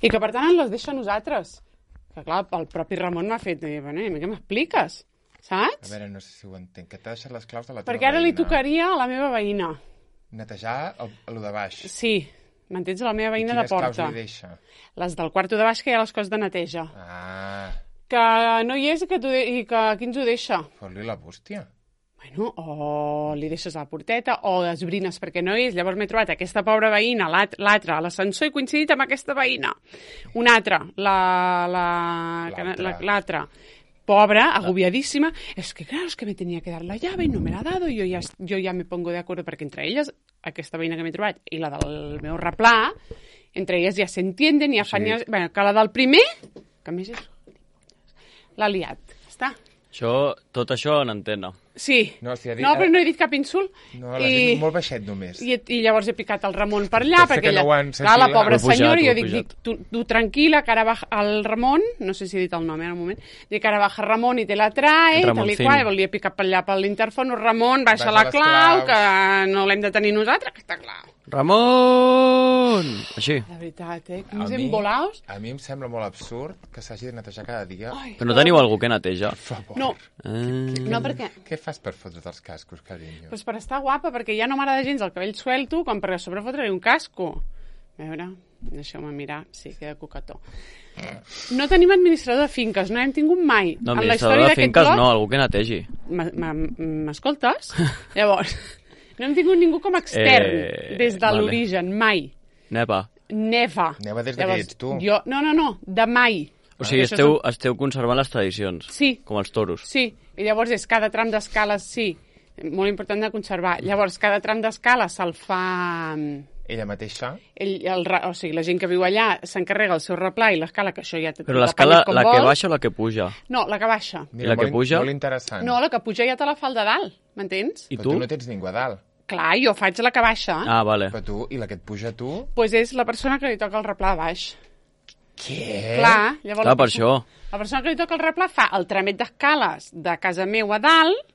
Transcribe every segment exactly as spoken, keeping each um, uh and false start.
I que, per tant, ens les deixa a nosaltres. Que, clar, el propi Ramon m'ha fet... Bueno, què m'expliques? Saps? A veure, no sé si ho entenc. Que t'ha deixat les claus de la teva Perquè ara veïna. li tocaria a la meva veïna. Netejar el, el de baix. Sí, m'entens? La meva veïna de porta. I quines claus li deixa? Les del quarto de baix, que hi ha les coses de neteja. Ah. Que no hi és i que, de... i que qui ens ho deixa? Fot-li la bústia. Bueno, o li deixes a la porteta o esbrines perquè no és. Llavors m'he trobat aquesta pobra veïna, l'altra, a l'ascensor, he coincidit amb aquesta veïna. Una altra, l'altra. Pobra, agobiadíssima. Es que claro, es que me tenía que dar la llave y no me la ha dado. Yo ya, yo ya me pongo de acuerdo perquè entre elles, aquesta veïna que m'he trobat i la del meu replà, entre elles ja s'entienden i ja fan... Sí. Bueno, que la del primer, que a més és... l'ha liat. Està. Això, tot això en antena. Sí. No, si dit... no, però no he dit cap insult. No, l'has I... dit molt baixet només. I, I llavors he picat el Ramon per allà, Pot perquè no ella... clar, la pobra senyora, jo dic, dic tu, tu tranquil·la, que ara baja el Ramon, no sé si he dit el nom, eh, en un moment, dic que ara baja Ramon i te la trae, tal i qual, volia picar per allà per l'interfon, Ramon, baixa la clau, que no l'hem de tenir nosaltres, que està clar. Ramon! Així. De veritat, eh? Que ens hem volaus. A mi em sembla molt absurd que s'hagi de netejar cada dia. Ai, però no teniu algú que neteja? Per favor. No. Ah. No, perquè... Què fas per fotre't els cascos, carinyo? Pues per estar guapa, perquè ja no m'agrada gens el cabell suelto, com per a sobre fotre-li un casco. A veure, deixeu-me mirar. Sí, queda coquetó. No tenim administrador de finques, no hem tingut mai. No, administrador de finques no, algú que netegi. M'escoltes? Llavors... No hem tingut ningú com a extern eh, des de vale. L'origen, mai. Neva. Neva. Neva des de que ets tu. Jo, no, no, no, de mai. O sigui, esteu, són... esteu conservant les tradicions. Sí. Com els toros. Sí, i llavors és cada tram d'escales, sí, molt important de conservar. Llavors, cada tram d'escala se'l fa... Ella mateixa? Ell, el, o sigui, la gent que viu allà s'encarrega el seu replà i l'escala, que això ja... Però l'escala, la que baixa o la que puja? No, la que baixa. Mira, I la que puja? Molt interessant. No, la que puja ja te la fa el de dalt, m'entens? I Però tu? tu no tens ningú a dalt. Clar, jo faig la que baixa. Ah, vale. Però tu, i la que et puja a tu? Doncs pues és la persona que li toca el replà a baix. Què? Clar, llavors... Clar, per això. La persona que li toca el replà fa el tramet d'escales de casa meu a dalt,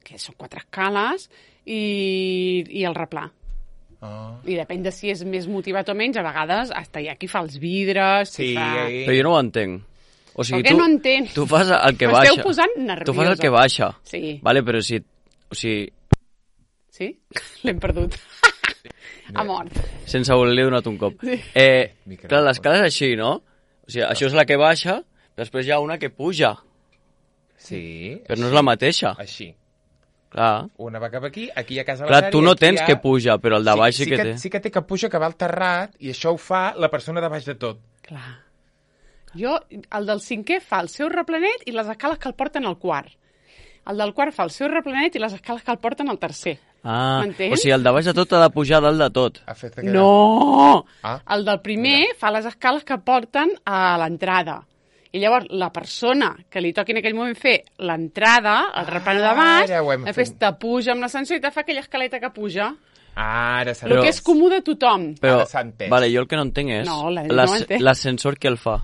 que són quatre escales, i, i el replà. Oh. I depèn de si és més motivat o menys, a vegades hasta hi ha qui fa els vidres... Sí, fa... Però jo no ho entenc. O sigui, per què tu, no entens? tu fas el que baixa. M'esteu posant nerviosa. Tu fas el que baixa. Sí. Vale, però si... O sigui... Sí? L'hem perdut. Ha mort. Sense voler-li donat un cop. Sí. Eh, clar, l'escala és així, no? O sigui, això és la que baixa, després hi ha una que puja. Sí. Però no és la mateixa. Així. Clar. Una va cap aquí, aquí a casa Clar, la tu no tens ha... que puja, però el de baix sí, sí, sí que té. Sí que té que puja, que va al terrat, i això ho fa la persona de baix de tot. Clar. Jo, el del cinquè fa el seu replanet i les escales que el porten al quart. El del quart fa el seu replanet i les escales que el porten al tercer. Ah, o sigui, el de baix de tot ha de pujar dalt de tot. No! Ah, el del primer mira. Fa les escales que porten a l'entrada. I llavors la persona que li toqui en aquell moment fer l'entrada, el ah, replano de baix, després te puja amb l'ascensor i te fa aquella escaleta que puja. Ara s'ha El que és comú de tothom. Però, vale, jo el que no entenc és no, l'ascensor que el fa.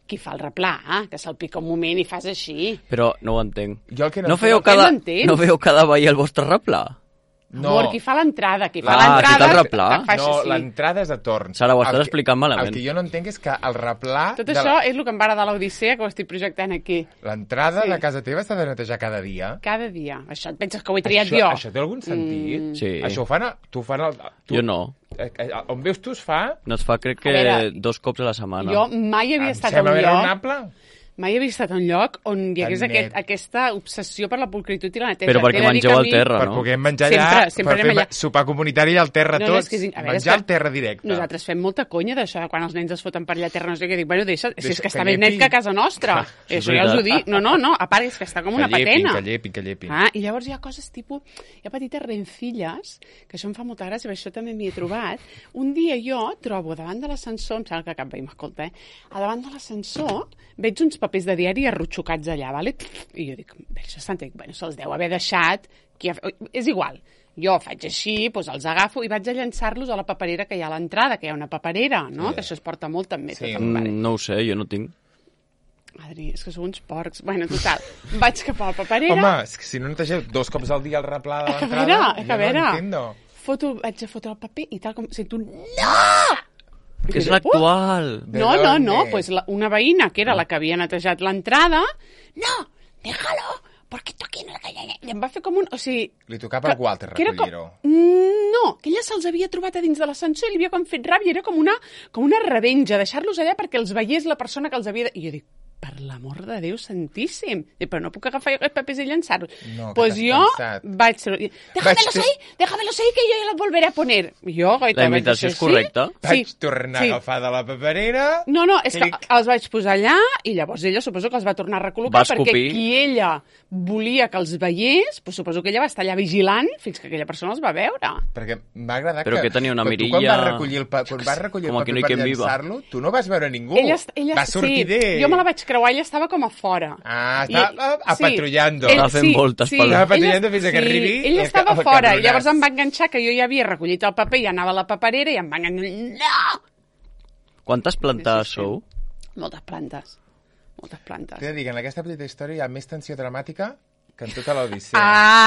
Qui fa el replà, eh? Que se'l pica un moment i fas així. Però no ho entenc. Jo el que no, no, feu cada, no feu cada veí el vostre replà? No. Amor, qui fa l'entrada, qui fa ah, l'entrada... el replà? No, l'entrada és a torn. Sara, ho estàs explicant malament. El que jo no entenc és que el replà... Tot això la... és el que em va agradar a l'Odissea, que ho estic projectant aquí. L'entrada sí. de casa teva s'ha de netejar cada dia? Cada dia. Això et penses que ho he triat això, jo? Això té algun sentit? Mm. Sí. Això ho fan... A, tu fan el, tu, jo no. On veus tu es fa... No es fa, crec que veure, dos cops a la setmana. Jo mai havia em estat a un lloc... raonable? Mai havia estat a un lloc on hi hagués aquest, aquesta obsessió per la pulcritud i la neteja. Però perquè mengeu al terra, no? Per poder menjar allà, sempre, sempre per fer allà. sopar comunitari al terra no, tots, no, és que, menjar al terra directe. Nosaltres fem molta conya d'això, quan els nens es foten per allà a terra, no sé què, dic, bueno, deixa, si és que està més net que a casa nostra. Ah, això ja us ho dic. No, no, no, a part és que està com una que llepin, patena. Que llepin, que llepin. Ah, i llavors hi ha coses tipus, hi ha petites rencilles, que això em fa molta gràcia, això també m'hi he trobat. Un dia jo trobo davant de l'ascensor, em sembla que cap veí m'escolta, eh? A davant de l'ascensor veig uns papers de diari arrotxocats allà, vale? I jo dic, això s'han dit, bueno, se'ls deu haver deixat, qui ha... és igual. Jo faig així, doncs els agafo i vaig a llançar-los a la paperera que hi ha a l'entrada, que hi ha una paperera, no? Sí. Que això es porta molt també. Sí. Mm, no ho sé, jo no tinc. Adri, és que sou uns porcs. Bueno, total, vaig cap a la paperera... Home, és que si no netegeu dos cops al dia el replà de l'entrada, a veure, jo a veure. no entiendo. Foto, vaig a fotre el paper i tal com sento un... No! Que és l'actual. No, no, no, pues la, una veïna que era la que havia netejat l'entrada, no, déjalo, porque tú aquí no la calles. I em va fer com un... O sigui... Li tocava al Walter recollir-ho. No, que ella se'ls havia trobat a dins de l'ascensor i li havia com fet ràbia, era com una, com una revenja, deixar-los allà perquè els veiés la persona que els havia... De... I jo dic, per l'amor de Déu santíssim, I, però no puc agafar aquests papers i llançar-los. No, pues jo pensat. vaig... Déjamelos ahí, déjamelos ahí, que jo ja los volveré a poner. I jo, goita, La imitació és correcta? Sí? Vaig tornar sí. a agafar de la paperera... No, no, és clic. que els vaig posar allà i llavors ella suposo que els va tornar a recol·locar Va escopir. perquè qui ella volia que els veiés, pues suposo que ella va estar allà vigilant fins que aquella persona els va veure. Perquè m'ha agradat Però que... que tenia una quan mirilla... Tu quan vas recollir el, pa... quan vas recollir el Com aquí paper no hi per quien viva. llançar-lo, tu no vas veure ningú. Ella, ella, va sortir sí, d'ell. Jo me la vaig creuar, ella estava com a fora. Ah, estava I- apatrullando. ell- Estava fent voltes pel- Estava patrullando ella- fins que arribi Ella el estava ca- el fora, i cabronàs. llavors em va enganxar que jo ja havia recollit el paper i anava a la paperera i em va enganxar... No! Quantes plantes Sí, sí, sí. sou? Moltes plantes. Moltes plantes. T'he de dir que en aquesta petita història hi ha més tensió dramàtica que en tota l'Odissea.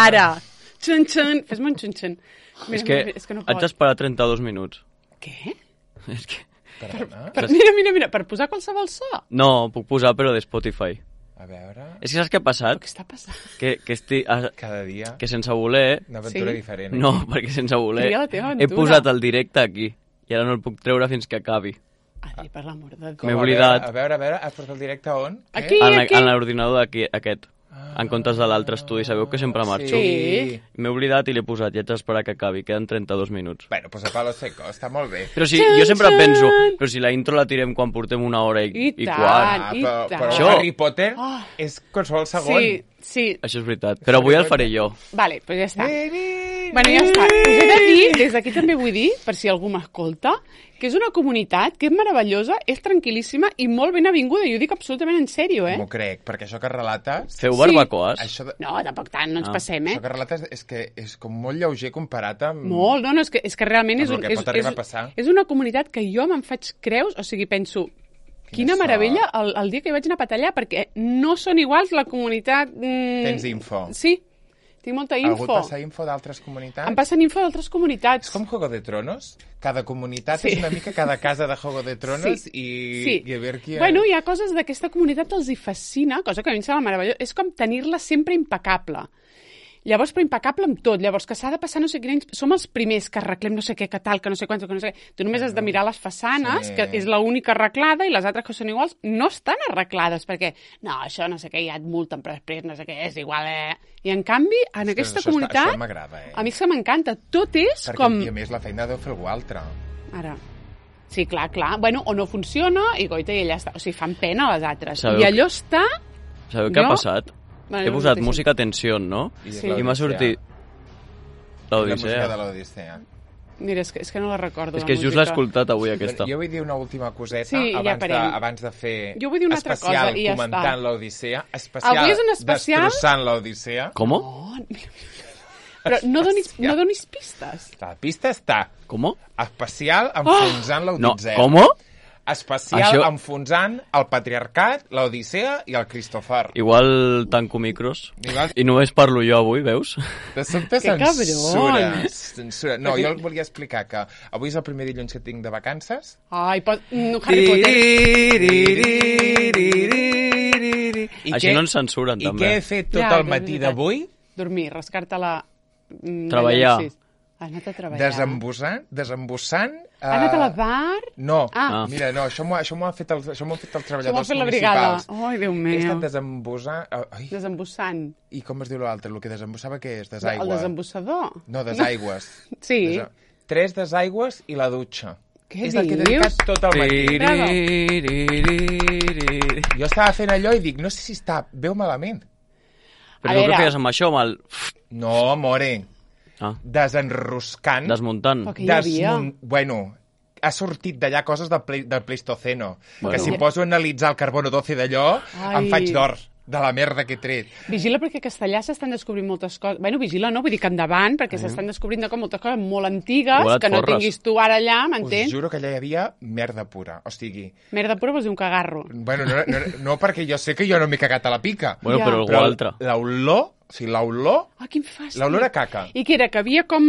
Ara! Xun, xun. Fes-me un xun, xun. Mira, És que mira, és que no haig pot. d'esperar trenta-dos minuts. Què? És que... Perdona? Per, mira, mira, mira, per posar qualsevol so. No, puc posar, però de Spotify. A veure... És que saps què ha Però passat? què està passant? Que, que, estic, ah, Cada dia que sense voler... una aventura Sí. diferent. No, perquè sense voler Tria la teva he aventura. posat el directe aquí. I ara no el puc treure fins que acabi. Ai, per l'amor de Déu. Com, M'he a oblidat. veure, A veure, a veure, has posat el directe on? Què? Aquí. En, aquí. en l'ordinador d'aquí, aquest. En comptes de l'altre estudi. Sabeu que sempre marxo? Sí. M'he oblidat i l'he posat. I haig d'esperar que acabi. Queden trenta-dos minuts. Bueno, pues a palo seco, està molt bé. Però si, Txan, jo sempre txan. penso, però si la intro la tirem quan portem una hora i, I i tant. quart. Ah, i però, tant. però Això- Harry Potter Oh. és qualsevol segon. Sí, sí. Això és veritat. Però avui el faré jo. Vale, doncs pues ja està. Bueno, ja està. Us he de dir, des d'aquí també vull dir, per si algú m'escolta, que és una comunitat que és meravellosa, és tranquil·líssima i molt ben avinguda. I ho dic absolutament en sèrio, eh? M'ho crec, perquè això que relates... Feu Sí. barbacoes? Això, de, No, tampoc tant, no ens Ah. passem, eh? això que relates és que és com molt lleuger comparat amb... Molt, no, no, és que, és que realment Amb és, el un, que és, pot arribar és, a passar. és una comunitat que jo me'n faig creus, o sigui, penso, quina sort. meravella el, el dia que hi vaig anar a patallar, perquè no són iguals la comunitat... Mm, Tens info. Sí, tinc molta Algú et info. passa info d'altres comunitats? Em passen info d'altres comunitats. És com Juego de Tronos? Cada comunitat Sí. és una mica cada casa de Juego de Tronos Sí. i, Sí. i a veure qui... Bueno, hi ha coses d'aquesta comunitat que els hi fascina, cosa que a mi em sembla meravellós. És com tenir-la sempre impecable. Llavors, però impecable amb tot. Llavors, que s'ha de passar no sé quin any... Som els primers que arreglem no sé què, que tal, que no sé quants, que no sé què. Tu només has de mirar les façanes, Sí. que és l'única arreglada, i les altres que són iguals no estan arreglades, perquè no, això no sé què, ja et multen, però després no sé què, és igual, eh? I en canvi, en És que aquesta això està- comunitat, això m'agrada, eh? a mi és que m'encanta. Tot és Perquè, com... i a més, la feina deu fer algú altre. Ara. Sí, clar, clar. Bueno, o no funciona, i goita, i ella està... O sigui, fan pena a les altres. Sabeu I que- allò està... Sabeu què ha Jo- passat? Bueno, He no posat mateix. música tensió, no? I és Sí. l'Odissea. I m'ha sortit... La música de L'Odissea. l'Odissea. Mira, és que, és que no la recordo, És la que just l'he música. escoltat avui, aquesta. Jo vull dir una última coseta Sí, ja abans, de, parem. abans de fer Jo vull dir una altra especial cosa i ja comentant està. l'Odissea, especial Avui és un especial- destrossant l'Odissea. Com? Oh, mira. Però no donis, no donis pistes. La pista està Com? especial enfonsant No, l'Odissea. com? Especial Això- enfonsant el patriarcat, l'Odissea i el Cristofar. Igual tanco micros. Igual- I només parlo jo avui, veus? De sobte Que censura. cabrons. censura. No, jo volia explicar que avui és el primer dilluns que tinc de vacances. Ai, pot... no, Harry Potter. I Així què- no ens censuren, I també. què he fet tot Ja, el és matí veritat. d'avui? Dormir, rascar-te la... mm, Treballar. llencis. Ha anat a treballar. Desembussant, desembussant... Ha anat a la eh, bar? No, Ah. mira, no, això m'ho això m'ho han fet els, això m'ho han fet els Això m'ha treballadors fet la brigada. municipals. Ai, Déu He meu. estat desembussant... Ai, Desembussant. i com es diu l'altre? El que desembussava què és? El Desaigua. desembussador. No, desaigües. Sí. Desa... Tres desaigües i la dutxa. Què és el que he dius? dedicat tot el matí. Bravo. Jo estava fent allò i dic, no sé si està bé o malament. Però A tu què veure. feies amb això, amb el... No, more. Ah, Desenroscant. desmuntant. Però que hi havia. Bueno, ha sortit d'allà coses del, ple... del Pleistoceno. Bueno. Que si poso a analitzar el carbono doce d'allò, Ai. em faig d'or de la merda que he tret. Vigila perquè a Castellà s'estan descobrint moltes coses. Bueno, vigila no, vull dir que endavant, perquè s'estan descobrint com moltes coses molt antigues Igual et que no forres. tinguis tu ara allà, Us m'entens? juro que allà hi havia merda pura. O sigui, Merda pura vols dir un cagarro. bueno, no, no, no perquè jo sé que jo no m'he cagat a la pica. Bueno, Ja. però algú Però altre. l'olor, o O sigui, l'olor... Ah, quin fàstic. L'olor a caca. I què era? Que havia com...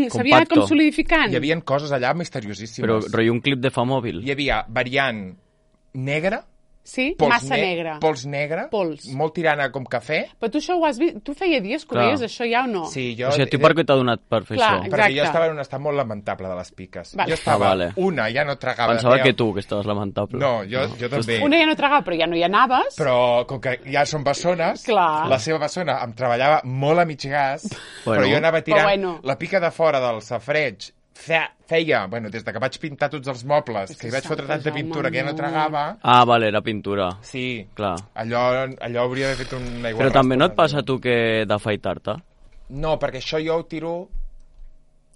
s'havia anat com solidificant? Hi havia coses allà misteriosíssimes. Però, rotllo, un clip de fa mòbil. Hi havia variant negra, sí? Pols Massa ne negra. Pols negra, Pols. molt tirant a com cafè. Però tu això ho has vist? Tu feia dies que ho veies, això ja o no? Sí, jo... O sigui, tu per què t'ha donat per fer Clar, això? exacte. Perquè jo estava en un estat molt lamentable de les piques. Vale. Jo estava, Ah, vale. una, ja no tragava... Pensava feia- que tu, que estaves lamentable. No, jo, jo també. Una ja no tragava, però ja no hi anaves. Però com que ja són bessones, Clar. la seva bessona em treballava molt a mig gas, Bueno. però jo anava tirant Però bueno. la pica de fora del safreig. Feia, feia, bueno, des de que vaig pintar tots els mobles, que hi vaig fotre tanta pintura que ja no tragava... Ah, vale, era pintura. Sí, Clar. allò, allò hauria d'haver fet un aigua. Però també no et passa a tu que d'afaitar-te? No, perquè això jo ho tiro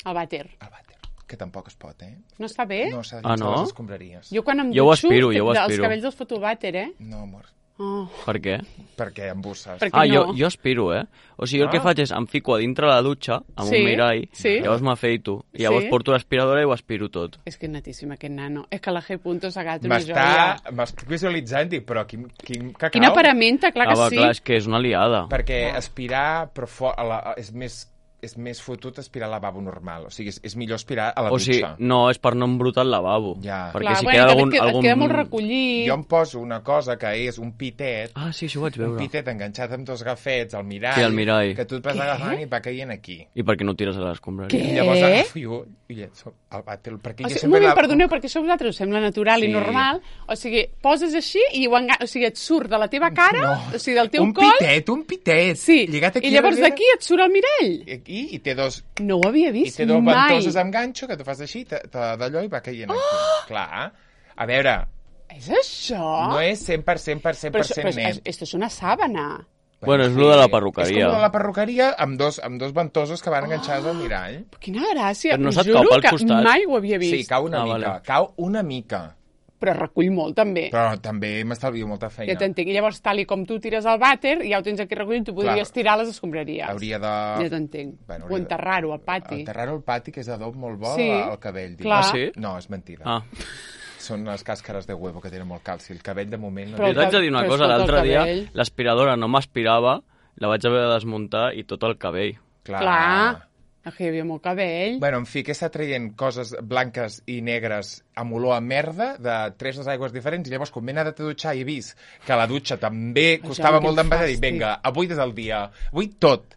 El vàter. al vàter, que tampoc es pot, eh? No està bé? No, s'ha de Ah, llençar no? les escombraries. Jo quan em Jo ho dutxo, aspiro, jo ho els aspiro. cabells els foto al vàter, eh? No, amor, Oh. Per què? perquè embusses. Perquè Ah, no. jo, jo aspiro, eh? O sigui, jo el que Ah. faig és em fico a dintre la dutxa, amb Sí, un mirall, sí. llavors m'afeito, i llavors Sí. porto l'aspiradora i ho aspiro tot. És que és netíssim, aquest nano. És que la G. Punto s'ha agat una joia. M'està... M'estic visualitzant, dic, però quin, quin cacau. Quina paramenta, clar que ah, va, sí. clar, és que és una liada. Perquè aspirar però fo- a la, és més és més fotut aspirar al lavabo normal. O sigui, és, és millor aspirar a la O sigui, dutxa. no, és per no embrutar el lavabo. Ja. Perquè Clar, si bueno, queda també algun... et, queda, algun... et queda molt recollit. Jo em poso una cosa que és un pitet, Ah, sí, això ho vaig un veure. pitet enganxat amb dos gafets al mirall, Sí, al mirall. que tu et vas Què? agafant i va caient aquí. I per què no tires a l'escombraria? Què? I llavors agafo jo i llenço al vàter. Perquè O jo sigui, un sempre moment, la- perdoneu, perquè això a vosaltres us sembla natural Sí. i normal. O sigui, poses així i ho enga... o sigui, et surt de la teva cara, No. o sigui, del teu un coll... pitet, un pitet. Sí, Lligat aquí i llavors darrere. d'aquí et surt el mirall. I aquí, i té dos, No ho havia i vist té dos mai. ventoses amb ganxo que tu fas així, te- te- d'allò i va caient aquí. Oh! Clar. A veure, És això? no és cent per cent per cent però, per això, cent però és, net. esto és una sàbana. Bueno, és lo de la perruqueria. És com lo de la perruqueria amb dos, amb dos ventosos que van enganxades al mirall. Quina gràcia. Però no Us se't juro cau pel que costat? mai ho havia vist. Sí, cau una Ah, mica, vale. cau una mica. Però recull molt, també. Però també m'estalvio molta feina. Ja t'entenc. I llavors, tal i com tu tires al vàter, ja ho tens aquí recollit, tu podries Clar. tirar a les escombraries. Hauria de... Ja t'entenc. Bueno, O hauria de- enterrar-ho al pati. Enterrar-ho al pati, que és adob molt bo Sí, al cabell. dic. clar. Ah, sí? No, és mentida. Ah. Són les càscares de huevo que tenen molt calci. El cabell, de moment... No Però Jo té- el t'haig de dir una però cosa, escolta, el l'altre dia cabell. l'aspiradora no m'aspirava, la vaig haver de desmuntar i tot el cabell. Clar. Clar. És que hi havia molt cabell. Bueno, en fi, que està traient coses blanques i negres amb olor a merda de tres aigües diferents i llavors quan m'he anat a dutxar i he vist que la dutxa també costava quin molt d'embadar i fàstic. vinga, avui és el dia, avui tot.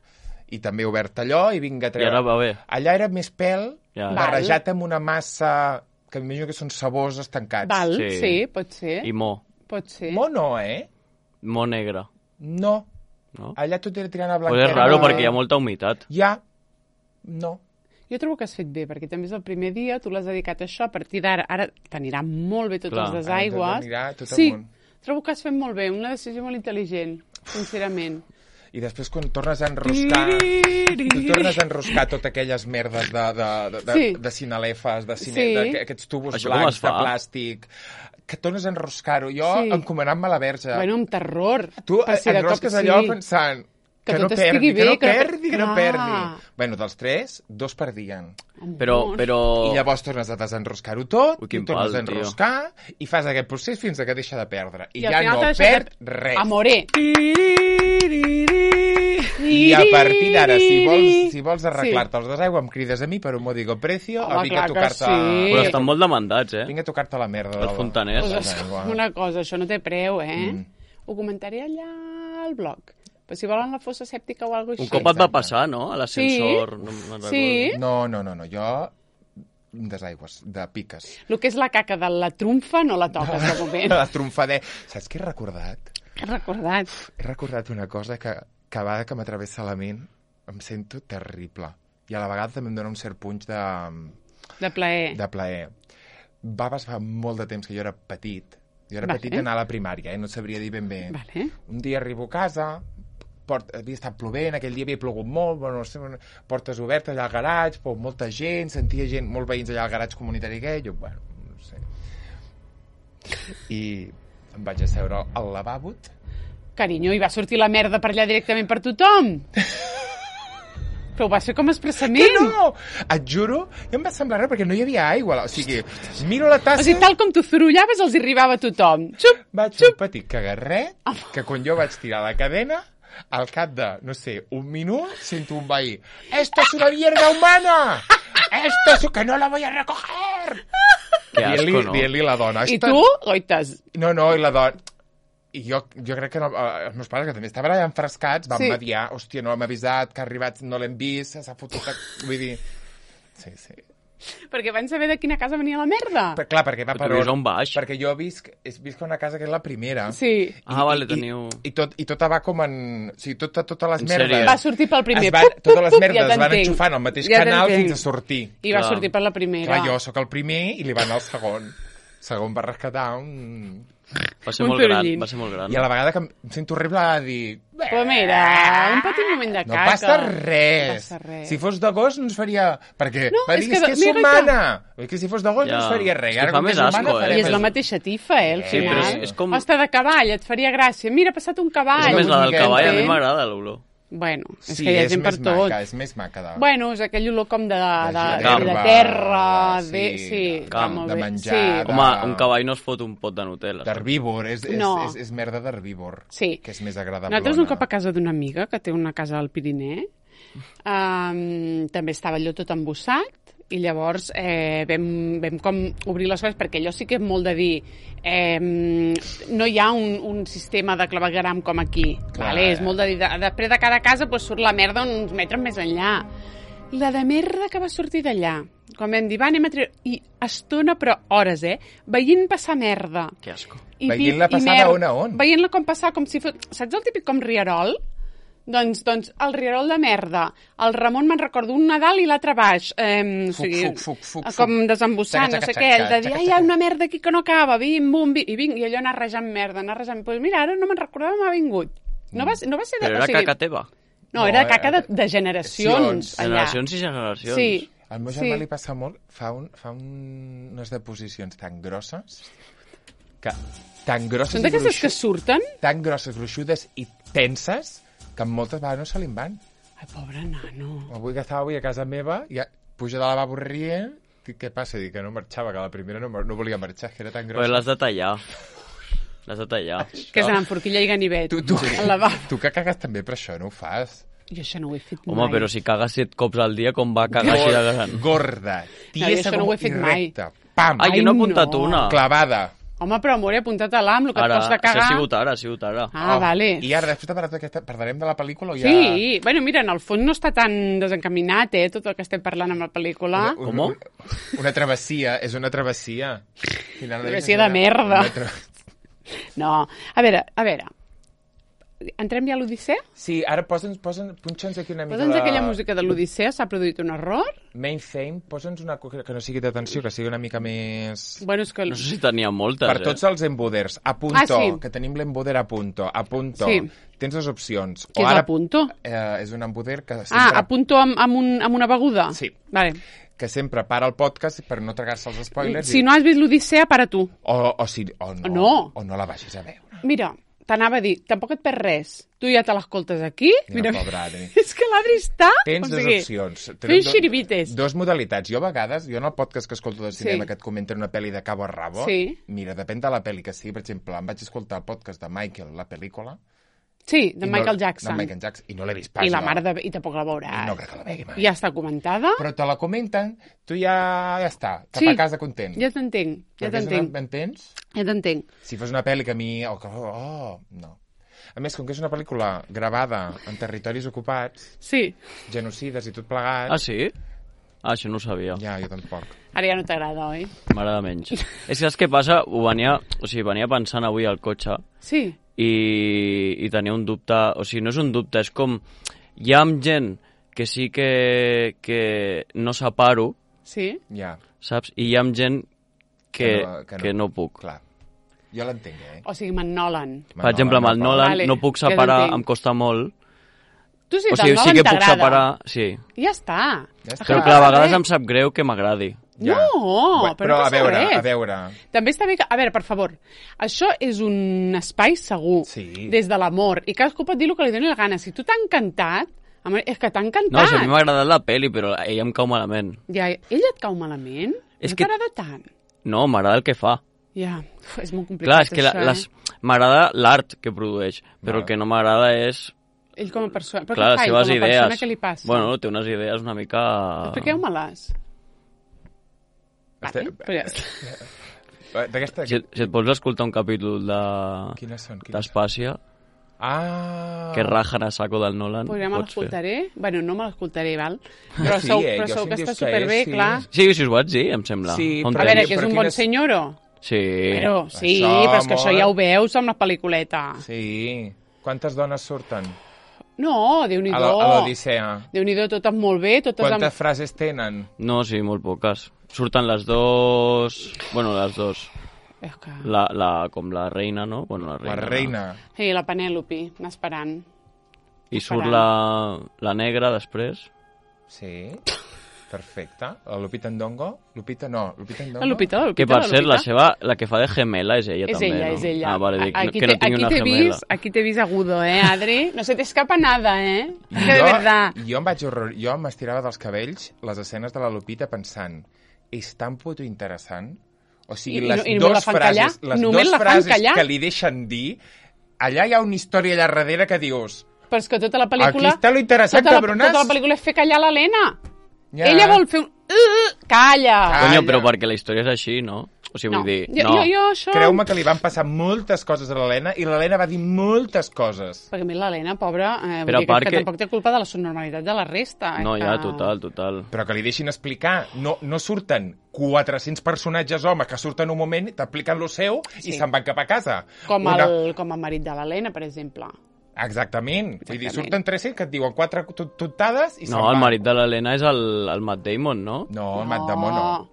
I també he obert allò i vinga a treure. I ara va bé. Allà era més pèl, Ja. barrejat amb una massa que m'imagino que són sabors estancats. Val, sí. Sí. sí, pot ser. I mo. Pot ser. Mono, eh? Mo negre. No. No? Allà tot era tirant a Pues blanquera. és raro perquè hi ha molta humitat. Ja. No. Jo trobo que has fet bé, perquè també és el primer dia, tu l'has dedicat a això, a partir d'ara, ara t'anirà molt bé tots Clar. els Ara desaigües. tot anirà tot sí, amunt. trobo que has fet molt bé, una decisió molt intel·ligent, sincerament. I després quan tornes a enroscar... Tu tornes a enroscar totes aquelles merdes de, de, de, de, Sí. de cinalefes, de cine, Sí. de, aquests tubos Això com blancs es de fa? plàstic, que tornes a enroscar-ho. Jo, Sí. encomanant-me la verge. Bueno, amb terror. tu per si de cop- enrosques allò sí. pensant Que que, no tot perdi, estigui que no bé, que no per- perdi, que no Clar. perdi. Bueno, dels tres, dos perdien. Però, Amor. però... I llavors tornes a desenroscar-ho tot, Ui, i quin tornes pal, a enroscar, i fas aquest procés fins a que deixa de perdre. I, al ja final no t'ha deixat perd de- res. Amore. I a partir d'ara, si vols, si vols Sí. arreglar-te els desaigües, em crides a mi per un modico precio, Home, a vinga a clar que tocar-te... sí. Però estan molt demandats, eh? Vinga a tocar-te la merda. Els del- fontaners. del Pues, desaigua. una cosa, això no té preu, eh? Mm. Ho comentaré allà al blog. Però si volen la fossa sèptica o alguna cosa Un així. cop et va Exacte. passar, no? A l'ascensor. No, me'n Sí. recordo. No, no, no, no, jo... Desaigües, de piques. El que és la caca de la trumfa no la toques de moment. La tromfadera. Saps què he recordat? He recordat. He recordat una cosa que cada vegada que m'atravessa la ment em sento terrible. I a la vegada també em dona un cert punx de, De plaer. de plaer. Va passar molt de temps que jo era petit. Jo era Vale. petit d'anar a la primària, eh? No sabria dir ben bé. Vale. Un dia arribo a casa, port... havia estat plovent, aquell dia havia plogut molt, bueno, no sé, portes obertes allà al garatge, però molta gent, sentia gent, molts veïns allà al garatge comunitari gay, jo, bueno, no sé. I em vaig asseure al lavabo. Carinyo, i va sortir la merda per allà directament per tothom. Però ho vas fer com expressament. Que no! Et juro, ja em va semblar res, perquè no hi havia aigua. O sigui, miro la tassa... O sigui, tal com tu zorullaves, els hi arribava a tothom. Xup! Vaig fer un petit cagarret, que quan jo vaig tirar la cadena, al cap de, no sé, un minut, sento un veí. Esto es una mierda humana! Esto es... que no la voy a recoger! Que asco, Dient-li no? dient-li a la dona. I Esta... tu, oites, No, no, i la dona... I jo, jo crec que no, eh, els meus pares, que també estaven allà enfrescats, van Sí. mediar, hòstia, no l'hem avisat, que ha arribat, no l'hem vist, s'ha fotut... Vull dir... Sí, sí. perquè van saber de quina casa venia la merda. Per, clar, perquè va Però per tu vius on? on baix. Perquè jo visc, és, visc a una casa que és la primera. Sí. Ah, vale, I, teniu... I, tot, i tota va com en... O sigui, tota, totes les En merdes... sèrie. Va sortir pel primer. Es van, Pup, pup, totes les pup, merdes ja es van t'entenc. enxufant al mateix Ja canal t'entenc. fins a sortir. I va Clar. sortir per la primera. Clar, jo sóc el primer i li va anar el segon. El segon va rescatar un... Va ser Un molt gran, sorollín. va ser molt gran. I a la vegada que em sento horrible a dir... Però mira, un petit moment de No caca. passa res. No passa res. Si fos de gos no ens faria... Perquè No, va és dir, que és que és mira humana. És que si fos de gos Ja. no ens faria res. És que Ara, fa com més és humana, asco, eh? farem I és la això. mateixa tifa, eh, al Sí, final. però és- és com- Hosta de cavall, et faria gràcia. Mira, ha passat un cavall. És més, la del miqueta, cavall, a mi eh? m'agrada l'olor. Bueno, és Sí, que hi ha és gent per més tot. maca, és més maca. De... Bueno, és aquell olor com de, de, de, gerba, de terra, sí, de, sí, camp, està molt de bé. menjar, Sí. de- Home, un cavall no es fot un pot de Nutella. D'herbívor, és, és, No. és, és merda d'herbívor. Sí. Que és més agradable. Nosaltres un cop a casa d'una amiga que té una casa al Pirineu, um, també estava allò tot embossat, i llavors eh, vam, vam com obrir les coses, perquè allò sí que és molt de dir eh, no hi ha un, un sistema de clavegueram com aquí. Clar. Vale? És molt de dir, de, després de cada casa pues, surt la merda uns metres més enllà. La de merda que va sortir d'allà, quan vam dir, va, anem a treure... I estona, però hores, eh? Veient passar merda. Que asco. I Veient-la pit i passar merda. d'on a on? Veient-la com passar, com si fos... Saps el típic com rierol? Doncs, doncs el rierol de merda. El Ramon me'n recordo, un Nadal i l'altre baix. Eh, o Fuc, sigui, fuc, fuc, fuc, com fuc. desembossant, Xaca, no sé xaca, què. El de xaca, dir, xaca, ai, hi ha xaca. una merda aquí que no acaba, bim, bum, bim, i vinc, i allò anar rejant merda, anar rejant... Doncs pues mira, ara no me'n recordava, m'ha vingut. No va, ser- no va ser... De, Però o era sigui, caca teva. No, No, era eh, caca de, de generacions. allà. Generacions i generacions. Sí. Al meu germà li passa molt, fa, un, fa un, unes deposicions tan grosses, que tan grosses Són i d'aquestes que gruixudes, surten? tan grosses, gruixudes i tenses, que moltes vegades no se li en van. Ai, pobre nano. Avui que estava avui a casa meva, ja puja de la lavabo rient, dic, què passa? Dic que no marxava, que la primera no, mar- no volia marxar, que era tan Però grossa. l'has de tallar. L'has de tallar. Que és anar amb forquilla i ganivet. Tu, tu, Al lavabo. tu que cagues també per això, no ho fas? Jo això no ho he fet Home, mai. però si cagues set cops al dia, com va cagar així de gran? Gorda, No, jo tiesa això no ho he com fet i mai. recta. Pam! Ai, Ai, jo no he apuntat no. una. Clavada. Home, però amor, he apuntat a l'am, el que Ara, et costa això ha cagar. sigut ara, ha sigut ara. Ah, Oh, vale. I ara, després de parlar d'aquesta, parlarem de la pel·lícula o ja... Sí, bueno, mira, en el fons no està tan desencaminat, eh, tot el que estem parlant amb la pel·lícula. Una, Com? una, una travessia, és una travessia. Final Travessia de merda. Una tra... No, a veure, a veure. Entrem ja a l'Odissea? Sí, ara posa'ns, posa'ns, punxa'ns aquí una mica Posa'ns la... aquella música de l'Odissea, s'ha produït un error? Main theme, posa'ns una cosa que no sigui d'atenció, que sigui una mica més... Bueno, és que... No sé si tenia moltes, Per eh? tots els emboders, a punto, Ah, sí. que tenim l'emboder a punto, a punto. Sí. Tens dues opcions. Què és a punto? Eh, és un emboder que sempre... Ah, a punto amb, amb, un, amb una beguda? Sí. Vale. que sempre para el podcast per no tragar-se els spoilers. Si i... no has vist l'Odissea, para tu. O, o, si, o, no, No. o no la vagis a veure. Mira, t'anava a dir, tampoc et perds res. Tu ja te l'escoltes aquí. Mira, pobre Adri. És que l'Adri està... Tens o dues sigui, opcions. fent xiribites. Dos modalitats. Jo a vegades, jo en el podcast que escolto de cinema Sí. que et comenten una pel·li de cabo a rabo, Sí. mira, depèn de la pel·li que sigui. Per exemple, em vaig escoltar el podcast de Michael, la pel·lícula. Sí, de i Michael no, Jackson. De Michael Jackson. I no l'he vist pas. I la jo. mare de... I tampoc la veuràs. No crec que la vegi mai. Ja està comentada? Però te la comenten, tu ja, ja està, cap Sí. a casa content. Ja t'entenc, ja Perquè és una- t'entenc. M'entens? Ja t'entenc. Si fos una pel·li que a mi... Oh, que- oh, no. A més, com que és una pel·lícula gravada en territoris ocupats, Sí. genocides i tot plegat... Ah, sí? Ah, això no ho sabia. Ja, jo tampoc. Ara ja no t'agrada, oi? M'agrada menys. És que saps què passa? Ho venia, o sigui, venia pensant avui al cotxe Sí. i, i tenia un dubte, o sigui, no és un dubte, és com, hi ha gent que sí que, que no separo, Sí? Ja, saps? I hi ha gent que, Que no- que no. que no puc. clar. Jo l'entenc, eh? O sigui, amb en Nolan. Per exemple, amb el Nolan Vale, no puc ja separar, t'entenc. em costa molt. Tu sí, O del sigui, sí Nolan que puc t'agrada. separar, sí. Ja està. Ja està. Però Ah, que a vegades res. em sap greu que m'agradi. Ja. No, Bé, però no a passa veure, res. a veure... També està bé que... A veure, per favor, això és un espai segur, Sí. des de l'amor, i cadascú pot dir el que li doni la gana. Si tu t'ha encantat, home, és que t'ha encantat. No, si a mi m'ha agradat la pel·li, però a ella em cau malament. Ja, ella et cau malament? És no que- t'agrada tant? No, m'agrada el que fa. Ja, uf, és molt complicat, Clar, és que la, això, les, eh? m'agrada l'art que produeix, però Vale. el que no m'agrada és Ell com a persona. Però Clar, què fa les ell com a seves persona? idees... Què li passa? Bueno, té unes idees una mica... Expliqueu-me-les. Vale, Este- però ja està. D'aquesta... Si, si et vols escoltar un capítol de... Quines són? Quines són? d'Espàcia, Ah! que rajen a saco del Nolan, Pues ja me pots fer. l'escoltaré. Bueno, no me l'escoltaré, val? Però Sí, sou, eh, però jo sou sí que em està dius que superbé, és, sí. clar. Sí, sí, si us vaig dir, em sembla. Sí, Fa un però- A veure, temps. que és però un bon quines- senyoro. Sí. Però sí, Això, però és que això amor. ja ho veus amb la pel·lículeta. Sí. Quantes dones surten? No, A la- Déu-n'hi-do. a l'Odissea. Déu-n'hi-do, totes molt bé, totes Quantes amb... frases tenen? No, sí, molt poques. Surten les dos... Bueno, les dos. És que... La, la, com la reina, no? Bueno, la reina. La reina. Sí, la Penèlope, anar esperant. I surt Esperant. la, la negra després. Sí. Perfecte. La Lupita Ndongo? Lupita no, Lupita Ndongo. La Lupita, la Lupita, Que per la cert, la Lupita. seva, la que fa de gemela és ella És també, ella, no? és ella. Ah, vale, dic, aquí que no te- tingui aquí una t'he gemela. vist, aquí t'he vist agudo, eh, Adri? No se t'escapa nada, eh? Que de Jo, verdad. jo em vaig horror... Jo m'estirava dels cabells les escenes de la Lupita pensant és tan puto interessant. O sigui, I- i les no- i només la dues fan frases, callar? les Només dues la fan frases callar? que li deixen dir, allà hi ha una història allà darrere que dius Però és que tota la pel·lícula... aquí està lo interessant, tota la, cabrones. tota la pel·lícula és fer callar l'Helena. Ja. Ella vol fer un... Uh, calla! Ah, Conyo, ja. però perquè la història és així, no? O sigui, no. vull dir, jo, no. jo, jo això... Creu-me que li van passar moltes coses a l'Helena i l'Helena va dir moltes coses. Perquè a mi l'Helena, pobra, eh, vull Però dir que, a part que, que- tampoc té culpa de la subnormalitat de la resta. Eh, No, que... ja, total, total. Però que li deixin explicar. No, no surten quatre-cents personatges homes que surten un moment, t'expliquen lo seu Sí. i se'n van cap a casa. Com, Una- el, com el marit de l'Helena, per exemple. Exactament. Vull dir, Exactament. surten tres-cents que et diuen quatre tot- totades i se'n No, van. el marit de l'Helena és el, el Matt Damon, no? No, el Matt Damon no.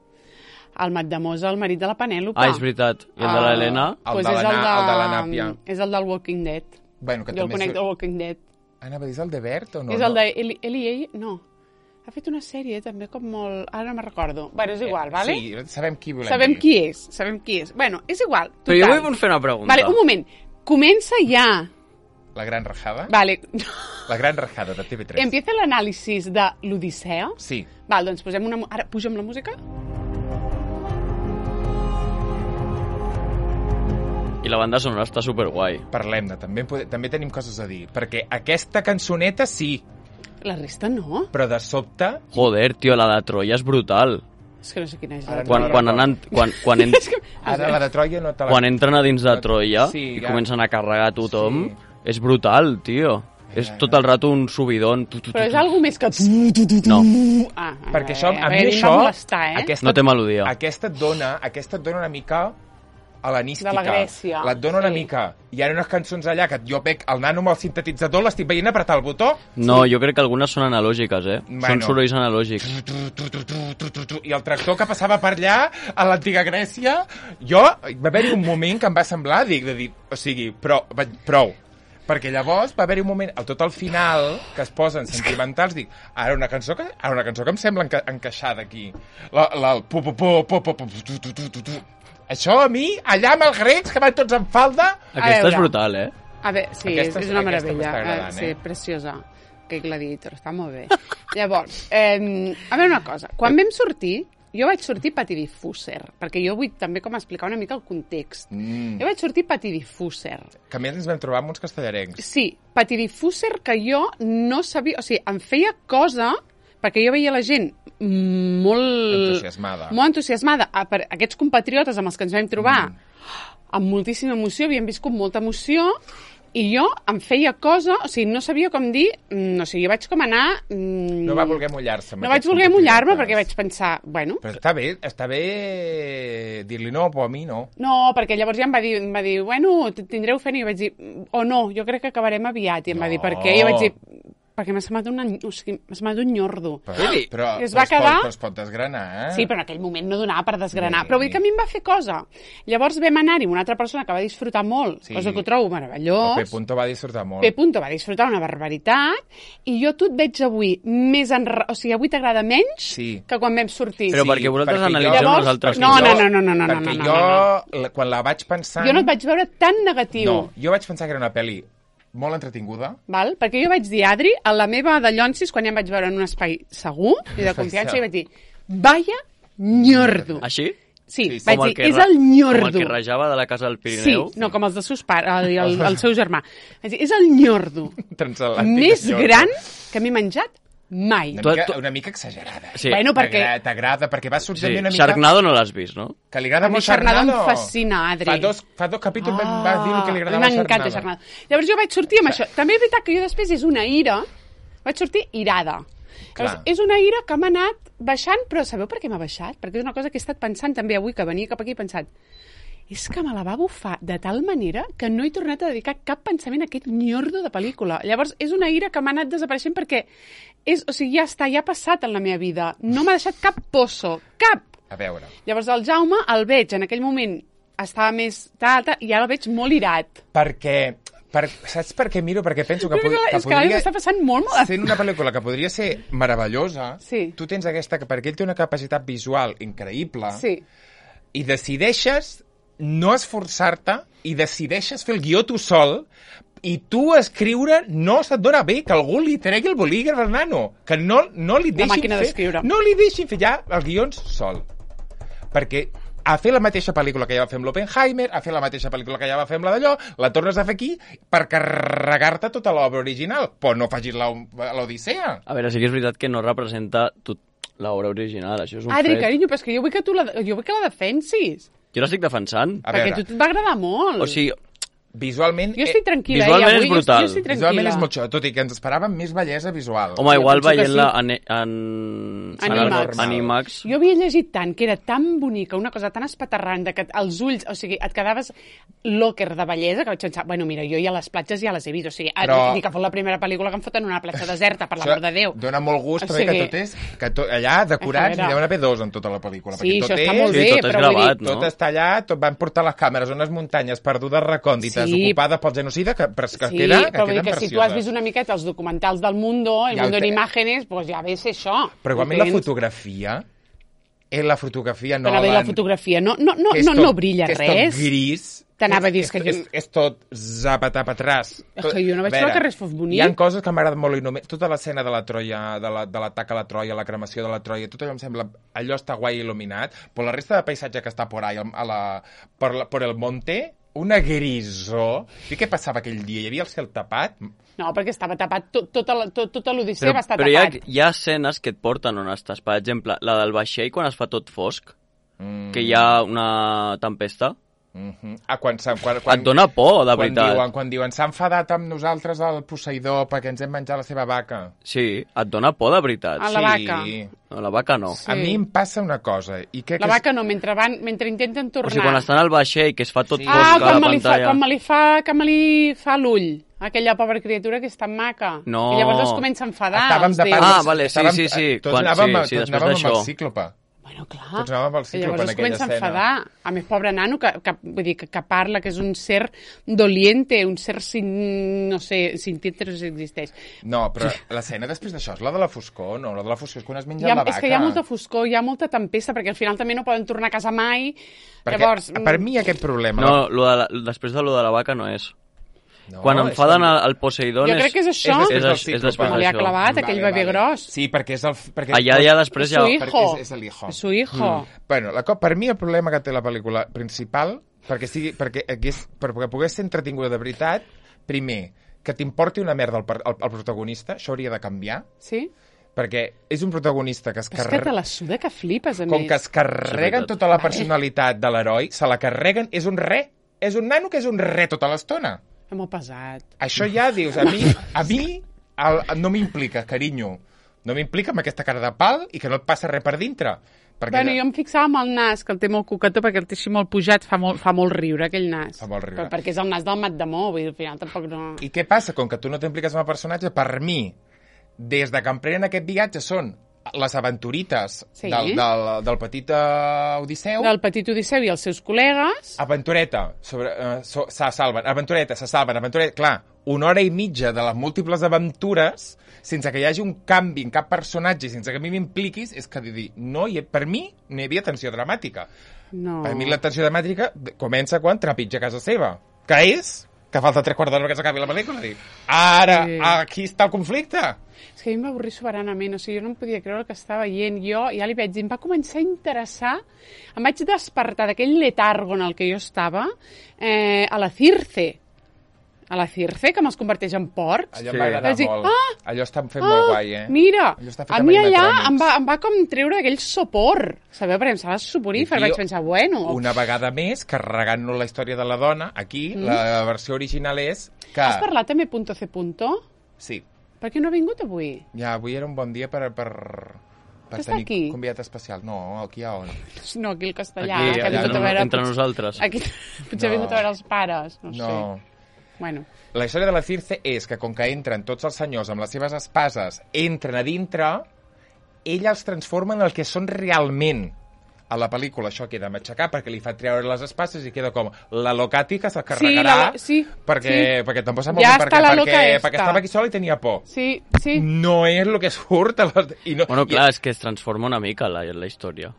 El Matt Damon és el marit de la Penèlope. Ah, és veritat. I el de Ah. l'Helena? El Pues de és la el, Na- de... el de la Nàpia. És el del Walking Dead. Bueno, que Jo el també conec és... del Walking Dead. Anava a dir, és el de Bert o no? és no? el de Eli, Eli Ell... No. Ha fet una sèrie també com molt... Ara no me'n recordo. Bueno, és igual, vale? Sí, sabem qui volem Sabem dir. qui és, sabem qui és. Bueno, és igual. Però jo total. vull fer una pregunta. Vale, un moment. Comença ja. La gran rajada? Vale. La gran rajada de T V tres. Empieza l'anàlisi de l'Odissea. Sí. Val, doncs posem una... mu- Ara pugem la música? I la banda sonora està superguai. Parlem-ne, també, pode- també tenim coses a dir. Perquè aquesta cançoneta sí, La resta no. però de sobte... Joder, tio, la de Troia és brutal. És que no sé quina és Ara la... no Quan, la quan, recordo. anan, quan, quan, en, Ara la de Troia no te la... quan entren a dins de Troia Sí, i ja. comencen a carregar tothom, Sí. és brutal, tio. És ja, tot el rato un subidon. Tu, tu, tu, Però és tu. algo més que... No, Ah, Perquè això, a mi veure, això... em va molestar, eh? aquesta, no té melodia. Aquesta et dona, aquesta et dona una mica hel·lenística. De la Grècia, La et dona una sí. mica. Hi ha unes cançons allà que jo veig el nano amb el sintetitzador, l'estic veient apretar el botó, No, jo crec que algunes són analògiques, eh? Bueno. Són sorolls analògics. tu, tu, tu, tu, tu, tu, tu, i el tractor que passava per allà, a l'antiga Grècia, jo, va haver-hi un moment que em va semblar, dic, de dir, o sigui, prou, vaig- prou. Perquè llavors va haver-hi un moment, al tot al final, que es posen sentimentals, dic, ara una cançó que, ara una cançó que em sembla enca encaixada aquí. La, la, el pu, pu, pu, pu, pu, pu, tu, tu, tu, tu, tu. Això a mi, allà amb els grecs, que van tots en falda... Aquesta veure. és brutal, eh? A veure, sí, Aquesta- és, és una aquesta meravella. m'està agradant, eh? Sí, eh? preciosa. Que gladiator, està molt bé. Llavors, eh, a veure una cosa. Quan vam sortir, jo vaig sortir patidifúser, perquè jo vull també com explicar una mica el context. Mm. Jo vaig sortir patidifúser. Que a més ens vam trobar amb uns castellarencs. Sí, patidifúser que jo no sabia... O sigui, em feia cosa, perquè jo veia la gent molt... Entusiasmada. Molt entusiasmada. A, per aquests compatriotes amb els que ens vam trobar mm. amb moltíssima emoció, havien viscut molta emoció, i jo em feia cosa, o sigui, no sabia com dir, mm, o sigui, jo vaig com anar... Mm, No va voler mullar-se. amb No vaig aquests voler mullar-me compatriotes. perquè vaig pensar, bueno... Però està bé, està bé dir-li no, però a mi no. No, perquè llavors ja em va dir, em va dir bueno, t- tindreu feina, i jo vaig dir, o oh, no, jo crec que acabarem aviat, i em va dir, per què? I jo vaig dir, perquè m'ha semblat, una, o sigui, m'ha semblat un nyordo. Però, però, Es però va es quedar- pot, però es pot desgranar, eh? Sí, però en aquell moment no donava per desgranar. Sí. Però vull dir que a mi em va fer cosa. Llavors vam anar-hi amb una altra persona que va disfrutar molt, Sí. cosa que ho trobo El meravellós. P. Punto va disfrutar molt. P. Punto va disfrutar una barbaritat, i jo tu et veig avui més enra... O sigui, avui t'agrada menys Sí. que quan vam sortir. Però perquè vosaltres perquè jo- analitzeu Llavors- les altres no, coses. no, no, no, no, perquè no, no, jo, no, la- quan la vaig pensar... Jo no et vaig veure tan negatiu. No, jo vaig pensar que era una pel·li molt entretinguda. Val? Perquè jo vaig dir, Adri, a la meva de Llonsis, quan ja em vaig veure en un espai segur i de confiança, i vaig dir, vaya nyordo. Així? Sí, Sí, sí. vaig Com el dir, que és ra- el Com ñordo. el que rajava de la casa del Sí, Pirineu. no, com els de seus pares, el, el, el seu germà. Vaig dir, és el ñordo Transatlàntic més de Jordi. gran que m'he menjat mai. Una Tu- mica, tu- una mica exagerada. Sí. Bueno, perquè... T'agrada, t'agrada, perquè va sortir Sí. una mica... Sharknado no l'has vist, no? Que li agrada A mi molt Sharknado em Sharknado. fascina, Adri. Fa dos, fa dos capítols ah, va dir el que li agradava M'encanta Sharknado. Sharknado. Llavors jo vaig sortir amb això. També és veritat que jo després és una ira, vaig sortir irada. Llavors, és una ira que m'ha anat baixant, però sabeu per què m'ha baixat? Perquè és una cosa que he estat pensant també avui, que venia cap aquí, he pensat, és que me la va bufar de tal manera que no he tornat a dedicar cap pensament a aquest ñordo de pel·lícula. Llavors, és una ira que m'ha anat desapareixent perquè és, o sigui, ja està, ja ha passat en la meva vida. No m'ha deixat cap poso, cap. A veure. Llavors, el Jaume el veig, en aquell moment estava més tal, tal, i ara el veig molt irat. Perquè... Per, saps per què miro? Perquè penso que, Però pod que és que ara podria... m'està passant molt mal. Sent una pel·lícula que podria ser meravellosa, Sí. tu tens aquesta... Perquè ell té una capacitat visual increïble Sí. i decideixes no esforçar-te i decideixes fer el guió tu sol i tu escriure no se't dona bé que algú li tregui el bolígraf al nano, que no, no li La deixin màquina fer... d'escriure. No li deixin fer ja els guions sol. Perquè a fer la mateixa pel·lícula que ja va fer amb l'Oppenheimer, a fer la mateixa pel·lícula que ja va fer amb la d'allò, la tornes a fer aquí per carregar-te tota l'obra original, però no facis l'Odissea. A veure, sí que és veritat que no representa tot l'obra original, això és un Adri, fet. carinyo, però és que jo vull que tu la, jo vull que la defensis. Jo l'estic defensant. A perquè veure, a tu et va agradar molt. O sigui, visualment... jo estic tranquil·la. visualment eh, avui, és brutal. Jo, jo estic tranquil·la. Visualment és molt xou, tot i que ens esperàvem més bellesa visual. home, jo igual penso que veient-la sí. en, en, Animax. en Animax. Jo havia llegit tant, que era tan bonica, una cosa tan espaterrant, que els ulls, o sigui, et quedaves locker de bellesa, que vaig pensar, bueno, mira, jo ja les platges ja les he vist, o sigui, Però- Però... ni que fos la primera pel·lícula que em foten en una platja deserta, per l'amor de Déu. Dóna molt gust, O també, sigui- que tot és... Que tot, allà, decorats, A veure. n'hi deuen haver dos en tota la pel·lícula. Sí, perquè tot això està és, molt Sí, bé, tot és però vull gravat, dir... no? Tot està allà, tot van portar les càmeres a unes muntanyes perdudes, recòndites, Sí. ocupades pel genocida, que, però és que Sí, queda, que però vull dir queden que si tu precioses. has vist una miqueta els documentals del Mundo, el Ja ho Mundo en té. Imágenes, pues ja ves això. Però igualment la Entens? fotografia, és la fotografia Però Nolan... bé, la fotografia no, no, no, que és no, tot- no brilla que és res. tot gris. T'anava a dir, és, és que és, jo- és, és tot zapatapatràs. És que jo no vaig A trobar veure, que res fos bonic. Hi ha coses que m'agraden molt i només... Tota l'escena de la Troia, de la- de l'atac a la Troia, la cremació de la Troia, tot allò em sembla... Allò està guai il·luminat, però la resta de paisatge que està por ahí, a la, per, la, per el monte, una grisó... I què passava aquell dia? Hi havia el cel tapat? No, perquè estava tapat, tot, tota la- tot, tota l'Odissea Però, va estar però hi ha, tapat. hi ha escenes que et porten on estàs. Per exemple, la del vaixell, quan es fa tot fosc, Mm. que hi ha una tempesta, Mm -hmm. ah, quan, s'ha- quan, quan, et dona por, de quan veritat. diuen, quan diuen s'ha enfadat amb nosaltres el Poseidó perquè ens hem menjat la seva vaca. Sí, et dona por, de veritat. A la vaca. No, la vaca no. Sí. A mi em passa una cosa. I crec La que és- vaca no, mentre, van, mentre intenten tornar. O sigui, quan estan al vaixell, que es fa tot Sí. fosc Ah, a la quan me, li fa, pantalla... quan me li fa, que me li fa l'ull. Aquella pobra criatura que és tan maca. No. I llavors es comença a enfadar. Estàvem els de déus. part... Ah, vale, sí, estàvem- sí, sí. Tots Quan- anàvem, sí, sí, tots després anàvem amb el d'això. cíclope. Bueno, clar. Tots anàvem al I cíclope llavors en es aquella comença a escena. enfadar. A més, pobre nano, que, que, vull dir, que, que parla, que és un ser doliente, un ser sin... no sé, sin títeres existeix. No, però l'escena després d'això és la de la foscor, no? La de la foscor és quan has menjat Hi ha, la vaca. és que hi ha molta foscor, hi ha molta tempesta, perquè al final també no poden tornar a casa mai. Perquè, Llavors, per mi aquest problema... No, lo de la, després de lo de la vaca no és. no, Quan és enfaden quan- al, al Poseidon jo crec que és això. És després és, del és, és cíclope. després Com li ha d'això. clavat aquell bebè gros. Sí, perquè és el... Perquè Allà ja després Su ja... hijo. perquè és, és el hijo. Su hijo. Mm. Bueno, la, co- per mi el problema que té la pel·lícula principal, perquè, sigui, perquè, hagués, perquè pogués ser entretinguda de veritat, primer, que t'importi una merda el, per- el, el protagonista, això hauria de canviar, Sí? perquè és un protagonista que es És que te carrega... la suda que flipes, a Com més. que es carreguen veritat. tota la personalitat de l'heroi, se la carreguen, és un re, és un nano que és un re tota l'estona. És molt pesat. Això ja dius, a mi, a mi el, no m'implica, carinyo. No m'implica amb aquesta cara de pal i que no et passa res per dintre. Perquè Bueno, jo em fixava amb el nas, que el té molt coquetó, perquè el té així molt pujat, fa molt, fa molt riure, aquell nas. Fa molt riure. Però perquè és el nas del Matt Damon, vull dir, al final tampoc no... I què passa? Com que tu no t'impliques amb el personatge, per mi, des de que emprenen aquest viatge són les aventurites Sí. del, del, del petit uh, Odisseu. Del petit Odisseu i els seus col·legues... Aventureta, sobre, uh, so, se salven, aventureta, se salven, aventureta, clar, una hora i mitja de les múltiples aventures sense que hi hagi un canvi en cap personatge, sense que a mi m'impliquis, és que dir, no hi, per mi no hi havia tensió dramàtica. No. Per mi la tensió dramàtica comença quan trepitja casa seva, que és que falta tres quarts d'hora que s'acabi la pel·lícula. Dic, ara, Sí. aquí està el conflicte. És que a mi em va avorrir soberanament, o sigui, jo no em podia creure el que estava veient. Jo ja li vaig dir, em va començar a interessar, em vaig despertar d'aquell letargo en el que jo estava, eh, a la Circe. A la Circe, que me'ls converteix en porcs. Allò em va agradar dir, molt. Ah, Allò està fent ah, molt guai, eh? Mira, a mi allà em va, em va com treure aquell sopor, sabeu? Perquè em semblava soporífer, vaig pensar, bueno... Una vegada més, carregant-nos la història de la dona, aquí, mm. la versió original és que... Has parlat també punto C punto? Sí. Per què no ha vingut avui? Ja, avui era un bon dia per... per... per Està tenir aquí? convidat especial. No, aquí a on? No, aquí al castellà. Aquí, que ha allà, vingut a no, veure, entre potser- nosaltres. Aquí, potser ha vingut a veure els pares, no, No. sé. Bueno, La història de la Circe és que, com que entren tots els senyors amb les seves espases, entren a dintre, ella els transforma en el que són realment. A la pel·lícula això queda matxacar perquè li fa treure les espases i queda com la Locati que se carregarà la lo- sí, perquè, sí. perquè tampoc sap Ja molt bé està perquè, la perquè, loca esta. perquè estava aquí sola i tenia por. sí, sí. No és el que surt a les... I no, Bueno, clar, i... és que es transforma una mica la, la història.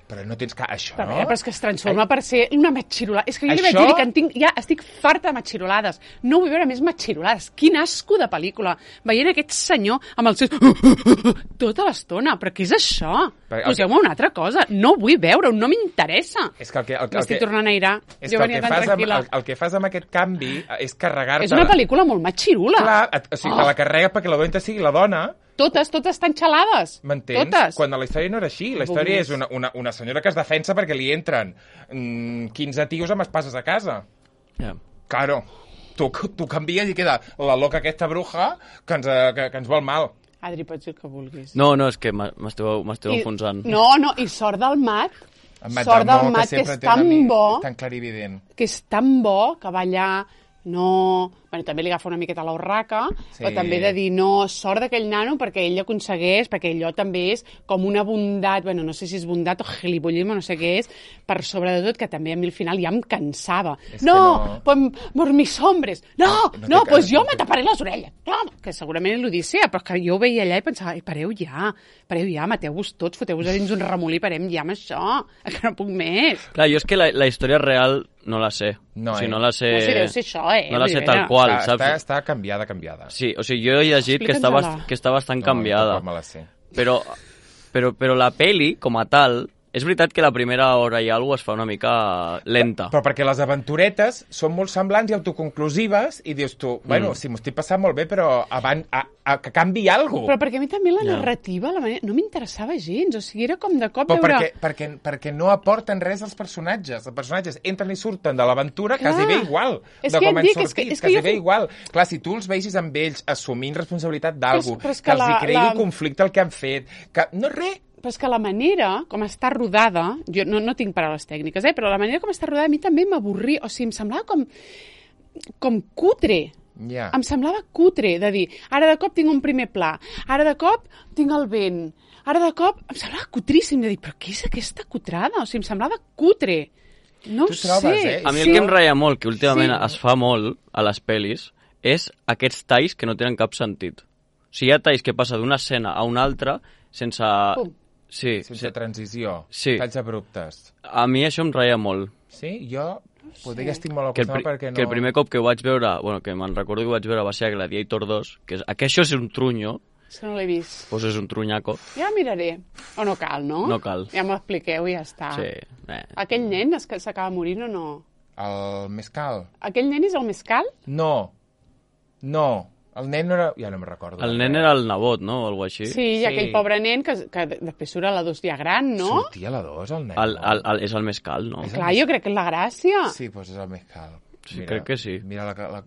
Però no tens que... Això, Però, no? però és que es transforma per ser una matxirolada. És que jo li vaig Això- dir que en tinc, ja estic farta de matxirolades. No vull veure més matxirolades. Quin asco de pel·lícula. Veient aquest senyor amb el seu... tota l'estona. Però què és això? Perquè el Poseu-me una altra cosa. No vull veure-ho, no m'interessa. És que el que... El, que- el M'estic que... tornant a irar. És Jo que el venia que, tan fas amb, tranquil·la. el, el que fas amb aquest canvi és carregar-te... És una pel·lícula molt matxirula. Clar, et, o sigui, oh. te la carrega perquè la dolenta sigui la dona, Totes, totes estan xalades. m'entens? Totes. Quan la història no era així. La història és una, una, una senyora que es defensa perquè li entren mm, quinze tios amb espases a casa. Yeah. Claro, tu, tu canvies i queda la loca aquesta bruja que ens, eh, que, que ens vol mal. Adri, pots dir el que vulguis. No, no, és que m'ha- m'esteu m'esteu I- enfonsant. No, no, i sort del mat. En Matt Sort del Damon, mat, que sempre és té una tan mi- bo. tan clarivident. Que és tan bo que va allà, no... Bueno, també li agafa una miqueta la urraca, Sí. però també de dir, no, sort d'aquell nano perquè ell aconsegueix, perquè allò també és com una bondat, bueno, no sé si és bondat o gilipollisme, no sé què és, per sobre de tot, que també a mi al final ja em cansava. És que No, no. pues, por mis hombres. No, No, no, no no té pues cara, jo no té- me taparé les orelles. No, que segurament és l'Odissea, però és que jo ho veia allà i pensava, "Ei, pareu ja, pareu ja, mateu-vos tots, foteu-vos a dins un remolí, parem ja amb això, que no puc més." Clar, jo és que la, la història real no la sé. No, o sigui, eh? no la sé... No sé, deu ser això, eh? No la Vull sé dir, tal mira. qual, Està, saps? està, està canviada, canviada. Sí, o sigui, jo he llegit que està, bast... Explica'ns-la. que està bastant No, canviada. tampoc me la sé. Però, però, però la peli, com a tal, és veritat que la primera hora i alguna cosa es fa una mica lenta. Però perquè les aventuretes són molt semblants i autoconclusives i dius tu, bueno, Mm. sí, m'ho estic passant molt bé, però abans, a, a, que canvi alguna Però perquè a mi també la Ja. narrativa la manera, no m'interessava gens, o sigui, era com de cop Però veure... perquè, perquè, perquè no aporten res als personatges. Els personatges entren i surten de l'aventura Clar. quasi bé igual. És de que com et han dic, és sortit, que- és que quasi jo bé fu- igual. Clar, si tu els vegis amb ells assumint responsabilitat d'algú, Però és- però és que, que els la- hi cregui la- conflicte el que han fet, que no res... Però és que la manera com està rodada, jo no, no tinc paraules tècniques, eh, però la manera com està rodada a mi també m'avorria, o sigui, em semblava com, com cutre. Ja. Em semblava cutre, de dir, ara de cop tinc un primer pla, ara de cop tinc el vent, ara de cop... Em semblava cutríssim, de dir, però què és aquesta cutrada? O sigui, em semblava cutre. No Tu ho trobes, sé. eh? A mi Sí. el que em ratlla molt, que últimament Sí. es fa molt a les pel·lis, és aquests talls que no tenen cap sentit. O sigui, hi ha talls que passa d'una escena a una altra sense... Pum. Sí, Sense transició. Sí. Talls abruptes. a mi això em ratlla molt. Sí? Jo potser que estic molt Que el, pri acostumat perquè no... que el primer cop que ho vaig veure, bueno, que me'n recordo que ho vaig veure va ser a Gladiator dos, que és, que això és un trunyo, És que no l'he vist. doncs és un trunyaco. Ja miraré. O no cal, no? No cal. Ja m'ho expliqueu i ja està. Sí, eh. Aquell nen es que s'acaba morint o no? El mescal? Aquell nen és el mescal? No. No. El nen no era... Ja no me'n recordo. El nen era el nebot, no? O alguna així. Sí, i Sí. aquell pobre nen que, que després surt a la dos ja gran, no? Sortia a la dos, el nen. El, el, el, és el mescal, no? És Clar, jo crec que és la gràcia. Sí, doncs és el mescal. Sí, crec que sí. Mira la... la...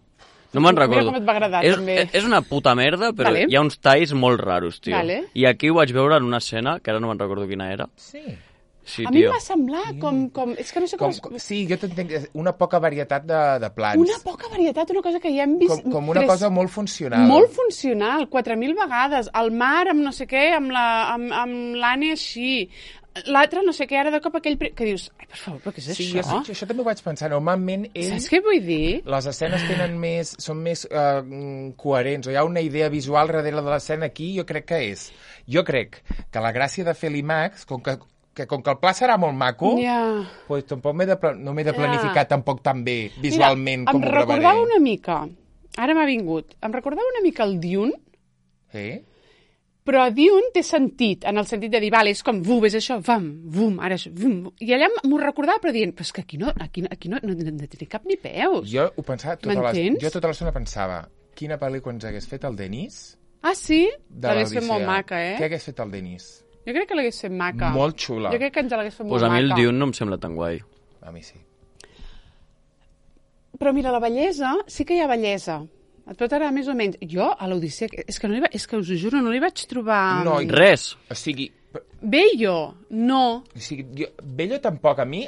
No me'n Mira recordo. com et va agradar, és, també. és una puta merda, però Vale. hi ha uns talls molt raros, tio. Vale. I aquí ho vaig veure en una escena, que ara no me'n recordo quina era. Sí. Sí, A mi em tio. va semblar com... com és que no sé com... Com, com, sí, jo t'entenc. Una poca varietat de, de plans. Una poca varietat, una cosa que ja hem vist... Com, com una tres- cosa molt funcional. Molt funcional, quatre mil vegades. El mar amb no sé què, amb la- amb amb l'Anne així. L'altre no sé què, ara de cop aquell... pri- Que dius, ai, per favor, però què és Sí, això? jo, això també ho vaig pensar. Normalment ell... Saps què vull dir? Les escenes tenen més, són més uh, coherents, o hi ha una idea visual darrere de l'escena aquí, jo crec que és. Jo crec que la gràcia de fer l'IMAX, com que, que com que el pla serà molt maco, Ja. pues, tampoc m'he de, pla- no m'he de Ja. planificar tampoc tan bé visualment Mira, com em ho gravaré. recordava una mica, ara m'ha vingut, em recordava una mica el Dune, Eh? Però Dune té sentit, en el sentit de dir, vale, és com, vum, és això, vam, vum, ara és, vum. I allà m'ho recordava, però dient, però és que aquí no, aquí, no- aquí no, no, no, no té cap ni peus. Jo ho pensava tota l'estona. M'entens? Jo tota l'estona pensava, quina pel·lícula ens hagués fet el Denis Ah, sí? de L'hagués fet l'Odissea. molt maca, eh? Què hagués fet el Denis? Jo crec que l'hagués fet maca. Molt xula. Jo crec que ens l'hagués fet Pues molt a mi el maca. Dune no em sembla tan guai. A mi sí. Però mira, la bellesa, sí que hi ha bellesa. Et pot agradar més o menys. Jo, a l'Odissea, és que, no li va, és que us ho juro, no li vaig trobar... No, Res. O sigui, Bello, no. o sigui jo, Bello tampoc. A mi,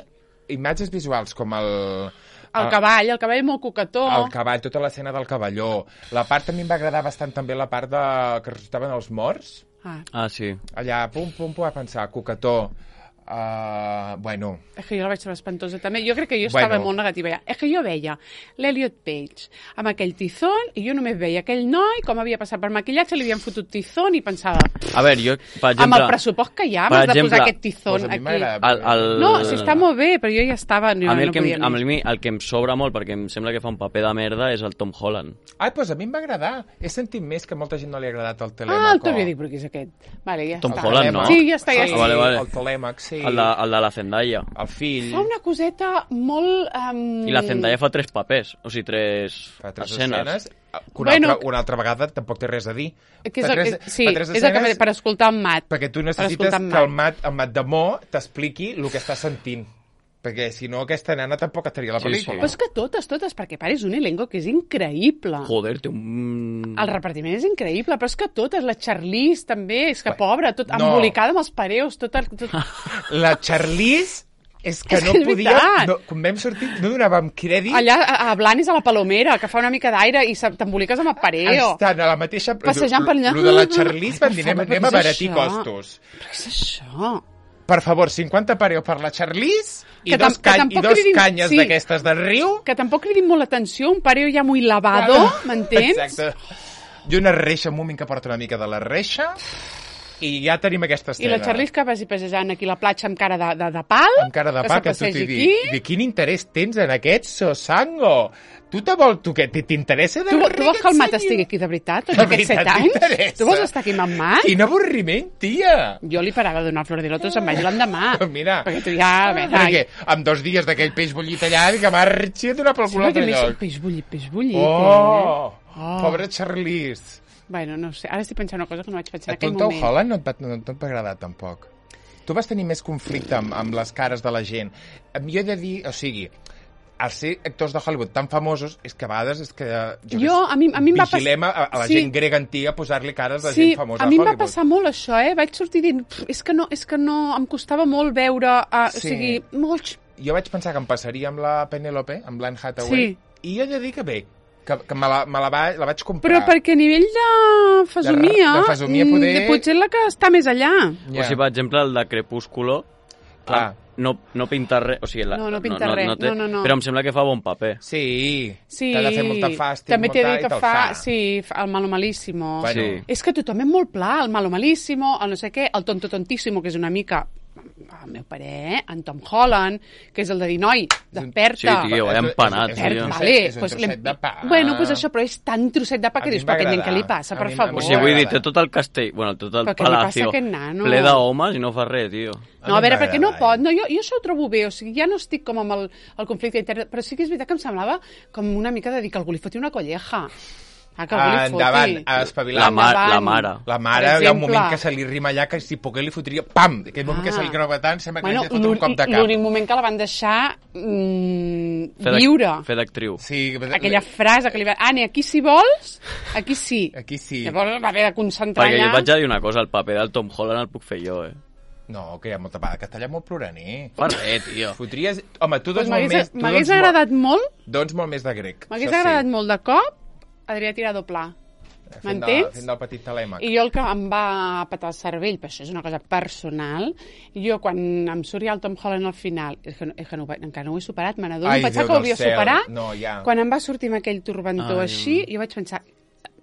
imatges visuals com el... El cavall, el cavall molt coquetó. El cavall, tota l'escena del cavalló. La part també em va agradar bastant també la part de... que ressuscitaven els morts. Ah, Ah, sí. Allà, pum, pum, pum, a pensar, coquetó. Uh, bueno, és que jo la vaig trobar espantosa també. Jo crec que jo Bueno. estava molt negativa ja. És que jo veia l'Elliot Page amb aquell tizón i jo només veia aquell noi, com havia passat per maquillatge, li havien fotut tizón i pensava, A veure, jo, per exemple... amb el pressupost que hi ha, per m'has de exemple, posar aquest tizón doncs a mi aquí. m'agrada. El, el... No, si està molt bé, però jo ja estava... No, a mi el, no que, podia em, a més. mi el que em sobra molt, perquè em sembla que fa un paper de merda, és el Tom Holland. ai, doncs a mi em va agradar. He sentit més que a molta gent no li ha agradat el Telèmaco. Ah, el Tobi, dic, però qui és aquest? Vale, ja Tom està. Holland, no? Sí, ja està, ja Sí, està. vale, vale. el Telèmac, sí. El de, el de la Zendaya. El fill. Fa una coseta molt... Um... I la Zendaya fa tres papers, o sigui, tres, Fa tres escenes. escenes. Que una, Bueno, altra, una altra vegada tampoc té res a dir. Que és Fa el, tres, que, sí, fa tres és el que escenes per escoltar en Mat. perquè tu per necessites escoltar en que el Mat. Mat, el Mat de Mo t'expliqui el que està sentint. Perquè si no, aquesta nena tampoc estaria a la Sí, sí. pel·lícula. Però és que totes, totes, perquè a part és un elenco que és increïble. Joder, té un... El repartiment és increïble, però és que totes, la Charlize també, és que Bé, pobra, tot no. embolicada amb els pareus, tot... el- tot... La Charlize és que És no que és podia... veritat. No, quan vam sortir no donàvem crèdit. Allà a, a Blanes a la Palomera, que fa una mica d'aire i se- t'emboliques amb el pareo. Estan a la mateixa... Passejant per allà. Lo de la Charlize van dir, Ai, anem, per favor, anem a què és baratir això? costos. Però què és això? Per favor, cinquanta pareu per la Charlize i Que tam- dos, que cany, i tampoc dos cridin- canyes sí. d'aquestes de riu. Que tampoc cridin molt l'atenció, un pareo ja muy lavado, m'entens? Exacte. I una reixa, un moment que porta una mica de la reixa, i ja tenim aquesta I escena. la Charlize que vagi passejant aquí a la platja amb cara de, de, de pal. Amb cara de que pa, se que tu t'hi passegi dic. aquí. De quin interès tens en aquest sosango? Tu te vol, tu què, t'interessa de Tu, res tu vols que el aquest Mat senyor? estigui aquí de veritat, tots De aquests set veritat anys? t'interessa? Tu vols estar aquí amb en Mat? Quin avorriment, tia! Jo li parava de donar flor de loto, se'n vagi l'endemà. Mira, Perquè tu ja... A veure, perquè amb dos dies d'aquell peix bullit allà, que marxi a donar pel sí, cul a perquè altre més lloc. peix bullit, peix bullit. Oh, Oh. pobra Charlize. Eh? Bueno, no sé, ara estic pensant una cosa que no vaig pensar A en aquell tu Tom moment. Holland no et, va, no, no et va agradar tampoc. Tu vas tenir més conflicte amb, amb les cares de la gent. Jo he de dir, o sigui, al ser actors de Hollywood tan famosos, és que a vegades és que... Jo, Jo, a mi, a mi em va passar... vigilem a, a la Sí. gent grega antiga a posar-li cares de Sí, gent famosa a mi em va Hollywood. passar molt això, eh? Vaig sortir dient, "Pf, és que no, és que no, em costava molt veure, uh, Sí. o sigui, molt... Jo vaig pensar que em passaria amb la Penélope, amb l'Anne Hathaway, Sí. i jo he de dir que bé, que, que me, la, me la, va, la vaig comprar. Però perquè a nivell de fesomia, De- de fesomia, mm, poder- de potser la que està més allà. O sigui, per exemple, el de Crepúsculo, Clar. no, no pinta res, o sigui... La, No, no pinta res, no, no, no. Però em sembla que fa bon paper. Sí, Sí, t'ha de fer molta fàstic, també t'he molta, dit i que te'l fa, sí, fa el malo malíssimo. Bueno, Sí. És que tothom és molt pla, el malo malíssimo, el no sé què, el tonto tontíssimo, que és una mica, al meu parer, eh, en Tom Holland, que és el de dir, noi, desperta. Sí, tio, vaya empanat, és, tio. és, Desperta, un vale, trosset, és un pues, trosset l'hem- de pa. Bueno, pues això, però és tan trosset de pa A que mi dius, em va però aquest nen, què agradar. li passa, A per mi- a favor? mi O sigui, vull dir, m'agrada. té tot el castell, bueno, tot el Però què li passa a palacio aquest nano? ple d'homes i no fa res, tio. No, a veure, perquè no m'agrada, pot, no, jo, jo això ho trobo bé, o sigui, ja no estic com amb el, el conflicte intern, però sí que és veritat que em semblava com una mica de dir que algú li foti una colleja. Ah, que algú li foti. Endavant, a espavilar. La, ma Endavant. la mare. La mare, Per hi ha un exemple. moment que se li rima allà que si pogués li fotria, pam! Aquell moment Ah. que se li creuava tant, sembla que Bueno, li ha fot un cop de cap. l'únic moment que la van deixar mm, Fer d'ac- viure. Fer d'actriu. Sí, Aquella frase que li va... Anne, aquí si vols, aquí sí. Aquí sí. Llavors va haver de concentrar Perquè jo allà. vaig a dir una cosa, el paper del Tom Holland el puc fer jo, eh. No, que hi ha molta part de castellà molt ploraner. Fa res, tio. Fotries... Home, tu Pues dones molt més... M'hagués tu m'hagués dones agradat molt, Molt, dones molt més de grec. m'hagués això agradat sí. molt de cop Adrià Tirado Pla. Fent de- M'entens? Fent del petit telèmac. I jo el que em va petar el cervell, però això és una cosa personal, jo quan em surt ja el Tom Holland al final, és que, no, és que no, ho vaig- encara no ho he superat, me n'adono, Ai, pensava Déu que ho del havia cel. superat, No, ja. quan em va sortir amb aquell turbantó Ai, així, jo vaig pensar,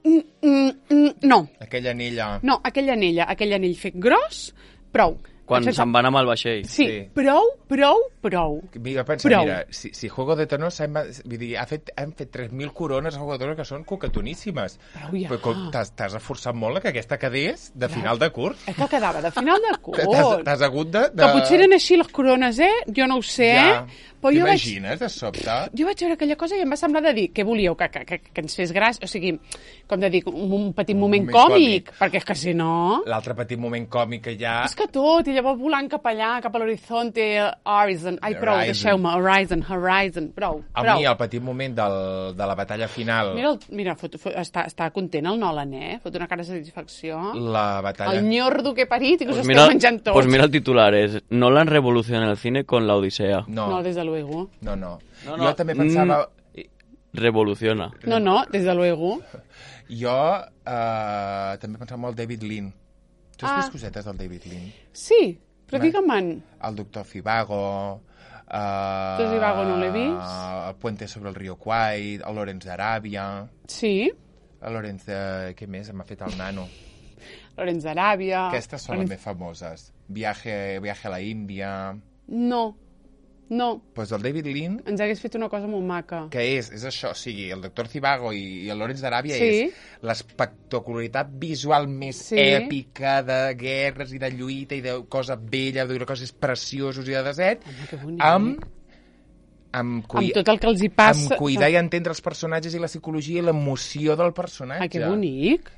mm, mm, mm, no, Aquella anella... no, aquell anella, aquell anell fet gros, prou. Quan Sense- se'n van amb el vaixell. Sí, Sí. prou, prou, prou. Jo penso, Prou. mira, si, si Juego de Tronos hem, vull dir, ha fet, han fet tres mil corones a Juego de Tronos que són coquetoníssimes. Prou ja. Però com t'has t'has esforçat molt que aquesta quedés de final de curs. És que quedava de final de T'has curs. t'has hagut de... de... Que potser eren així les corones, eh? Jo no ho sé, Ja. eh? Però jo vaig, T'imagines, de sobte? jo vaig veure aquella cosa i em va semblar de dir, què volíeu, que, que, que, que ens fes gràcia? O sigui, com de dir, un, un petit moment, moment còmic, còmic. perquè és que si no... L'altre petit moment còmic que hi ha... És que tot, i llavors volant cap allà, cap a l'horizonte, Horizon, ai, prou, Horizon. deixeu-me, Horizon, Horizon, prou, A prou. mi, el petit moment del, de la batalla final, Mira, el, mira fot, fot, està, està content el Nolan, eh? Fot una cara de satisfacció. la batalla... El nyordo que he parit i que us Pues esteu mira, menjant tots. pues mira el titular, es Nolan revoluciona el cine con la Odisea. No, No, desde luego. no, no. No, no. Jo també pensava... Revoluciona. No, no, desde luego. Jo eh, també pensava molt David Lean. Tu has Ah. vist cosetes del David Lean? Sí, però Va. digue-me'n. El doctor Fivago... Uh, Doctor Zivago no l'he vist. El Puente sobre el Río Kwai, el Lorenz d'Aràbia... Sí, El Lorenz de... Què més? M'ha fet el nano. Lorenz d'Aràbia... Aquestes són les més famoses. Viaje, viaje a la Índia... No, no. Pues el David Lean, Ens hagués fet una cosa molt maca. que és, és això, o sigui, el doctor Zivago i, i el Lorenz d'Aràbia Sí. és l'espectacularitat visual més Sí. èpica de guerres i de lluita i de cosa bella, de coses precioses i de desert, Home, que bonic. amb, amb, cui... Amb tot el que els hi passa... amb cuidar i entendre els personatges i la psicologia i l'emoció del personatge. Ai, que bonic.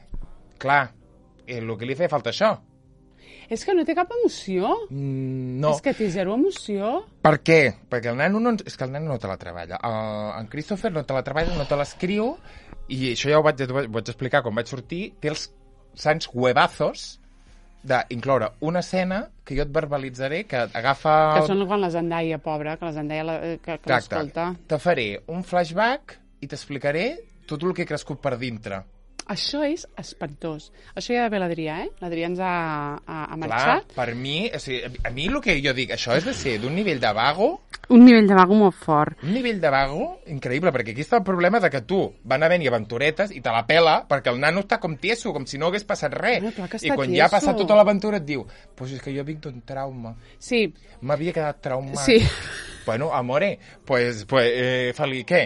Clar, eh, el que li feia falta això. És que no té cap emoció. Mm, no. És que té zero emoció. Per què? Perquè el nano no... ens- És que el nano no te la treballa. Uh, en Christopher no te la treballa, no te l'escriu, i això ja ho vaig, ho vaig explicar quan vaig sortir, té els sants huevazos d'incloure una escena que jo et verbalitzaré, que agafa... Que són quan la Zendaya, pobra, que la Zendaya la, que, que l'escolta. Te faré un flashback i t'explicaré tot el que he crescut per dintre. Això és espantós. Això ja ha d'haver l'Adrià, eh? L'Adrià ens ha, ha, ha Clar, marxat. per mi, o sigui, a mi el que jo dic, això és de ser d'un nivell de vago, Un nivell de vago molt fort. un nivell de vago increïble, perquè aquí està el problema de que tu van haver-hi aventuretes i te la pela perquè el nano està com tieso, com si no hagués passat res. Bueno, clar que I està quan ja ha tieso. passat tota l'aventura et diu, pues és que jo vinc d'un trauma, Sí, m'havia quedat traumat. sí. Bueno, amore, pues, pues eh, Feli, què?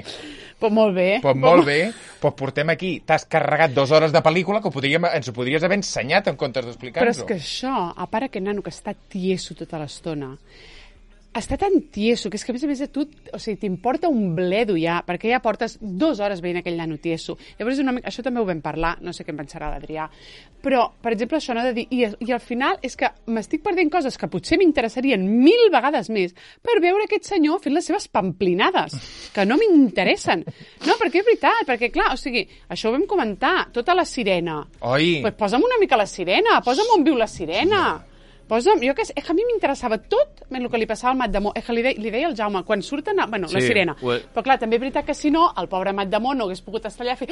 Pues molt bé. Pues molt bé, pues portem aquí, t'has carregat dues hores de pel·lícula que ho podríem, ens ho podries haver ensenyat en comptes Però d'explicar-nos-ho. és que això, a part aquest nano que està tieso tota l'estona, està tan tieso que és que a més a més a tu, o sigui, t'importa un bledo ja, perquè ja portes dues hores veient aquell nano tieso. Llavors, una mica, això també ho vam parlar, no sé què en pensarà l'Adrià, però, per exemple, això no de dir, i, i al final és que m'estic perdent coses que potser m'interessarien mil vegades més per veure aquest senyor fent les seves pamplinades, que no m'interessen. No, perquè és veritat, perquè clar, o sigui, això ho vam comentar, tota la sirena. Oi, Pues posa'm una mica la sirena, posa'm on viu la sirena. Posa'm, jo que sé, és que a mi m'interessava tot el que li passava al Mat Damó. És que li, de, li deia al Jaume, quan surten... A, bueno, sí, la Sí, sirena. ho he- Però clar, també és veritat que si no, el pobre Mat Damó no hagués pogut estar allà fent...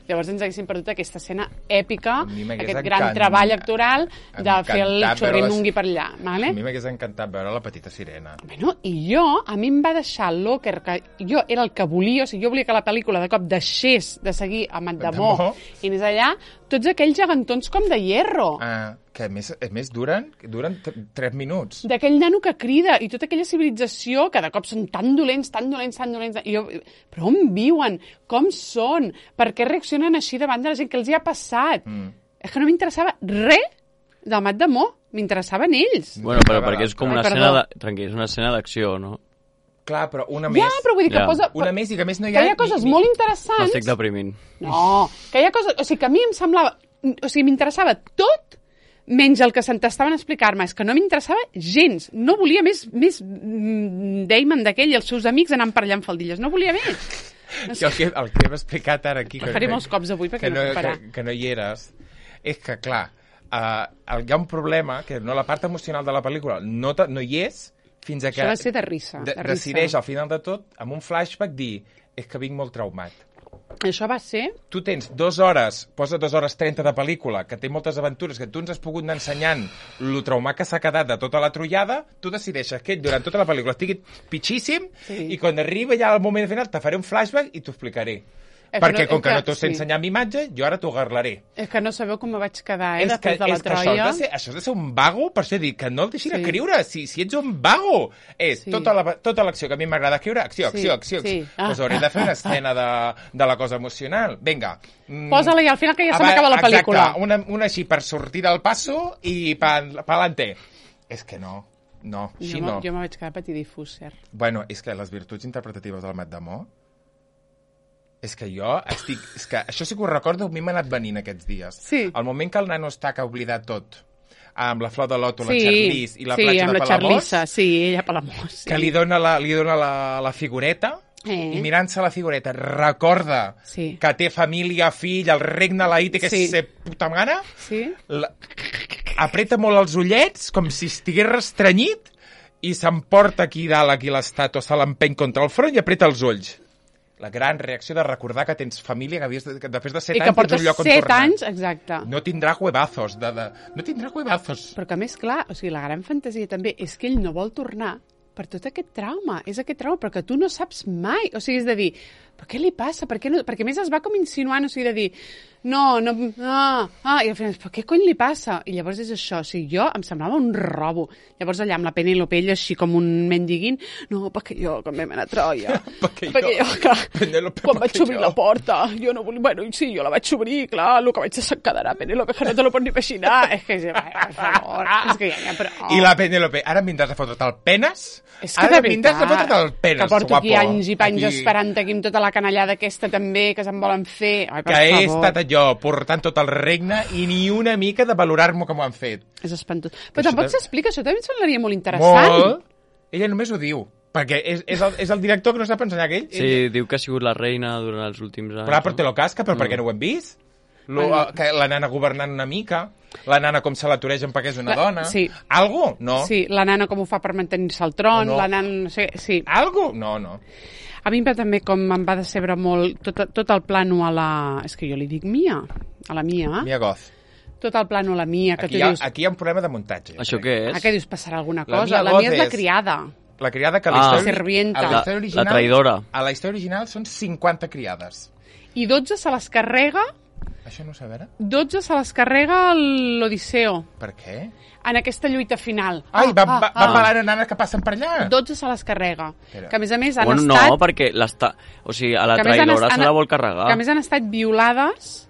Llavors ens haguéssim perdut aquesta escena èpica, A mi m'hagués aquest gran encant- treball actoral de fer el encantat xorri veure les- mungui per allà. Vale? a mi m'hagués encantat veure la petita sirena. Bueno, i jo, a mi em va deixar el locker, que jo era el que volia, o sigui, jo volia que la pel·lícula de cop deixés de seguir a Mat Damó Damó. i anés allà, tots aquells gegantons com de hierro. Ah, que a més, a més duren, duren t- tres minuts. D'aquell nano que crida i tota aquella civilització que de cop són tan dolents, tan dolents, tan dolents... I jo, però on viuen? Com són? Per què reaccionen així davant de la gent? Què els hi ha passat? Mm. És que no m'interessava res del Mat Damó. M'interessaven ells. Bueno, però perquè és com Ai, una perdó. escena de... Tranquil, és una escena d'acció, no? Clar, però una Ja, més... però vull dir que Ja. posa... Una més i que a més no hi que ha... hi ha coses ni- ni- molt interessants. M'estic deprimint. No, que hi ha coses... O sigui, que a mi em semblava... O sigui, m'interessava tot menys el que s'entestaven a explicar-me. És que no m'interessava gens. No volia més, més mm, Damon d'aquell i els seus amics anant per allà amb faldilles. No volia més. No Jo el que, el que hem explicat ara aquí... El faré molts cops avui perquè que no puc parar. que, que no hi eres, és que, clar, uh, hi ha un problema, que no la part emocional de la pel·lícula no, te, no hi és, fins a que Això va ser de risa. de, De risa. decideix al final de tot, amb un flashback, dir és que vinc molt traumat. Això va ser... Tu tens dues hores, posa dues hores trenta de pel·lícula, que té moltes aventures, que tu ens has pogut anar ensenyant lo traumat que s'ha quedat de tota la trollada, tu decideixes que ell durant tota la pel·lícula estigui pitxíssim Sí. i quan arriba ja al moment final te faré un flashback i t'ho explicaré. És Perquè no- com és que no t'ho sé sí. ensenyar amb imatge, jo ara t'ho garlaré. És que no sabeu com me vaig quedar, eh, és que, després de la és que això, Troia. has de ser, això has de ser un vago, per això dic que no el deixin Sí. escriure, si, si ets un vago. És Sí. tota la- tota l'acció que a mi m'agrada escriure, acció, Sí, acció, acció. sí. acció. Doncs hauré de fer una escena de, de la cosa emocional. Vinga. Mm, Posa-la i al final que ja se aba- m'acaba la pel·lícula. Exacte, una, una així per sortir del passo i pa, pa'lante. És que no, no, així Jo, no. jo me vaig quedar patidifús, cert. Bueno, és que les virtuts interpretatives del Mat d'Amor, és que jo estic... És que això sí que ho recordo, a mi m'ha anat venint aquests dies. Sí. El moment que el nano està que ha oblidat tot, amb la flor de loto, la Sí, Charlize i la sí, platja amb de la Palamós, Charlissa, sí, ella Palamós. Sí. que li dona la, li dona la, la figureta, Eh. i mirant-se la figureta recorda Sí. que té família, fill, el regne la té que Sí. ser puta gana, Sí? la... apreta molt els ullets, com si estigués restrenyit, i s'emporta aquí dalt, aquí l'estàtua, se l'empeny contra el front i apreta els ulls. La gran reacció de recordar que tens família, que, havies de, que després de set I que anys tens portes un lloc on set tornar. anys, exacte. No tindrà huevazos. De, de... No tindrà huevazos. Però que a més, clar, o sigui, la gran fantasia també és que ell no vol tornar per tot aquest trauma. És aquest trauma, però que tu no saps mai. O sigui, és de dir, però què li passa? Per què no? Perquè a més es va com insinuant, o sigui, de dir, no, no, ah, ah, i al final, però què cony li passa? I llavors és això, o sigui, jo em semblava un robo. Llavors allà amb la Penélope, ella així com un mendiguint, no, perquè jo, quan vam anar a Troia, Perquè perquè jo, jo, clar, Penélope, quan vaig perquè obrir jo. la porta, jo no volia, bueno, sí, jo la vaig obrir, clar, el que vaig deixar quedarà, Penélope, que no te lo pots ni imaginar. És que, per favor, és que ja, ja, però... I la Penélope, ara em vindràs a fotre't el penes? És que ara de em vindràs a veritat, fotre't el penes, que porto aquí guapo. anys i panys Aquí. esperant aquí amb tota la canallada aquesta també, que se'n volen fer. Ai, per Que he favor. estat jo portant tot el regne i ni una mica de valorar-m'ho com ho han fet. És espantós. Però Això tampoc de- s'explica, això també em semblaria molt interessant. Molt. Ella només ho diu. Perquè és, és, el, és el director que no sap ensenyar aquell. Sí, diu que ha sigut la reina durant els últims anys. Però, però te lo casca, però per què no ho hem vist? Lo, Bueno. que la nana governant una mica, la nana com se l'aturegen perquè és una La- dona. sí. Algo? No. Sí, la nana com ho fa per mantenir-se al tron, No. la nana... No sé, sí. Algo? No, no. A mi em va també com em va decebre molt tot, tot el plano a la... És que jo li dic Mia, a la Mia. Mia Goth. Tot el plano a la Mia, que Aquí tu hi, ha, dius... aquí hi ha un problema de muntatge. Això crec. què Ah, és? que dius, passarà alguna La cosa? Mia La Goth Mia és la és- criada. La criada que a Ah. la història, Servienta. a la, La- història la original, traïdora. A la història original són cinquanta criades. I dotze se les carrega, Això no ho sé, a veure. dotze se les carrega l'Odisseo Per què? en aquesta lluita final. Ai, va, va, va ah. pelant nanes que passen per allà. dotze se les carrega. Espera. Que a més a més han Bueno, estat... no, perquè l'està... O sigui, a la que a més han traïdora est- se han- la vol carregar. Que a més han estat violades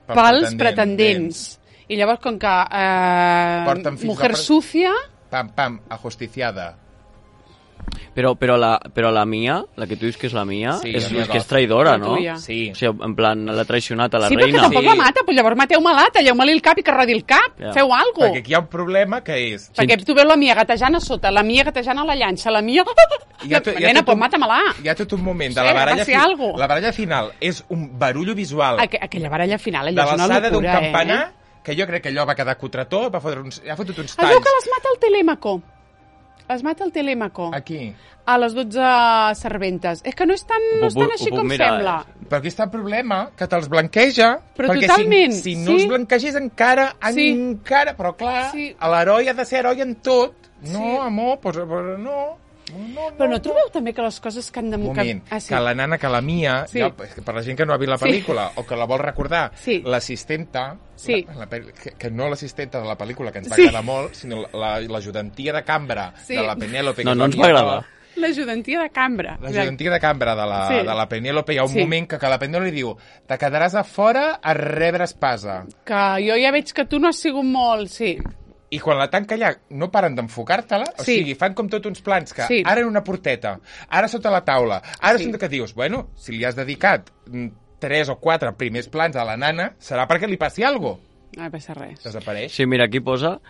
Per pels pretendent, pretendents. I llavors, com que eh, Porten fills mujer de pre- sucia... Pam, pam, ajusticiada. Però, però, la, però la Mia, la que tu dius que és la Mia, Sí, és, la Mia és que és Goth. traïdora, La no? tuya. Sí. O sigui, en plan, l'ha traicionat a la sí, perquè reina. tampoc Sí. la mata, però llavors mateu-me-la, talleu-me-li el cap i que rodi el cap. Ja. Feu alguna Perquè aquí hi ha un problema que és... Perquè tu veus la Mia gatejant a sota, la Mia gatejant a la llança, la Mia... Hi ha, to, hi ha Nena, tot pues un- mata-me-la. Hi ha tot un moment de Sí, la va baralla, ser algo. la baralla final és un barullo visual Aqu aquella baralla final, de allò és una l'alçada d'un locura, campanar eh? que jo crec que allò va quedar cutretó, va fotre uns, ha fotut uns Es talls. veu que les mata el Telèmaco. Les mata el Telèmaco. Aquí. A les dotze serventes. És que no és tan, no és Ho puc- tan així ho puc com mirar, sembla. Però aquí està el problema, que te'ls blanqueja. Però perquè totalment, si, si no sí. els blanquegés encara, Sí. encara... Però clar, Sí. l'heroi ha de ser heroi en tot. No, Sí. amor, pues, pues, no. No, no, Però no trobeu també que les coses que han de... Un moment, Ah, sí. que la nana, que la Mia, Sí. ja, és que per la gent que no ha vist la Sí. pel·lícula o que la vol recordar, Sí. l'assistenta, Sí. la, la, pel- que, que no l'assistenta de la pel·lícula, que ens va Sí. agradar molt, sinó la- l'ajudantia de cambra Sí. de la Penélope. No, que no és ens la va Mia agradar. Goth. L'ajudantia de cambra. L'ajudantia de cambra de la, Sí. de la Penélope, hi ha un Sí. moment que, que la Penélope li diu te quedaràs a fora a rebre espasa. Que jo ja veig que tu no has sigut molt... Sí. I quan la tanca allà no paren d'enfocar-te-la, o Sí. sigui, fan com tot uns plans que Sí. ara en una porteta, ara sota la taula, ara Sí. sota que dius, bueno, si li has dedicat mm, tres o quatre primers plans a la nana, serà perquè li passi alguna cosa. No passa res. Desapareix. Sí, mira, aquí posa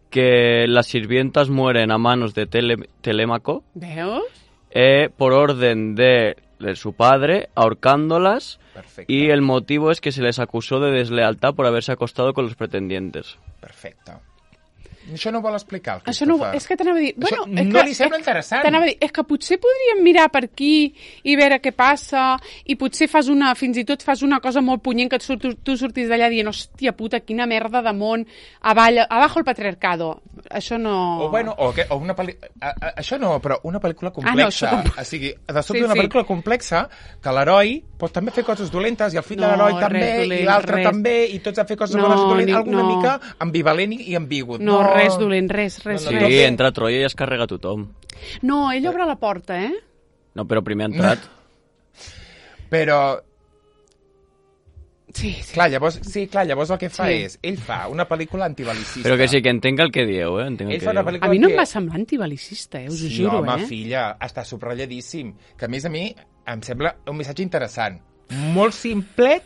que las sirvientas mueren a manos de Tele- Telémaco Veus? eh, por orden de, de su padre, ahorcándolas, Perfecte. y el motivo es que se les acusó de deslealtad por haberse acostado con los pretendientes. Perfecte. Això no vol explicar, el Això no, Christopher. és que t'anava a dir... Això Bueno, és no que, li sembla és, interessant. T'anava a dir, és que potser podríem mirar per aquí i veure què passa, i potser fas una, fins i tot fas una cosa molt punyent que tu, tu, tu surtis d'allà dient, hòstia puta, quina merda de món, avall, abajo el patriarcado. Això no... O, bueno, o, que, o una pel·lícula... Això no, però una pel·lícula complexa. Ah, no, això... O sigui, de sobte Sí, una sí. pel·lícula complexa que l'heroi pot també fer coses dolentes i el fill No, de l'heroi també, res dolent, i l'altre res. també, i tots han fet coses No, bones i dolentes, ni- alguna no. mica ambivalent i i ambigut. No, res dolent, res, res, No, Sí, no, res. entra Troia i es carrega tothom. No, ell obre la porta, eh? No, però primer ha entrat. Però, Sí, sí. clar, llavors, sí, clar, llavors el que fa Sí. és, ell fa una pel·lícula antibalicista. Però que sí, que entenc el que dieu, eh? Entenc el Ell que fa una dieu. pel·lícula A mi no em que- va semblar antibalicista, eh? Us ho Sí, juro, home, eh? filla, està subratlladíssim. Que a més a mi em sembla un missatge interessant. Molt simplet,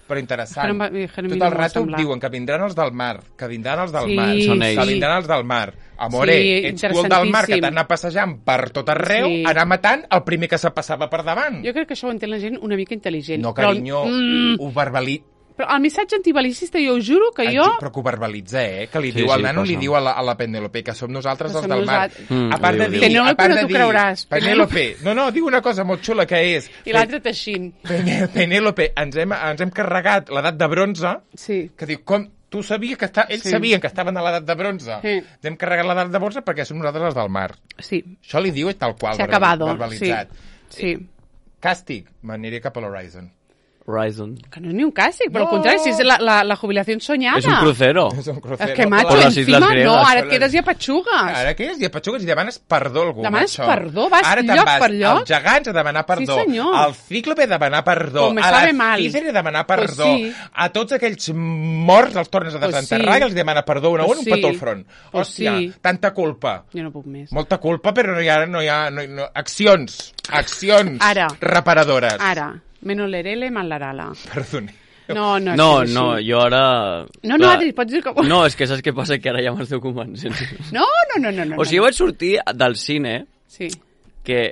però interessant. És que no em va- és que a mi Tot no el m'ho va rato semblar. diuen que vindran els del mar, que vindran els del Sí, mar, Són ells. que vindran els del mar. Amore, Sí, ets tu el del mar que interessantíssim. t'ha anat passejant per tot arreu, Sí. anar matant el primer que se passava per davant. Jo crec que això ho entén la gent una mica intel·ligent. No, Però el- carinyo, Mm, ho verbalitza. però el missatge antibalicista, jo us juro que jo... Però que ho verbalitza, eh? Que li Sí, diu sí, al nano, passa. li diu a la, a la Penélope, que som nosaltres Que els som del mar. nosaltres. Mm, a part ho de diu, dir... ho diu. Penélope, a part no de t'ho dir, creuràs. Penélope. No, no, diu una cosa molt xula, que és... I l'altre teixint. Pené- Penélope, ens hem, ens hem carregat l'edat de bronze, Sí. que diu, com... Tu sabies que està... Ells Sí. sabien que estaven a l'edat de bronze. Sí. Ens hem carregat l'edat de bronze perquè som nosaltres els del mar. Sí. Això li diu tal qual, Se ha acabado. verbalitzat. Sí. sí. Càstig, m'aniria cap a l'Horizon. Horizon. Que no és ni un càstig, però No. al contrari, si és la, la, la jubilació soñada. És un crucero. És un crucero. És que, macho, Por las islas encima griegas. no, ara Per et quedes i apatxugues. Ara què és? I apatxugues i demanes perdó a algú. Demanes macho. perdó, vas Ara te'n lloc vas per lloc. als gegants a demanar perdó. Sí, senyor. Al cíclope a demanar perdó. Com me a sabe la mal. Cícera a demanar Pues perdó. sí. A tots aquells morts els tornes a Pues desenterrar sí. i els demana perdó un a Pues un, sí. un petó al front. Pues Hòstia, sí. tanta culpa. Jo no puc més. Molta culpa, però no hi ha, no hi ha no, hi- no, accions. Accions Ara. reparadores. Ara, menos lerele, mal larala. Perdoni. No, no, No, és que és no, així. jo ara... No, no, Adri, pots dir com... No, és que saps què passa? Que ara ja m'esteu convencent. No, no, no, no, no. O sigui, jo vaig sortir del cine, Sí. que,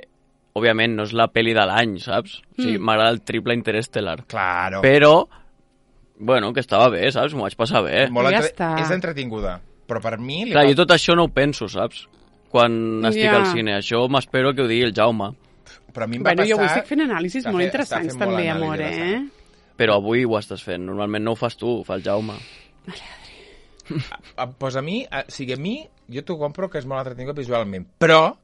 òbviament, no és la pel·li de l'any, saps? O sigui, Mm. m'agrada el triple Interestelar. Claro. Però, bueno, que estava bé, saps? M'ho vaig passar bé. Molt Ja entre... està. És entretinguda. Però per mi... Li Clar, fa- jo tot això no ho penso, saps? Quan estic Ja. al cine. Això m'espero que ho digui el Jaume. Però a mi em va Bueno, jo avui passar... estic fent anàlisis Està molt fe- interessants està fent molt també, anàlisi amor, de la eh? Però avui ho estàs fent. Normalment no ho fas tu, ho fa el Jaume. Ah, pues a mi, a, o sigui, a mi, jo t'ho compro que és molt entretingut visualment, però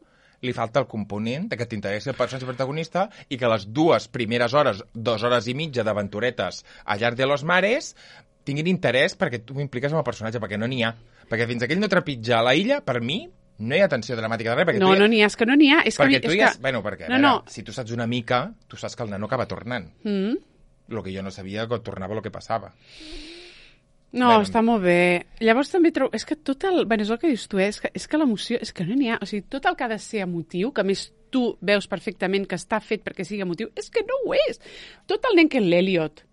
li falta el component de que t'interessi el personatge protagonista i que les dues primeres hores, dues hores i mitja d'aventuretes a llarg de los mares tinguin interès perquè tu m'impliques amb el personatge, perquè no n'hi ha. Perquè fins que ell no trepitja la illa, per mi, no hi ha tensió dramàtica de res. Perquè No, tu ja, no n'hi ha, és que no n'hi ha. És que, a mi- perquè tu és ja... que... Bueno, perquè, a No, veure, no. si tu saps una mica, tu saps que el nano acaba tornant. Mm? El que jo no sabia que tornava el que passava. No, Bueno. està molt bé. Llavors també trobo... És que tot el... Bé, és el que dius tu, eh? és, que, és que l'emoció... És que no n'hi ha... O sigui, tot el que ha de ser emotiu, que a més tu veus perfectament que està fet perquè sigui emotiu, és que no ho és. Tot el nen que l'Eliot.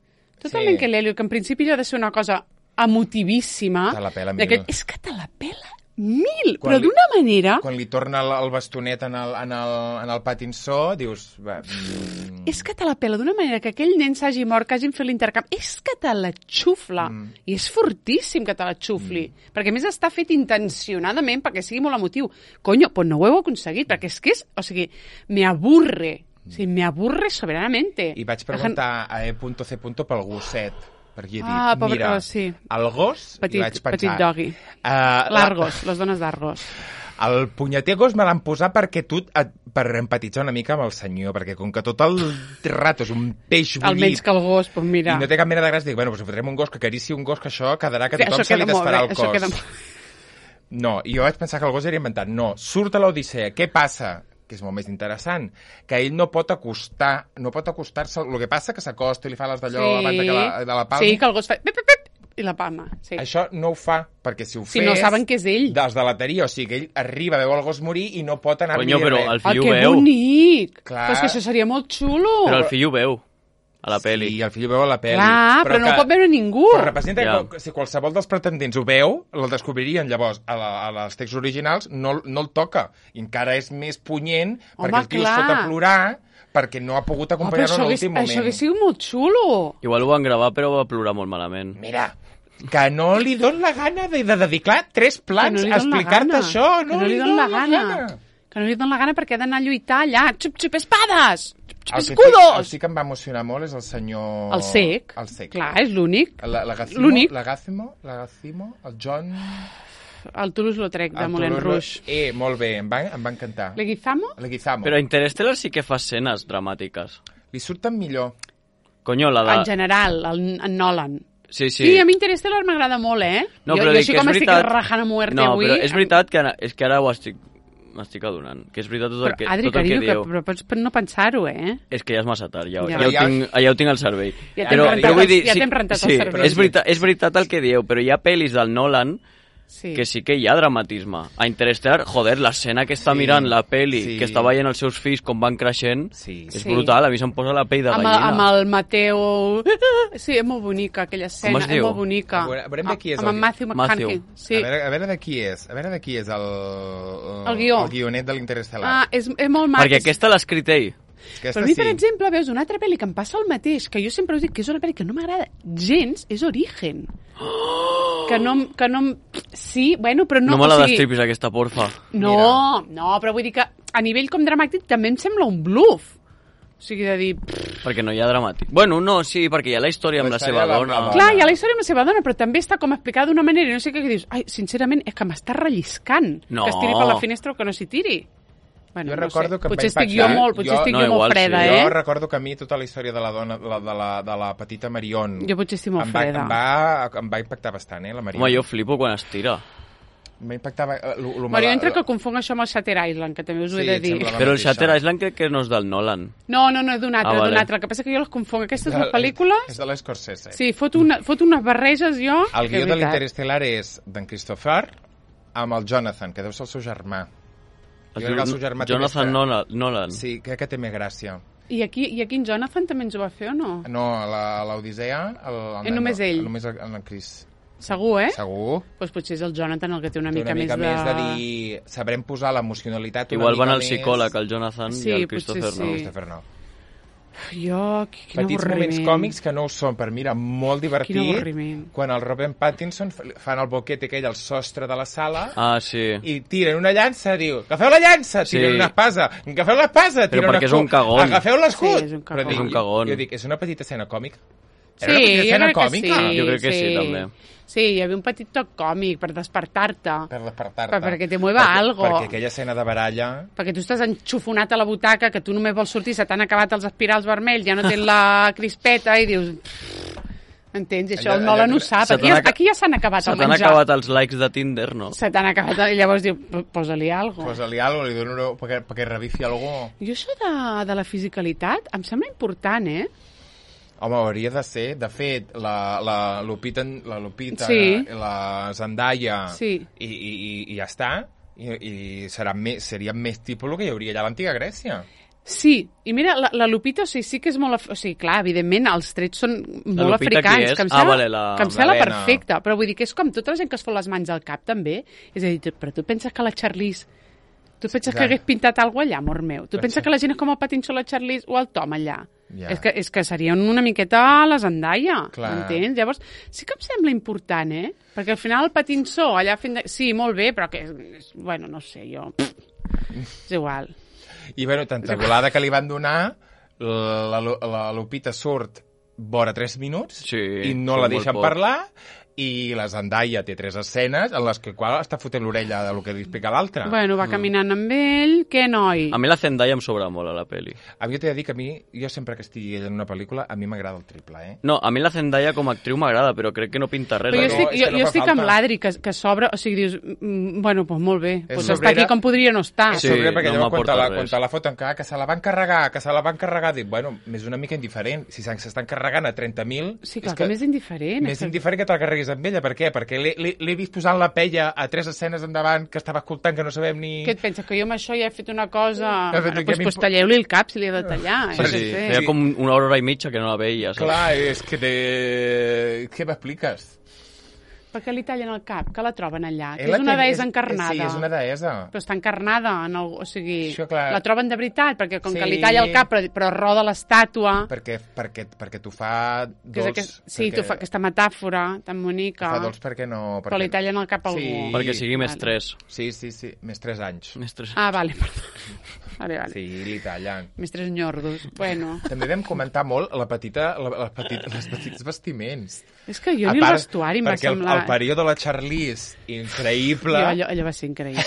Tot Sí. el nen que l'Eliot, que en principi ha de ser una cosa emotivíssima. Te la pela mil. d'aquest- És que te la pela mil, Quan però li- d'una manera... Quan li torna el, el bastonet en el, en el, en el patinsó, dius... Va, mm, És que te la pela d'una manera que aquell nen s'hagi mort, que hagin fet l'intercanvi. És que te la xufla. Mm. I és fortíssim que te la xufli. Mm. Perquè a més està fet intencionadament perquè sigui molt emotiu. Coño, pues no ho heu aconseguit, perquè és que és... O sigui, me aburre. O sigui, me aburre soberanamente. I vaig preguntar a E.C. pel gosset, perquè he dit, Ah, pobre- mira, oh, sí. el gos, Petit- i vaig pensar... petit doggy. Uh, L'Argos, les dones d'Argos. El punyeter gos me l'han posat perquè tu, et, per empatitzar una mica amb el senyor, perquè com que tot el rato és un peix bullit... Almenys que el gos, doncs mira... I no té cap mena de gràcia, dic, bueno, doncs fotrem un gos que acarici un gos, que això quedarà que Sí, tothom això se li queda molt desfarà bé, el això cos. queda molt- No, i jo vaig pensar que el gos era inventat. No, surt a l'Odissea. Què passa? Que és molt més interessant, que ell no pot acostar, no pot acostar-se, el que passa que s'acosta i li fa les d'allò Sí. abans de, que la, de la palma. Sí, que el gos fa... Pip, pip, pip, i la palma, sí. Això no ho fa, perquè si ho Si fes... no saben que és ell. Dels de l'ateria, o sigui, que ell arriba, veu el gos morir i no pot anar-li Conyo, però res. el Ah, fill ho que veu. bonic! Clar. Però és que això seria molt xulo. Però el fill ho veu, a la peli. Sí, el fill ho veu a la pel·li. Clar, però, no ho pot veure ningú. Però representa Ja. que si qualsevol dels pretendents ho veu, el descobririen. Llavors, a, la, a les textos originals no, no el toca. I encara és més punyent, Home, perquè el tio clar. es fot a plorar perquè no ha pogut Oh, però acompanyar-lo això en hagués, l'últim moment. això hagués sigut molt xulo. Igual ho van gravar, però va plorar molt malament. Mira, que no li don la gana de, de dedicar tres plans no a explicar-te això. No, que no li don la gana. gana. Que no li don la gana perquè ha d'anar a lluitar allà. Xup, xup, espades! Xup, xup, escudos! El que sí que em va emocionar molt és el senyor... El Sec. El Sec. Clar, és l'únic. La, la Gacimo, l'únic. La Gacimo, la Gacimo, el John... El Toulouse-Lautrec de Moulin Rouge. Eh, molt bé, em va, em va encantar. Leguizamo? Leguizamo. Però Interstellar sí que fa escenes dramàtiques. Li surten millor. Coño, la de... En general, el, en Nolan. Sí, sí. Sí, a mi Interstellar m'agrada molt, eh? No, jo, però jo dic així que com és estic veritat... rajant a muerte no, avui... No, però és veritat que, ara, és que ara ho estic... m'estic adonant, que és veritat tot el però, que, Adri, tot el que carinyo, dieu. Que, però pots no pensar-ho, eh? És que ja és massa tard, ja, Ja. ja, ja, ho, tinc, ja ho tinc al cervell. Ja t'hem rentat, jo vull dir, ja sí, t'hem rentat sí, el cervell. És veritat, és veritat el que dieu, però hi ha pel·lis del Nolan Sí. que sí que hi ha dramatisme. A Interstellar, joder, l'escena que està Sí, mirant la peli, sí. que està veient els seus fills com van creixent, Sí. és Sí. brutal, a mi se'm posa la pell de Amb, el- gallina. amb el Mateo... Sí, és molt bonica, aquella escena, es és diu? molt bonica. A veure- a veure de qui és amb el- en Matthew McConaughey. Matthew. Sí. A, veure, a veure de qui és. A veure de qui és el... El guió. El guionet de l'Interestel·lar. Ah, és, és molt mac. Perquè aquesta l'ha escrit ell. Però a mi, per exemple, veus una altra pel·li que em passa el mateix, que jo sempre us dic que és una pel·li que no m'agrada gens, és Origen. Que no... Que no em- sí, bueno, però no... No, me la o sigui, destripis, aquesta, porfa. No, no, però vull dir que a nivell com dramàtic també em sembla un bluff. O sigui, de dir... pff, Perquè no hi ha dramàtic. Bueno, no, sí, perquè hi ha la història amb La la història seva amb la- dona. amb la clar, hi ha la història amb la seva dona, però també està com explicada d'una manera i no sé què, que dius, ai, sincerament, és que m'està relliscant No. que es tiri per la finestra o que no s'hi tiri. Bueno, Jo no recordo sé. que em potser va estic jo impactar. molt, potser Jo- estic no, jo igual molt freda, sí. eh? Jo recordo que a mi tota la història de la dona, de la, de la, de la petita Marion... Jo potser estic molt em va, freda. Em va, em va impactar bastant, eh, la Marion. Home, jo flipo quan es tira. Em va impactar... eh, lo- lo Bueno, jo mala- entre que confonc això amb el Shutter Island, que també us ho Sí, he de em dir. sembla la Però el mateixa. Shutter Island crec que no és del Nolan. No, no, no, és d'un altre, Ah, d'un vale. altre. El que passa que jo les confonc. Aquestes És dues pel·lícules... És de l'Scorsese. Sí, fot, una, fot unes barreges jo... El que guió de veritat. l'Interestel·lar és d'en Christopher amb el Jonathan, que deu ser el seu germà. Jo crec que el seu germà té Jonathan més- Nolan. Nolan. Sí, crec que té més gràcia. I aquí, I aquí en Jonathan també ens ho va fer o no? No, la- l'Odissea... el- el És només ell? Només el, el Chris. Segur, eh? Segur. Doncs potser és el Jonathan el que té una Té mica, una mica més, més de dir... Sabrem posar l'emocionalitat una Igual mica van al més... psicòleg, el Jonathan Sí, i el potser Christopher sí. no. Christopher no. Jo, quin Petits avorriment. moments còmics que no ho són, per mi era molt divertit. Quin avorriment. Quan el Robert Pattinson fa- fan el boquete aquell al sostre de la sala Ah, sí. i tiren una llança, diu, agafeu la llança, tiren Sí. una espasa, agafeu l'espasa, tiren perquè un és un escut, cagón. agafeu l'escut. Sí, és un cagón. Però dic, És un cagón. Jo dic, és una petita escena còmica? Sí, Era una petita jo escena crec que còmica? sí. Jo crec que sí, també. Sí, hi havia un petit toc còmic per despertar-te. Per despertar-te. Per- perquè te mueva Perquè- algo. Perquè aquella escena de baralla... Perquè tu estàs enxufonat a la butaca, que tu només vols sortir, se t'han acabat els espirals vermells, ja no tens la crispeta i dius... "Pff", entens? I això Allò- el Nolan allò- ho sap. Se Aquí, t'han ja- aca- aquí ja s'han acabat Se el t'han menjar. acabat els likes de Tinder, no? Se t'han acabat, i llavors diu, posa-li alguna cosa. Posa-li alguna cosa, li dono una... perquè, perquè revifi algú. Jo això de, de la fisicalitat em sembla important, eh? Home, hauria de ser. De fet, la, la Lupita, la Lupita Sí. la Zendaya Sí. i, i, i, i ja està. I, i serà més, seria més tipus el que hi hauria allà a l'antiga Grècia. Sí, i mira, la, la Lupita, o sigui, sí que és molt... af- O sigui, clar, evidentment, els trets són molt Lupita qui africans, és? que em Ah, sembla, vale, la- que em sembla l'Helena. perfecte, però vull dir que és com tota la gent que es fot les mans al cap, també. És a dir, tu- però tu penses que la Charlize... Tu penses Ja. que hagués pintat alguna cosa allà, amor meu? Tu Pensa- penses que la gent és com el Pattinson, la Charlize o el Tom allà? Ja. És, que, és que serien una miqueta a la Zendaya, Clar. m'entens? Llavors, sí que em sembla important, eh? Perquè al final el Pattinson allà fent... De... Sí, molt bé, però que... És... Bueno, no sé, jo... És igual. I, bueno, tanta volada que li van donar, la, la, la Lupita surt vora tres minuts Sí, i no surt la molt deixen poc. parlar, i la Zendaya té tres escenes en les que qual està fotent l'orella del que li explica l'altre. Bueno, va caminant amb ell, què, noi? A mi la Zendaya em sobra molt a la peli. A mi jo t'he de dir que a mi, jo sempre que estigui ella en una pel·lícula, a mi m'agrada el triple, eh? No, a mi la Zendaya com a actriu m'agrada, però crec que no pinta res. Però jo no, estic, és jo, que no jo fa estic falta. amb l'Adri, que, que s'obre, o sigui, dius, mm, bueno, doncs molt bé, És doncs està sobrera. aquí com podria no estar. És Sí, sobre, perquè no llavors quan, m'aporta te la, res. quan te la foten que, ah, que se la van carregar, que se la van carregar, dic, bueno, és una mica indiferent. Si s'estan carregant a trenta mil... Sí, clar, que, que més indiferent. Més és que- indiferent que te la carreguis amb ella. Per què? Perquè l'he- l'he l'he vist posant la pella a tres escenes endavant que estava escoltant que no sabem ni... Què et penses, que jo amb això ja he fet una cosa... He fet- Bueno, que doncs m'impo- pues, talleu-li el cap si li ha de tallar. Sí, eh, sí, no sé. feia com una hora i mitja que no la veia, saps? Clar, és que te... Què m'expliques? Per què li tallen el cap? Que la troben allà? Que Ella és una té- deessa encarnada. Sí, és una deessa. Però està encarnada, en el, o sigui, Això, clar. la troben de veritat, perquè com Sí. que li talla el cap, però, però roda l'estàtua, Perquè, perquè, perquè t'ho fa que és dolç. aquest, sí, perquè, tu fa aquesta metàfora tan bonica, Fa dolç perquè no... Perquè... però li tallen el cap a algú. Sí. Perquè sigui més Vale. tres. Sí, sí, sí, més tres anys. Més tres. Ah, vale, perdó. Vale, vale. Sí, li tallen. Més tres nyordos. Bueno, També vam comentar molt la petita, la, la petit, les petits vestiments. és que jo A ni el part, vestuari em va perquè el, semblar... el període de la Charlize, increïble. Jo, allò, allò va ser increïble.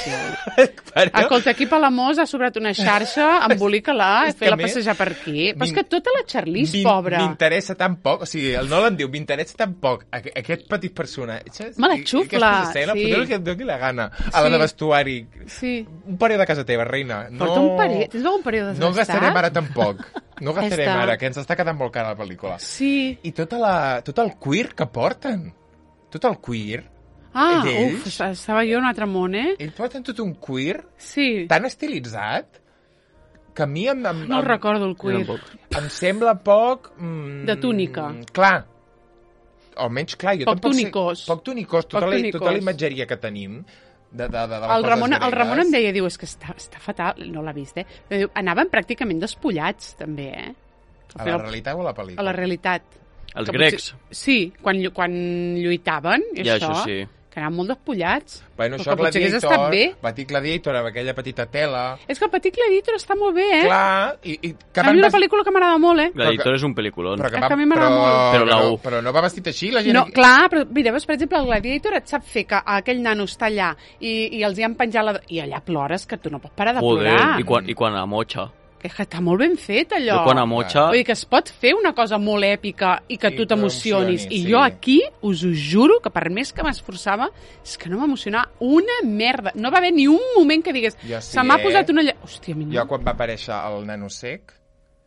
Però- Escolta, aquí a Palamós ha sobrat una xarxa, embolica-la, És que fer-la a més, passejar per aquí. Però és m'in- que tota la Charlize, M'in- pobra. M'interessa tan poc, o sigui, el Nolan diu, m'interessa tan poc aqu- aquest petit personatge. Me la i- i xufla, Aquesta escena, sí. sí. que et doni la gana. A la Sí. de vestuari. Sí. Un període de casa teva, reina. No, Porta un període... Tens algun període No desgastat? gastarem ara tampoc. No gastarem Està. ara, que ens està quedant molt cara la pel·lícula. Sí. I tota la, tot el queer que porten. Tot el queer. Ah, d'ells. uf, estava jo en un altre món, eh? Ells porten tot un queer Sí. tan estilitzat que a mi em, em, No el em, recordo, el Jo queer. tampoc. em sembla poc... Mm, De túnica. Clar. O almenys, clar, jo Poc tampoc tunicós. sé... Poc tunicós. Tota, Poc la, tunicós. tota la imatgeria que tenim de, de, de, de les El Ramon, coses el Ramon em gregues. deia, diu, és que està, està fatal, no l'ha vist, eh? Però diu, anaven pràcticament despullats, també, eh? A la realitat o a la pel·lícula? A la realitat. Els Que grecs. potser- Sí, quan, llu- quan lluitaven, i Ja, això, això sí. que anaven molt despullats. Bueno, Però això que potser hagués Gladiator, estat bé. Petit Gladiator, amb aquella petita tela... És que el Petit Gladiator està molt bé, eh? Clar, i, i que a van mi una vest- pel·lícula que m'agrada molt, eh? Gladiator és un pel·lículon. Però que, És va, que a mi m'agrada però, molt. Però la però, U. però no va vestit així, la gent... No, clar, però mira, veus, per exemple, el Gladiator et sap fer que aquell nano està allà i, i els hi han penjat la... I allà plores, que tu no pots parar de Joder, plorar. i quan, i quan a Mocha. Que és que està molt ben fet, allò. Jo quan a Mocha... Vull dir que es pot fer una cosa molt èpica i que I tu t'emocionis. t'emocionis, I sí. jo aquí us ho juro que per més que m'esforçava és que no m'emocionava una merda. No va haver ni un moment que digués Jo sí, se m'ha eh? posat una... lla-". Hòstia, a mi no. Jo quan va aparèixer el nano sec,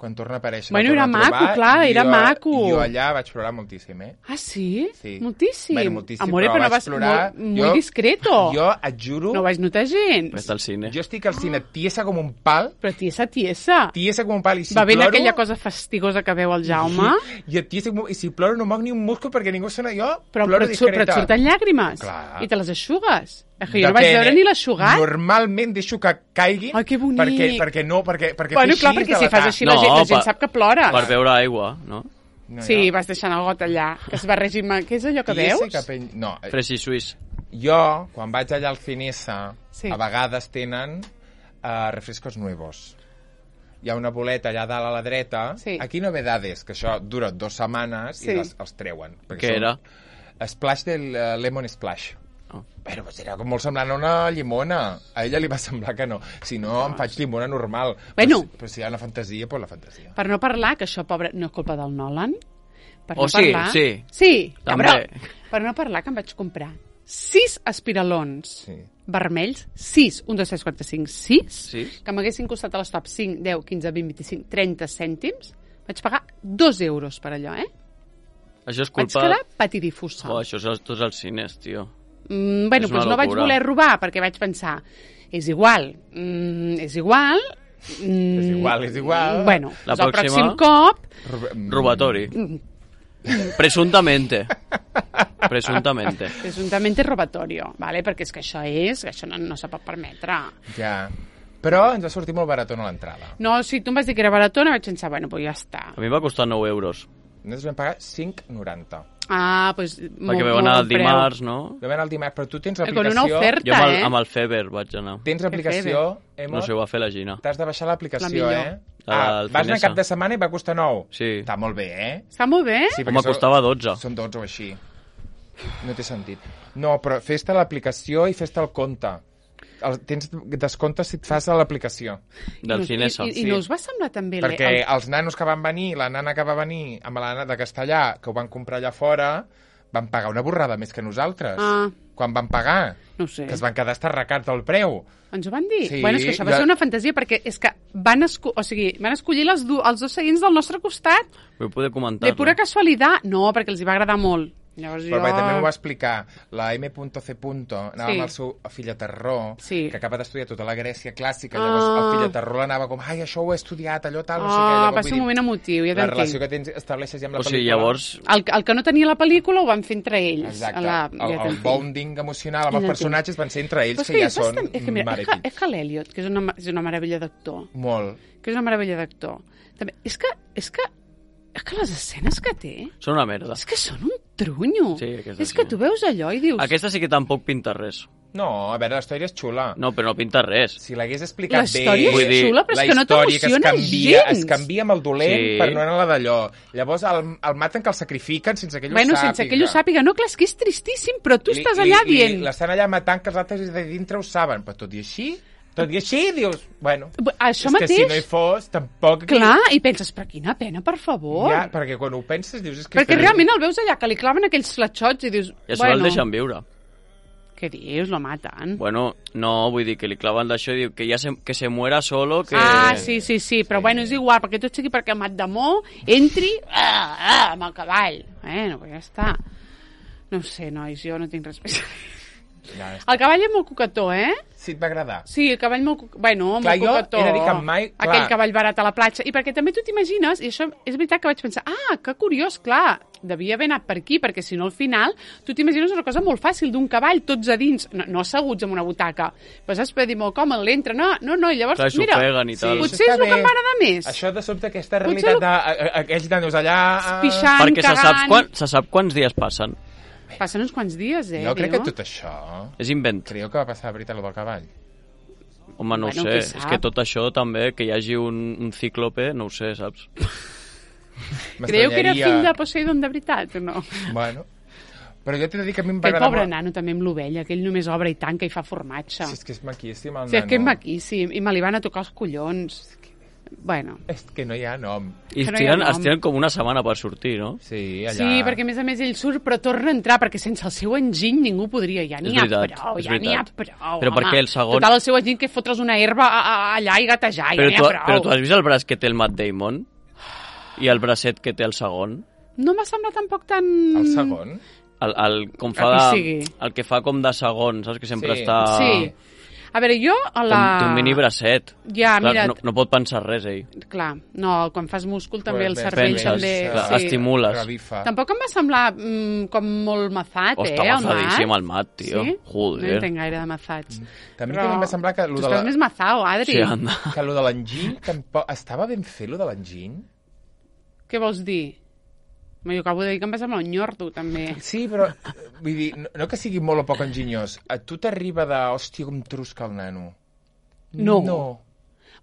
quan torna a aparèixer... Bueno, el era torna a maco, trobar, clar, era jo, maco. Jo allà vaig plorar moltíssim, eh? Ah, sí? Sí. Moltíssim. Bueno, moltíssim, Amore, però però no vaig vas plorar. molt, molt Jo- discreto. Jo et juro, No vaig notar gens. Està al cine. jo estic al cine tiesa com un pal, Però tiesa, tiesa. tiesa com un pal, i si Va ben ploro... aquella cosa fastigosa que veu el Jaume. I, et tiesa com... I si ploro no moc ni un múscul perquè ningú sona jo, Però, ploro però, et, sur- però et discreta. surten llàgrimes. Clar. I te les eixugues. És que jo no vaig Depèn, veure eh? ni l'eixugat. Normalment deixo que caiguin. Ai, que bonic. Perquè, perquè no, perquè, perquè Bueno, fer clar, així perquè de si la fas cara. així la, gent, la gent sap que plores. Per veure aigua, no? No, Sí, jo- vas deixant el got allà, que es barregi amb... Què és allò que tiesa veus? cap en- No, eh, Fresi suís. jo, quan vaig allà al Finesa, Sí. a vegades tenen uh, refrescos nuevos. Hi ha una boleta allà dalt a la dreta. Sí. Aquí novedades, que això dura dues setmanes Sí. i les, els treuen. perquè Què són era? Splash del uh, Lemon Splash. Oh. Però pues, era com molt semblant a una llimona. A ella li va semblar que no. Si no, em faig llimona normal. Bueno. Però, si- però si hi ha una fantasia, doncs la fantasia. Per no parlar, que això, pobre, no és culpa del Nolan. Per Oh, no sí, parlar... sí. Sí, També. cabró. Per no parlar, que em vaig comprar sis espiralons Sí. vermells, sis, un, dos, tres, quatre, cinc, sis, Sí? que m'haguessin costat a l'estop cinc, deu, quinze, vint, vint-i-cinc, trenta cèntims. Vaig pagar dos euros per allò, eh? Això és Vaig culpa... quedar patidifusa. Oh, això és als- tots els cines, tio. Mm, bueno, És una doncs no vaig locura. voler robar, perquè vaig pensar, és igual, mm, és igual... Mm, És igual, és igual. Bueno, La doncs el pròxima- pròxim cop... Rob- Robatori. Presuntamente. Presuntamente. Presuntamente robatorio, ¿vale? Perquè és que això és, això no, no se pot permetre. Ja. Però ens va sortir molt baratona l'entrada. No, si tu em vas dir que era baratona, vaig pensar, bueno, pues ja està. A mi em va costar nou euros. Nosaltres vam pagar cinc noranta. Ah, doncs pues, molt, Perquè vam molt anar bon el preu. dimarts, no? Vam anar el dimarts, però tu tens Eh, Con una l'aplicació... oferta, Jo amb el, eh? amb el Feber vaig anar. Tens l'aplicació, Emma, No sé, ho va fer la Gina. t'has de baixar l'aplicació, La millor. eh? La Ah, del vas anar Finesa. cap de setmana i va costar nou. Sí. Està molt bé, eh? Està molt bé. Sí, Home, perquè són- costava dotze. Són dotze o així. No té sentit. No, però fes-te l'aplicació i fes-te el compte. El, tens descompte si et fas a l'aplicació. Del I, Finesa. I, i Sí. no us va semblar també... Perquè el... els nanos que van venir, la nana que va venir amb la nana de Castellà, que ho van comprar allà fora, van pagar una borrada més que nosaltres. Ah. Quan van pagar. No ho sé. Que es van quedar estarracats del preu. Ens ho van dir? Sí, bueno, és que això va ja- ser una fantasia, perquè és que van, esco o sigui, van escollir les du els dos seguins del nostre costat, Vull poder comentar. de pura casualitat. No, perquè els hi va agradar molt. Llavors Però jo... bé, també m'ho va explicar la M C. Anava Sí. amb el seu fill a Terror, Sí. que acaba d'estudiar tota la Grècia clàssica, llavors Ah. el fill a Terror l'anava com, ai, això ho he estudiat, allò tal, no sé què. Ah, Llavors, va vull ser un dir, moment emotiu, ja la relació t'entenc. que tens estableixes ja amb la O sigui, pel·lícula. llavors... El, el que no tenia la pel·lícula ho van fer entre ells. Exacte, A la... el, ja el t'entenc. bonding emocional amb Ja els t'entenc. personatges van ser entre ells, Però és que ja és són bastant- és que, mira, mare és i que, fill. és que l'Eliot, que és una, és una meravella d'actor, Molt. que és una meravella d'actor, també, és que, és que, és que les escenes que té, Són una merda. és que són un trunyo. Sí, aquesta és sí. que tu veus allò i dius... Aquesta sí que tampoc pinta res. No, a veure, la història és xula. No, però no pinta res. Si l'hagués explicat La història bé... Vull és dir, xula, però la és que no història que es t'emociona canvia, gens. es canvia amb el dolent Sí. per no anar d'allò. Llavors el, el maten que el sacrifiquen sense que ell Bueno, ho sàpiga. sense que ell ho sàpiga. No, clar, és que és tristíssim, però tu Li- estàs li- allà li- dient... L'estan allà matant que els altres de dintre ho saben, però tot i així, tot i així, dius, bueno, Això és mateix... que si no hi fos, tampoc... Clar, i penses, però quina pena, per favor. Ja, perquè quan ho penses dius... És que Perquè és realment el veus allà, que li claven aquells fletxots i dius... I això bueno, el deixen viure. Què dius? Lo maten. Bueno, no, vull dir que li claven d'això i diu que ja se, que se muera solo, que... Ah, sí, sí, sí, però bueno, és igual, perquè tot sigui perquè Mat d'Amor entri ah, ah, amb el cavall. Bueno, pues ja està. No ho sé, nois, jo no tinc res més. Ja, El cavall és molt coquetó, eh? sí, et va agradar. Sí, el cavall molt... co- Bueno, Clar, molt jo coquetó. he de dir que mai- clar. Aquell cavall barat a la platja. I perquè també tu t'imagines, i això és veritat que vaig pensar, ah, que curiós, clar, devia haver anat per aquí, perquè si no al final tu t'imagines una cosa molt fàcil d'un cavall, tots a dins, no, no asseguts en una butaca. Però saps, per dir molt còmode, l'entra, no, no, no, i llavors, Clar, s'ho mira, peguen i tal. potser és això el està que em bé. va agradar més. Això de sobte, aquesta Potser realitat el- de- a- a- aquells nanos allà... ah, Pixant, Perquè se sap, cagant... quan, se sap quants dies passen. Passen uns quants dies, eh? Jo crec diu. que tot això... És invent. Creieu que va passar de veritat, el del cavall? Home, no Bueno, ho qui sé. sap? És que tot això també, que hi hagi un, un cíclope, no ho sé, saps? Creieu que era M'estranyaria- fill de Poseidon de veritat o no? Bueno, però jo t'he de dir que a mi em va Aquell agradar pobre molt... nano també amb l'ovella, que ell només obre i tanca i fa formatge. Si és que és maquíssim, el Sí, és que és nano. maquíssim, i me li van a tocar els collons. És que- Bueno, És que no hi ha nom. I Que es no hi ha tiren, nom. es tiren com una setmana per sortir, no? Sí, allà... sí, perquè a més a més ell surt però torna a entrar, perquè sense el seu enginy ningú podria, ja n'hi És ha veritat, prou, és ja n'hi ha veritat. prou, Però per home. què el segon- Total, el seu enginy que fotre's una herba a, a, allà i gatejar, Però ja tu, n'hi ha prou. però tu has vist el braç que té el Matt Damon? I el bracet que té el segon? No m'ha semblat tampoc tan... El segon? El, el, com fa El que de, sigui. el que fa com de segon, saps? Que sempre Sí. està... Sí. A veure, jo a la... Té, té un mini bracet. Ja, Clar, mira, no, no pot pensar res, ell. clar, no, quan fas múscul també el Pues, cervell penses, també... clar, sí. estimules. Revifa. Tampoc em va semblar mm, com molt mazat, Oh, eh, està el mazadíssim Mat. el Mat, tio. Sí? Joder. No entenc gaire de mazats. També, Però també em va semblar que lo Tu de estàs la... més mazao, Adri. Sí, anda. Que lo de l'enginy tampoc... Estava ben fet, lo de l'enginy? Què vols dir? Jo acabo de dir que em va semblar un nyordo, també. Sí, però, eh, vull dir, no, no que sigui molt o poc enginyós. A tu t'arriba de, hòstia, com trusca el nano. No. No.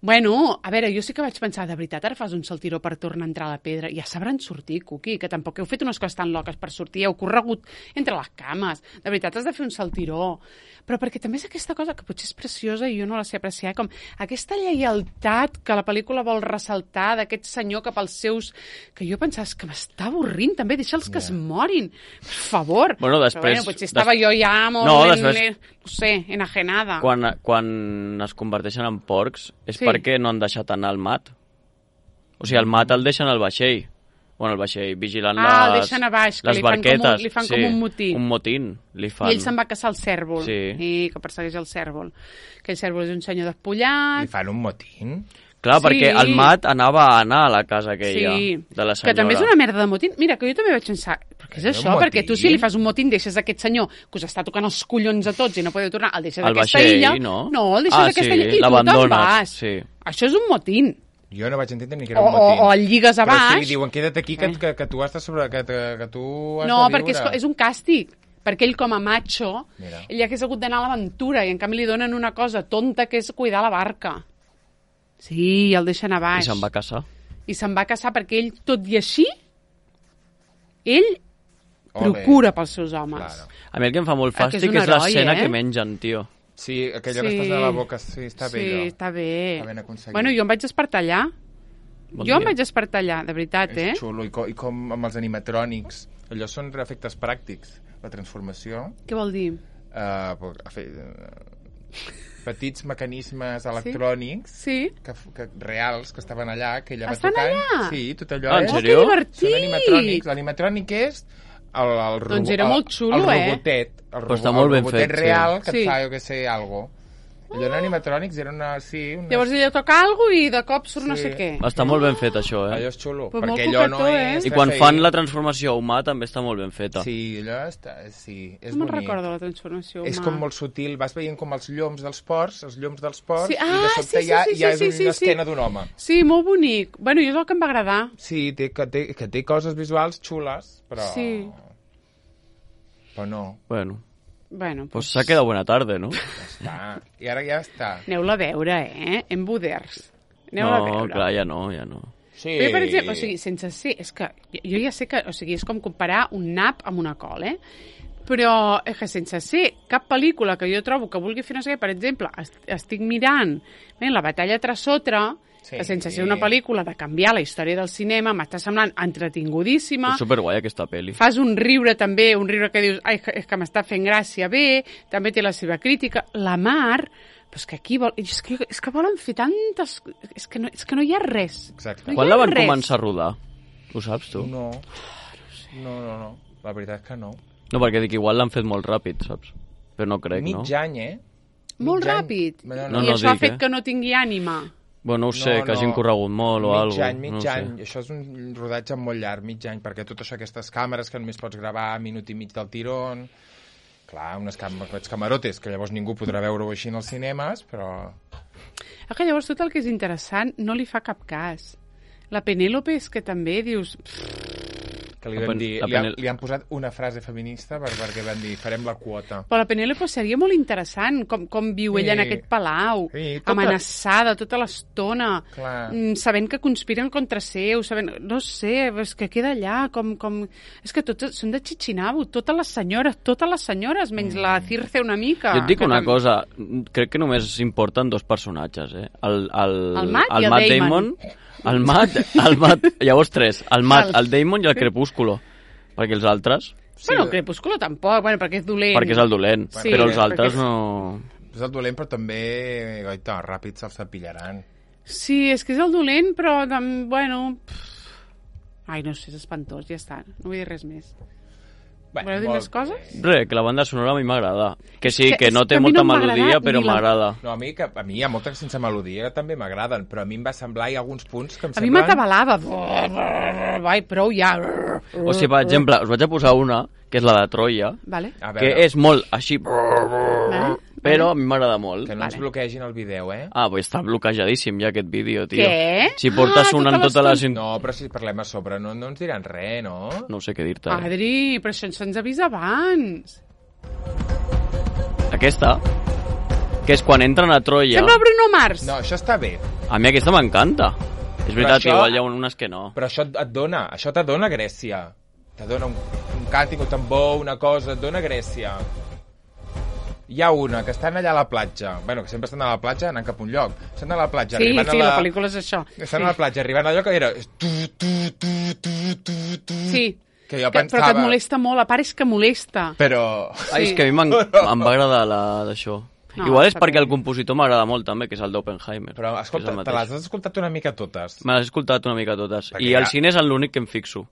Bueno, a veure, jo sí que vaig pensar, de veritat, ara fas un saltiró per tornar a entrar a la pedra. Ja sabran sortir, Cuqui, que tampoc heu fet unes coses tan loques per sortir. Heu corregut entre les cames. De veritat, has de fer un saltiró. Però perquè també és aquesta cosa que potser és preciosa i jo no la sé apreciar, com aquesta lleialtat que la pel·lícula vol ressaltar d'aquest senyor cap als seus... Que jo pensava, és que m'està avorrint, també, deixa'ls que es morin. Per favor. Bueno, després- Però, bueno, potser estava des- jo ja molt... No, en- després- no sé, enajenada. Quan, quan es converteixen en porcs és Sí. perquè no han deixat anar el Mat. O sigui, el Mat el deixen al vaixell. Bueno, el vaixell, vigilant Ah, el les, deixen a baix, que les li fan com un- barquetes. li fan sí, com un motín. Un motín, li fan. I ell se'n va caçar el cèrvol. Sí. I que persegueix el cèrvol. Que el cèrvol és un senyor despullat. Li fan un motín? Clar, Sí. perquè el Mat anava a anar a la casa aquella Sí, de la senyora. que també és una merda de motín. Mira, que jo també vaig pensar, però què és És això? un Perquè tu si motín? li fas un motín deixes aquest senyor que us està tocant els collons a tots i no podeu tornar, el deixes Al d'aquesta vaixell, illa. no? No, el deixes Ah, d'aquesta sí, illa i tu te'n l'abandones, vas. sí. Això és un motín. Jo no vaig entendre ni que O, era un o, motín. o el lligues a Però baix. sí, li diuen, queda't aquí, que, Eh. que, que tu has de sobre... Que, que, que tu has No, de perquè és, viure. és un càstig. Perquè ell, com a macho, Mira. ell hagués hagut d'anar a l'aventura i en canvi li donen una cosa tonta que és cuidar la barca. Sí, el deixen a I baix. se'n va casar. I se'n va casar perquè ell, tot i així, ell Ole. procura pels seus homes. Claro. A mi el que em fa molt Ah, que és fàstic un és heroi, l'escena eh? que mengen, tio. Sí, aquella Sí. que estàs a la boca, sí, està bé sí, allò. està bé. Està ben aconseguit. Bueno, jo em vaig despertar allà. Bon jo em dia. vaig despertar allà, de veritat, eh? És xulo, i com, i com amb els animatrònics. Allò són efectes pràctics. La transformació, Què vol dir? eh, uh, petits mecanismes electrònics Sí? que, que, reals que estaven allà, que ella va Estan tocant. allà? Sí, tot allò Ah, en és... sèrio? Oh, que divertit! Són animatrònics. L'animatrònic és el, el, el, Doncs era molt xulo, el eh? robotet, el, Però robo, està molt el ben robotet fet, sí. real que Sí. et fa, jo què sé, algo. Allò en animatrònics era una... Sí, una... Llavors ella toca alguna i de cop surt no Sí. sé què. Està molt ben fet, això, eh? Allò és xulo, Però molt perquè allò no coquetó, és... eh? I quan C G I. fan la transformació humà també està molt ben feta. Sí, allò està... Sí, és No me'n bonic. recordo la transformació És humà. com molt sutil, vas veient com els lloms dels ports, els lloms dels ports, Sí, i de ah, sobte sí, sí, ja, sí, ja sí, és sí, una sí. esquena d'un home. Sí, molt bonic. Bueno, i és el que em va agradar. Sí, té, que, té, que té coses visuals xules, però... Sí. Però no, Bueno, Bueno, pues s'ha quedat bona tarda, no? ja està. I ara ja està. aneu-la a veure, eh? En Buders. Aneu-la a No, veure. clar, ja no, ja no. Sí. Però, per exemple, o sigui, sense ser... És que jo, jo ja sé que... O sigui, és com comparar un nap amb una col, eh? Però és que sense ser cap pel·lícula que jo trobo que vulgui fer no sé què, per exemple, est estic mirant bé, la batalla Trasotra, Sí. que sense ser una pel·lícula de canviar la història del cinema, m'està semblant entretingudíssima. És superguai aquesta pel·li. Fas un riure també, un riure que dius, ai, és que, és que m'està fent gràcia bé, també té la seva crítica. La Mar, però és que aquí vol... És que, és que volen fer tantes... És que no, és que no hi ha res. Exacte. No hi Quan ha la van res. començar a rodar? Ho saps, tu? No. No, no, no. La veritat és que no. No, perquè dic, igual l'han fet molt ràpid, saps? Però no crec, no? Mig any, eh? Molt Mig any. ràpid. No, No, I no això ha dic, fet eh? que no tingui ànima. Bueno, no ho sé, No, que hagin no. corregut molt o mig alguna any, mig no ho sé. any. Això és un rodatge molt llarg, mig any, perquè tot això, aquestes càmeres que només pots gravar minut i mig del tirón... Clar, unes cam aquests camarotes, que llavors ningú podrà veure-ho així en els cinemes, però... Ah, que llavors tot el que és interessant no li fa cap cas. La Penèlope és que també dius... Que li, La vam pen- dir, la li, han, penel- li han posat una frase feminista per, perquè van dir, farem la quota. Però la Penèlope seria molt interessant, com, com viu Sí. ella en aquest palau, Sí, tota- amenaçada tota l'estona, Clar. mm, sabent que conspiren contra seu, sabent... No sé, és que queda allà, com... com... És que totes són de Chichinabo, totes les senyores, totes les senyores, menys la Circe una mica. Jo et dic que una tam- cosa, crec que només importen dos personatges, eh? El, el, El Matt i el Matt Damon. el Matt, el Matt, llavors tres, el Matt, El- el Damon i el Crepúsculo. Perquè els altres, Bueno, el Crepúsculo tampoc, bueno, perquè és dolent. perquè és el dolent, Sí, però els perquè altres és- no... És el dolent, però també, goita, ràpid se'ls tapillaran. Sí, és que és el dolent, però, tam- bueno... pff. Ai, no sé, és espantós, ja està. No vull dir res més. Bé, Voleu dir molt més coses? bé. Res, que la banda sonora a mi m'agrada. Que sí, que- que no és té que a mi molta no m'ha agradat melodia, però ni la- m'agrada. No, a mi, que, a mi hi ha moltes sense melodia que també m'agraden, però a mi em va semblar, hi ha alguns punts que em A mi semblen... m'atabalava. Vai, prou ja. O sigui, per exemple, us vaig a posar una, que és la de Troia, Vale. A que veure, és molt així, Vale. però a mi m'agrada molt. que no ens Vale. bloquegin el vídeo, eh? Ah, pues està bloquejadíssim ja aquest vídeo, tio. Què? Si portes Ah, una en tota tota la... l'estona. Sin... No, però si parlem a sobre no, no ens diran res, no? No sé què dir-te. Eh? Adri, però això se'ns avisa abans. Aquesta, que és quan entren a Troia... Sembla Bruno Mars. No, això està bé. A mi aquesta m'encanta. És veritat això- que igual hi ha unes que no. Però això et et dona, això t'adona Grècia. T'adona un, un càntic, un tambor, una cosa, et dona Grècia. Hi ha una, que estan allà a la platja. Bueno, que sempre estan a la platja anant cap a un lloc. Estan a la platja, Sí, arribant sí, a la... la pel·lícula és això. Estan sí. a la platja, arribant a allò que era... Tu, tu, tu, tu, tu, tu. Sí, Que jo que, pensava... però que et molesta molt, a part és que molesta. Però... Ai, és que a mi m'en- em va agradar la d'això. No, Igual és està perquè bé. el compositor m'agrada molt també, que és el d'Oppenheimer. Però, que és escolta, el te mateix. les has escoltat una mica totes. Me les he escoltat una mica totes. Perquè I ja- el cine és l'únic que em fixo.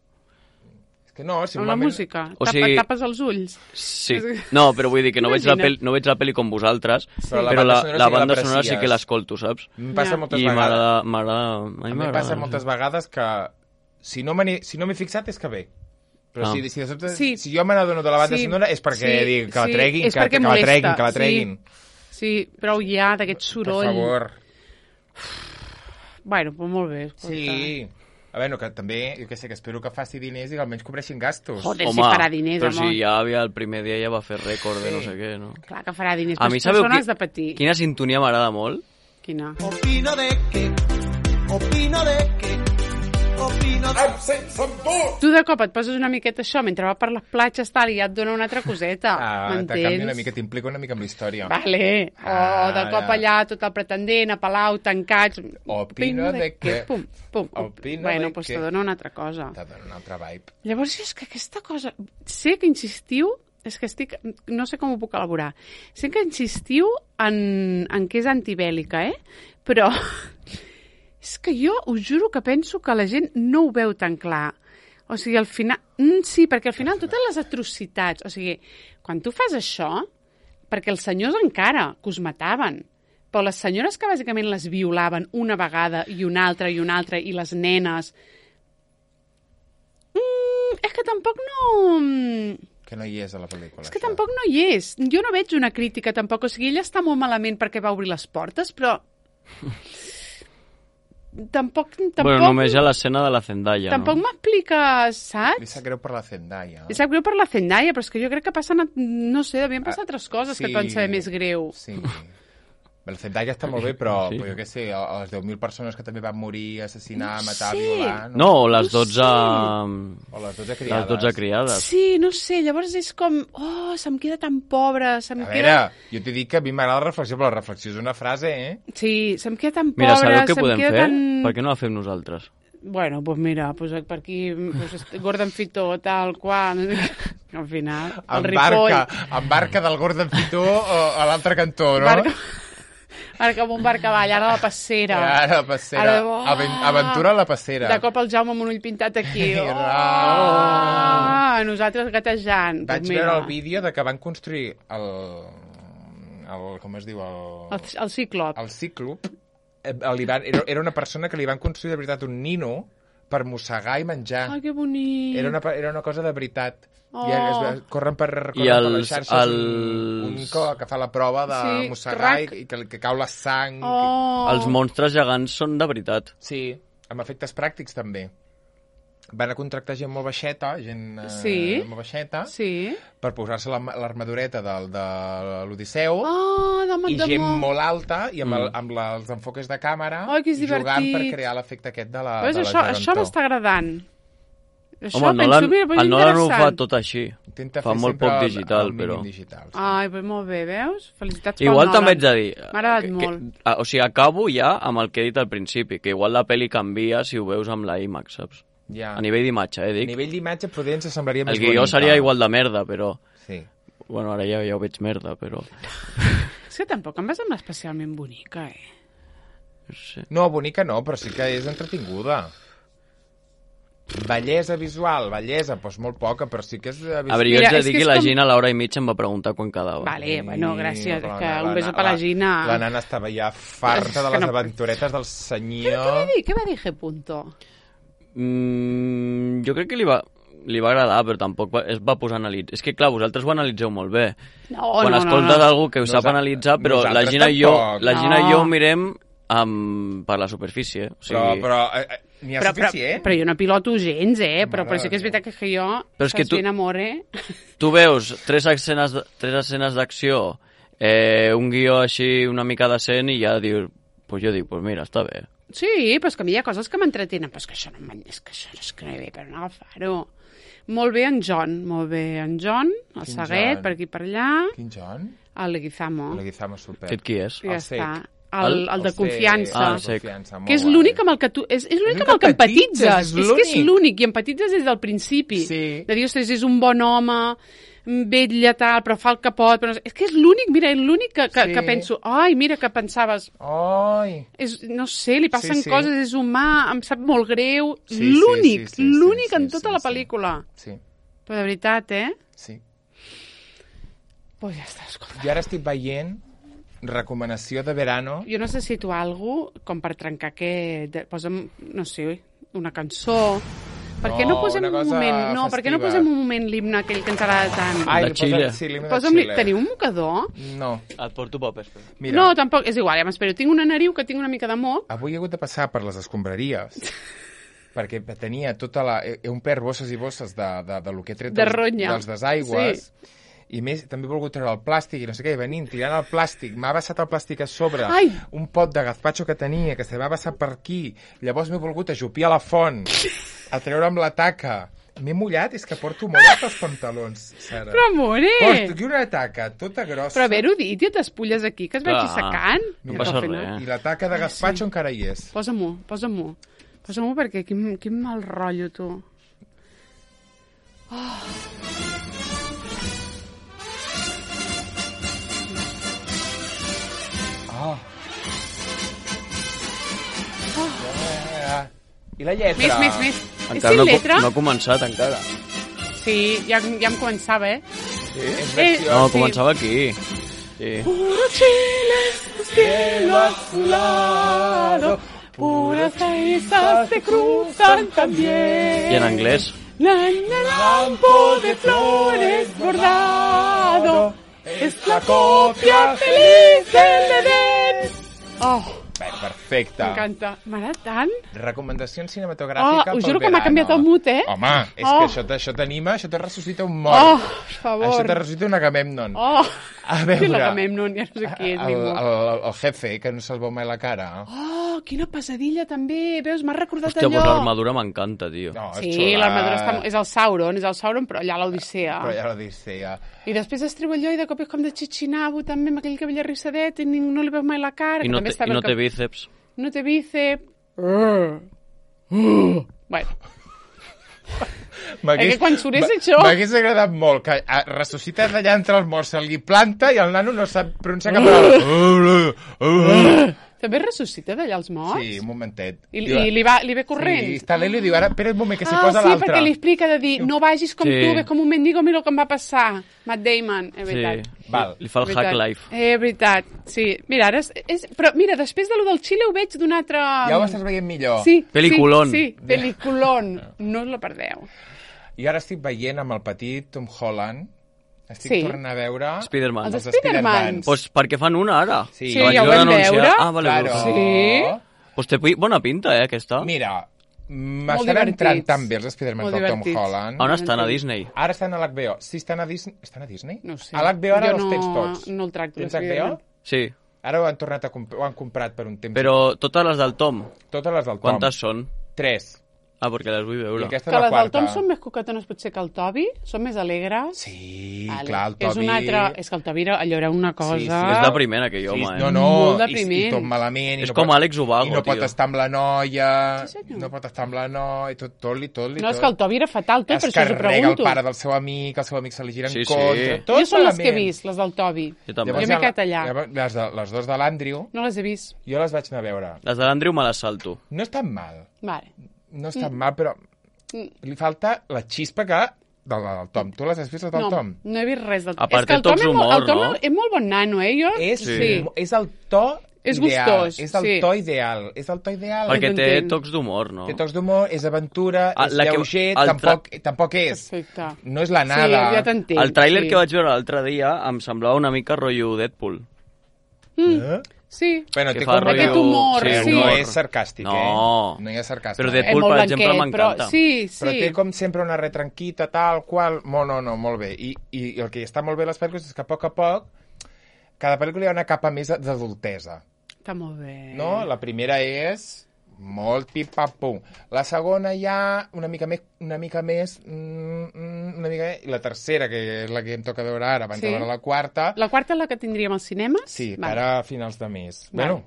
És que no, si Amb la normalment... música. O Tapa, sigui- Tapes els ulls. Sí. No, però vull dir que no veig, la Imagina't. pel, no veig la pel·li com vosaltres, Però la però banda la, sonora la sí que banda sonora sí l'aprecies. que l'escolto, saps? Em passa Ja. moltes I vegades. m'agrada... m'agrada- A mi A mi em m'agrada. passa moltes vegades que si no m'he si no m'he fixat és que bé. Però Ah. si, si, de sobte, Sí. si jo me n'adono de la banda Sí. sonora és perquè Sí, dic que la sí, treguin, és que, perquè que, la molesta, treguin, que la sí. treguin. Sí, prou ja d'aquest Per soroll. favor. Bueno, pues molt bé. Escolta. Sí. A veure, que també, jo què sé, que espero que faci diners i que almenys cobreixin gastos. Joder, Home, si farà diners, però amor. si ja havia, el primer dia ja va fer rècord de Sí. no sé què, no? Clar que farà diners, A però mi les sabeu persones qui- de patir. Quina sintonia m'agrada molt? Quina? Opino de que, opino de que, opino de Tu de cop et poses una miqueta això mentre va per les platges tal, i ja et dona una altra coseta. Ah, te M'entens? canvia una mica, t'implica una mica amb la història. Vale. O Ah, de cop ja. allà tot el pretendent, a Palau, tancats... Opino de que- Pum, pum. Opino bueno, de pues que- te dona una altra cosa. T'ha donat un altre vibe. Llavors, és que aquesta cosa... Sé que insistiu... És que estic... No sé com ho puc elaborar. Sé que insistiu en, en que és antibèl·lica, eh? Però... És que jo us juro que penso que la gent no ho veu tan clar. O sigui, al final... Mm, sí, perquè al final totes les atrocitats... O sigui, quan tu fas això, perquè els senyors encara que us mataven, però les senyores que bàsicament les violaven una vegada i una altra i una altra, i les nenes... Mm, és que tampoc no... Que no hi és a la pel·lícula. És que això. tampoc no hi és. Jo no veig una crítica, tampoc. O sigui, ella està molt malament perquè va obrir les portes, però... tampoc... tampoc... Bueno, només hi ha l'escena de la Zendaya, Tampoc no? m'expliques, Li saps? sap greu per la Zendaya. Li sap greu per la Zendaya, però és que jo crec que passen... No sé, devien passar Ah, altres coses sí. que et van saber més greu. Sí. La Zendaya està molt bé, però, Sí. però jo què sé, a les deu mil persones que també van morir, assassinar, No matar, sé. violar... No, o les No dotze... O les dotze criades. Les dotze criades. Sí, no sé, llavors és com... Oh, se'm queda tan pobra, se'm A queda... veure, jo t'he dit que a mi m'agrada la reflexió, però la reflexió és una frase, eh? Sí, se'm queda tan Mira, pobra, sabeu què se'm podem queda fer? tan... Per què no la fem nosaltres? Bueno, doncs pues mira, pues per aquí, pues, Gordon Fitó, tal qual... Al final, el Ripoll... Embarca, embarca del Gordon Fitó a l'altre cantó, no? Barca, barca amb un barcavall, ara a la passera. Ara, la passera. Ara, oh! Aven- Aventura a la passera. De cop el Jaume amb un ull pintat aquí. Oh! Ah! Nosaltres gatejant. Vaig Pues mira, veure el vídeo de que van construir el... el com es diu? El, El, el Cíclop. el Cíclop. Eh, li van, era, era una persona que li van construir de veritat un nino per mossegar i menjar. Ai, que bonic. Era una, era una cosa de veritat. Oh. I es, corren per, corren I per els- les xarxes un, un els- que, que fa la prova de Sí, mossegar rac. i, i que, que cau la sang. Oh. Els monstres gegants són de veritat. Sí, amb efectes pràctics també. Van a contractar gent molt baixeta, gent eh, Sí. molt baixeta, Sí. per posar-se la- l'armadureta del, de l'Odisseu, Oh, de i de gent mo- molt alta, i amb, el, Mm. amb la, els enfoques de càmera, Ai, que és jugant divertit. per crear l'efecte aquest de la, Veus, de la això, això gegantor. m'està agradant. Això Home, el penso, Nolan, mira, pues el Nolan ho fa interessant. tot així. Intenta Fa fer molt sempre poc el- digital, el mínim però... digital, sí. Ai, pues molt bé, veus? Felicitats pel Igual Nolan. també haig de dir... M'ha agradat que- molt. Que, ah, o sigui, acabo ja amb el que he dit al principi, que igual la pel·li canvia si ho veus amb la IMAX, saps? Ja. A nivell d'imatge, eh, A dic. nivell d'imatge potser ens semblaria més El guió bonica. seria igual de merda, però... Sí. Bueno, ara ja, ja ho veig merda, però... És que tampoc em va semblar especialment bonica, eh? No sé. No, bonica no, però sí que és entretinguda. Bellesa visual, bellesa, doncs molt poca, però sí que és... A veure, jo Mira, haig de és dir que que és la com- Gina a l'hora i mitja em va preguntar quan quedava. Vale, bueno, gràcies. però És que la- un beso la- per la Gina. La nana estava ja farta de Que les no- aventuretes del Què va senyor. dir? Què va dir G. Punto? Mm, jo crec que li va, li va agradar, però tampoc va, es va posar a analitzar. És que, clar, vosaltres ho analitzeu molt bé. No, Quan no, escoltes no, no. algú que ho sap Nosa- analitzar, però la nosaltres Gina, i jo, tampoc. la Gina i No. jo ho mirem amb, per la superfície. O sigui, Però, però eh, eh, n'hi ha Però, però, suficient? però jo no piloto gens, eh? Però, Mare però sí que és de veritat que, que jo... Però és que saps tu- bien amor, eh? tu veus tres escenes, d- tres escenes d'acció, eh, un guió així una mica decent i ja dius, pues jo dic, pues mira, està bé. Sí, però és que a mi hi ha coses que m'entretenen. Però és que això no, m'en- és que això no és que no hi ve per no agafar-ho. Molt bé en John, molt bé en John, el Quin Saguet, John? per aquí per allà, Quin John? el Leguizamo, Leguizamo super. Aquest qui és? i ja el cec. està. El, el de El cec, confiança. Ah, el cec. confiança, molt Que és guai. l'únic amb el que tu... És, és l'únic amb el que empatitzes. És, és que és l'únic. l'únic, i empatitzes des del principi. Sí. De dir, ostres, és un bon home, vetlla, tal, però fa el que pot. Però no sé. És que és l'únic, mira, és l'únic que, que, Sí. que penso, ai, mira, que pensaves, Ai, és, no sé, li passen Sí, sí. coses, és humà, em sap molt greu. Sí, sí, l'únic, sí, sí, l'únic sí, en sí, tota sí, la sí. pel·lícula. sí, Però de veritat, eh? sí. Pues ja està, escolta. Jo ara estic veient recomanació de verano. Jo necessito algú com per trencar aquest... de- Posa'm, no sé, una cançó... Per què no, No, posem una un cosa moment... No, per què no festiva. posem un moment l'himne aquell que ens agrada tant? Ai, De Xile. posa- sí, l'himne de Posa'm, Xile. teniu un mocador? No, Et porto papers. mira. No, tampoc, és igual, ja m'espero. Tinc una nariu que tinc una mica de moc. Avui he hagut de passar per les escombraries perquè tenia tota la... He he omplert bosses i bosses de, de, de lo que he tret De dels, ronya. dels desaigües. Sí. I més, també he volgut treure el plàstic i no sé què, i venint, tirant el plàstic, m'ha vessat el plàstic a sobre, Ai! un pot de gazpacho que tenia, que se m'ha vessat per aquí, llavors m'he volgut ajupir a la font, a treure amb la taca. M'he mullat, és que porto molt els pantalons, Sara. Però, amore! Porto aquí una taca tota grossa. Però haver-ho dit, ja t'espulles aquí, que es vagi Clar, secant. no I passa al final- res. I la taca de gazpacho sí. encara hi és. Posa-m'ho, posa-m'ho. Posa-m'ho perquè quin, quin mal rotllo, tu. Ah. Ah. I la lletra? Més, més, més. Encara sin no, letra? no ha començat, encara. Sí, ja, ja em començava, eh? Sí? És Eh, versió... No, sí. començava aquí. Sí. Puro Chile, cielo azulado, puras risas te cruzan también. I en anglès? La, la, campo de flores bordado, es la copia feliz del Edén. Oh, Bé, perfecte. m'encanta. M'agrada tant. Recomanacions Oh, cinematogràfiques us pel juro que m'ha verano. canviat el mood, eh? Home, és Oh. que això, t- això t'anima, això te ressuscita un Oh, mort. per favor. Això te ressuscita un Agamemnon. Oh, A veure, sí, l'Agamemnon, ja no sé qui és el, ningú. el, el jefe, que no se'l veu mai la cara. Oh, quina pesadilla també. Veus, m'ha recordat Hòstia, allò. doncs l'armadura m'encanta, tio. No, és Sí, xula. l'armadura està... És el Sauron, és el Sauron, però allà a l'Odissea. Però ja l'Odissea. I després es treu allò i de cop és com de xixinabo, també, amb aquell cabell arrissadet, i ningú no li veu mai la cara. I que no, també té, està i bé no el té cap- bíceps. No té bíceps. Uh. Uh. Bueno, M'hagués- És que quan surt és m'a- això. M'hagués agradat molt que ah, ressuscita d'allà entre els morts, se li planta i el nano no sap pronunciar cap paraula. també ressuscita d'allà els morts? Sí, un momentet. I, Diu, i li, va, li ve corrent? Sí, està l'Eli i diu, ara, espera un moment, que s'hi Ah, posa sí, l'altre. perquè li explica de dir, no vagis com Sí. tu, ves com un mendigo, mira el que em va passar. Matt Damon, és Sí, veritat. Val. li fa el hack Veritat. life. Eh, veritat, sí. Mira, ara és, és... Però mira, després de lo del Xile ho veig d'un altre... Ja ho estàs veient millor. Sí, Peliculón. Sí, sí, peliculón. No us la perdeu. I ara estic veient amb el petit Tom Holland, estic Sí. tornant a veure... Spiderman. Els Els Spidermans. Spidermans. Pues perquè fan una ara. Sí. Sí, Que ja ho vaig vam anunciar. veure. Ah, vale. Claro. Pues, Sí. pues té pi- bona pinta, eh, aquesta. Mira, Molt m'estan divertits. entrant tan bé els Spidermans Molt del Tom divertits. Holland. On estan? A Disney? Ara estan a l'H B O. Sí, estan a Disney. Estan a Disney? No ho sé. A l'H B O ara Jo els no- tens tots. no el tracto, Tens els H B O? Spiderman. Sí. Ara ho han tornat a comp ho han comprat per un temps. Però totes les del Tom, Totes les del Tom. quantes són? Tres. Ah, perquè les vull I veure. aquesta Que és la les del quarta. Tom són més coquetones potser que el Toby, són més alegres. Sí, Vale. clar, el És Toby... un altre... És que el Toby era, allò era una cosa... Sí, sí, És depriment, aquell home, Sí, eh? no, no, Molt i, depriment. i tot malament. I És no com pot, Àlex Ubago, I no pot tio. estar amb la noia, Sí, senyor. no pot estar amb la noia, tot, tot li, tot li, No, tot. és que el Toby era fatal, tot, es per això us ho carrega el pregunto. pare del seu amic, el seu amic se li gira en Sí, sí. contra, tot Jo són les que he malament. vist, les del Toby. Jo també. Jo m'he quedat allà. Llavors, les, de, les dos de l'Andrew, No les he vist. jo les vaig anar a veure. Les de l'Andrew me les salto. No estan mal, Vale. no estan mal, però li falta la xispa que del, del Tom. Tu les has vist, les del No, Tom? no he vist res del A part, és que el té Tom, tocs és, molt, d'humor, el Tom no? és molt bon nano, eh? Jo... És, sí. és el to És ideal. gustós, És el sí. to ideal. És el to ideal. Perquè té t'entenc. tocs d'humor, no? Té tocs d'humor, és aventura, Ah, és la que- lleuger, el tra- tampoc, tampoc és. Perfecte. No és la Sí, nada. ja t'entenc. El tràiler sí. que vaig veure l'altre dia em semblava una mica rotllo Deadpool. Eh? Sí. Bueno, Que té fa com... Aquest humor, sí. No humor. és sarcàstic, No. eh? No hi ha sarcàstic. Però eh? Deadpool, És molt per exemple, blanquet, però m'encanta. sí, sí. Però té com sempre una retranquita, tal, qual... No, no, no, molt bé. I, i el que està molt bé a les pel·lícules és que a poc a poc cada pel·lícula hi ha una capa més d'adultesa. Està molt bé. No? La primera és molt pip-pam-pum. La segona ja una mica més, una mica més, mm, mm, una mica més, i la tercera, que és la que em toca veure ara, abans Sí. de veure la quarta, La quarta és la que tindríem als cinemes? sí, Vale. ara a finals de mes. Vale. Bueno,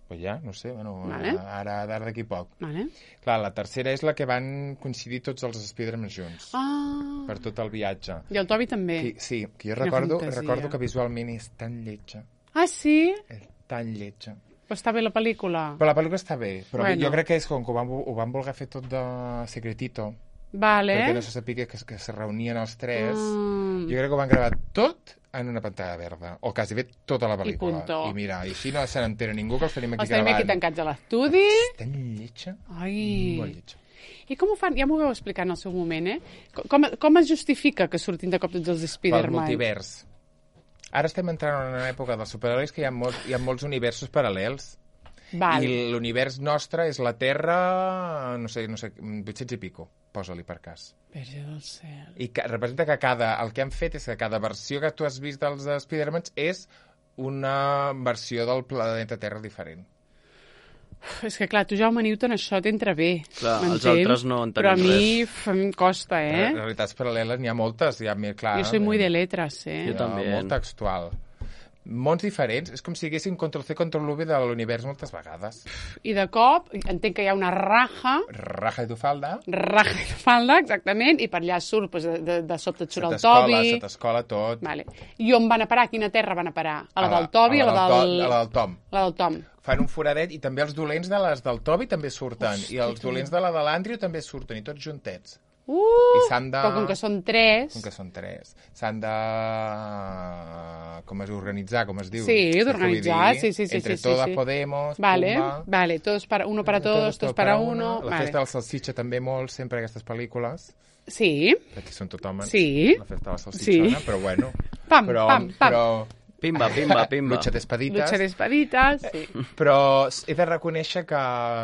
pues ja, no sé, bueno, Vale. ara, ara d'aquí poc. Vale. Clar, la tercera és la que van coincidir tots els Spider-Man junts, Ah. per tot el viatge. I el Toby també. Que, sí, que jo Quina recordo, fantasia. recordo que visualment és tan lletja, Ah, sí? és tan lletja. Però està bé la pel·lícula. Però la pel·lícula està bé, però Bueno. jo crec que és com que ho van, ho van voler fer tot de secretito, Vale. perquè no se sapia que, que se reunien els tres. Mm. Jo crec que ho van gravar tot en una pantalla verda, o quasi bé tota la pel·lícula. punto. I mira, i així no se n'entera ningú que els tenim aquí Els tenim gravant. aquí tancats a l'estudi. Tan lletja, Ai. molt lletja. I com ho fan? Ja m'ho vau explicar en el seu moment, eh? Com, com es justifica que surtin de cop tots els Pel Spider-Man? multivers. Ara estem entrant en una època dels superherois que hi ha, molts, hi ha molts universos paral·lels. Val. I l'univers nostre és la Terra, no sé, no sé, vuit-cents i pico, posa-li per cas. Verge del cel. I que, representa que cada, el que han fet és que cada versió que tu has vist dels Spider-Man és una versió del planeta Terra diferent. Uf, és que clar, tu, Jaume Newton, això t'entra bé. Clar, els m'entens? altres no entenem Però a mi res. f- em costa, eh? Realitats paral·leles n'hi ha moltes, hi ha més clar. Jo soy muy de letras, eh? Jo també. Molt textual. Mons diferents, és com si haguessin control-C, control-V de l'univers moltes vegades. I de cop, entenc que hi ha una raja, Raja i tu falda, raja de falda, exactament, i per allà surt, doncs, de, de, de sobte et se surt el t'escola, Toby. se t'escola tot. Vale. I on van a parar? A quina terra van a parar? A la A del Toby o a la To- del... a la del Tom. La del Tom. fan un foradet, i també els dolents de les del Toby també surten, Hosti, i els tu. dolents de la de l'Andrew també surten, i tots juntets. Uh, I s'han de... Però com que són tres... Com que són tres. S'han de... Com es organitzar, com es diu? Sí, Saps què d'organitzar, vull dir? sí, sí, sí. Entre sí, todas sí. Podemos, Vale, Pumba... vale, todos para, uno para todos, todos para uno... La vale. festa del salsitxa també molt, sempre aquestes pel·lícules, Sí, perquè són tot homes. Sí. La festa de la salsitxona, Sí. però bueno. Pam, però, pam, pam. Però, Pimba, pimba, pimba. Lucha d'espadites. lucha d'espaditas, sí. Però he de reconèixer que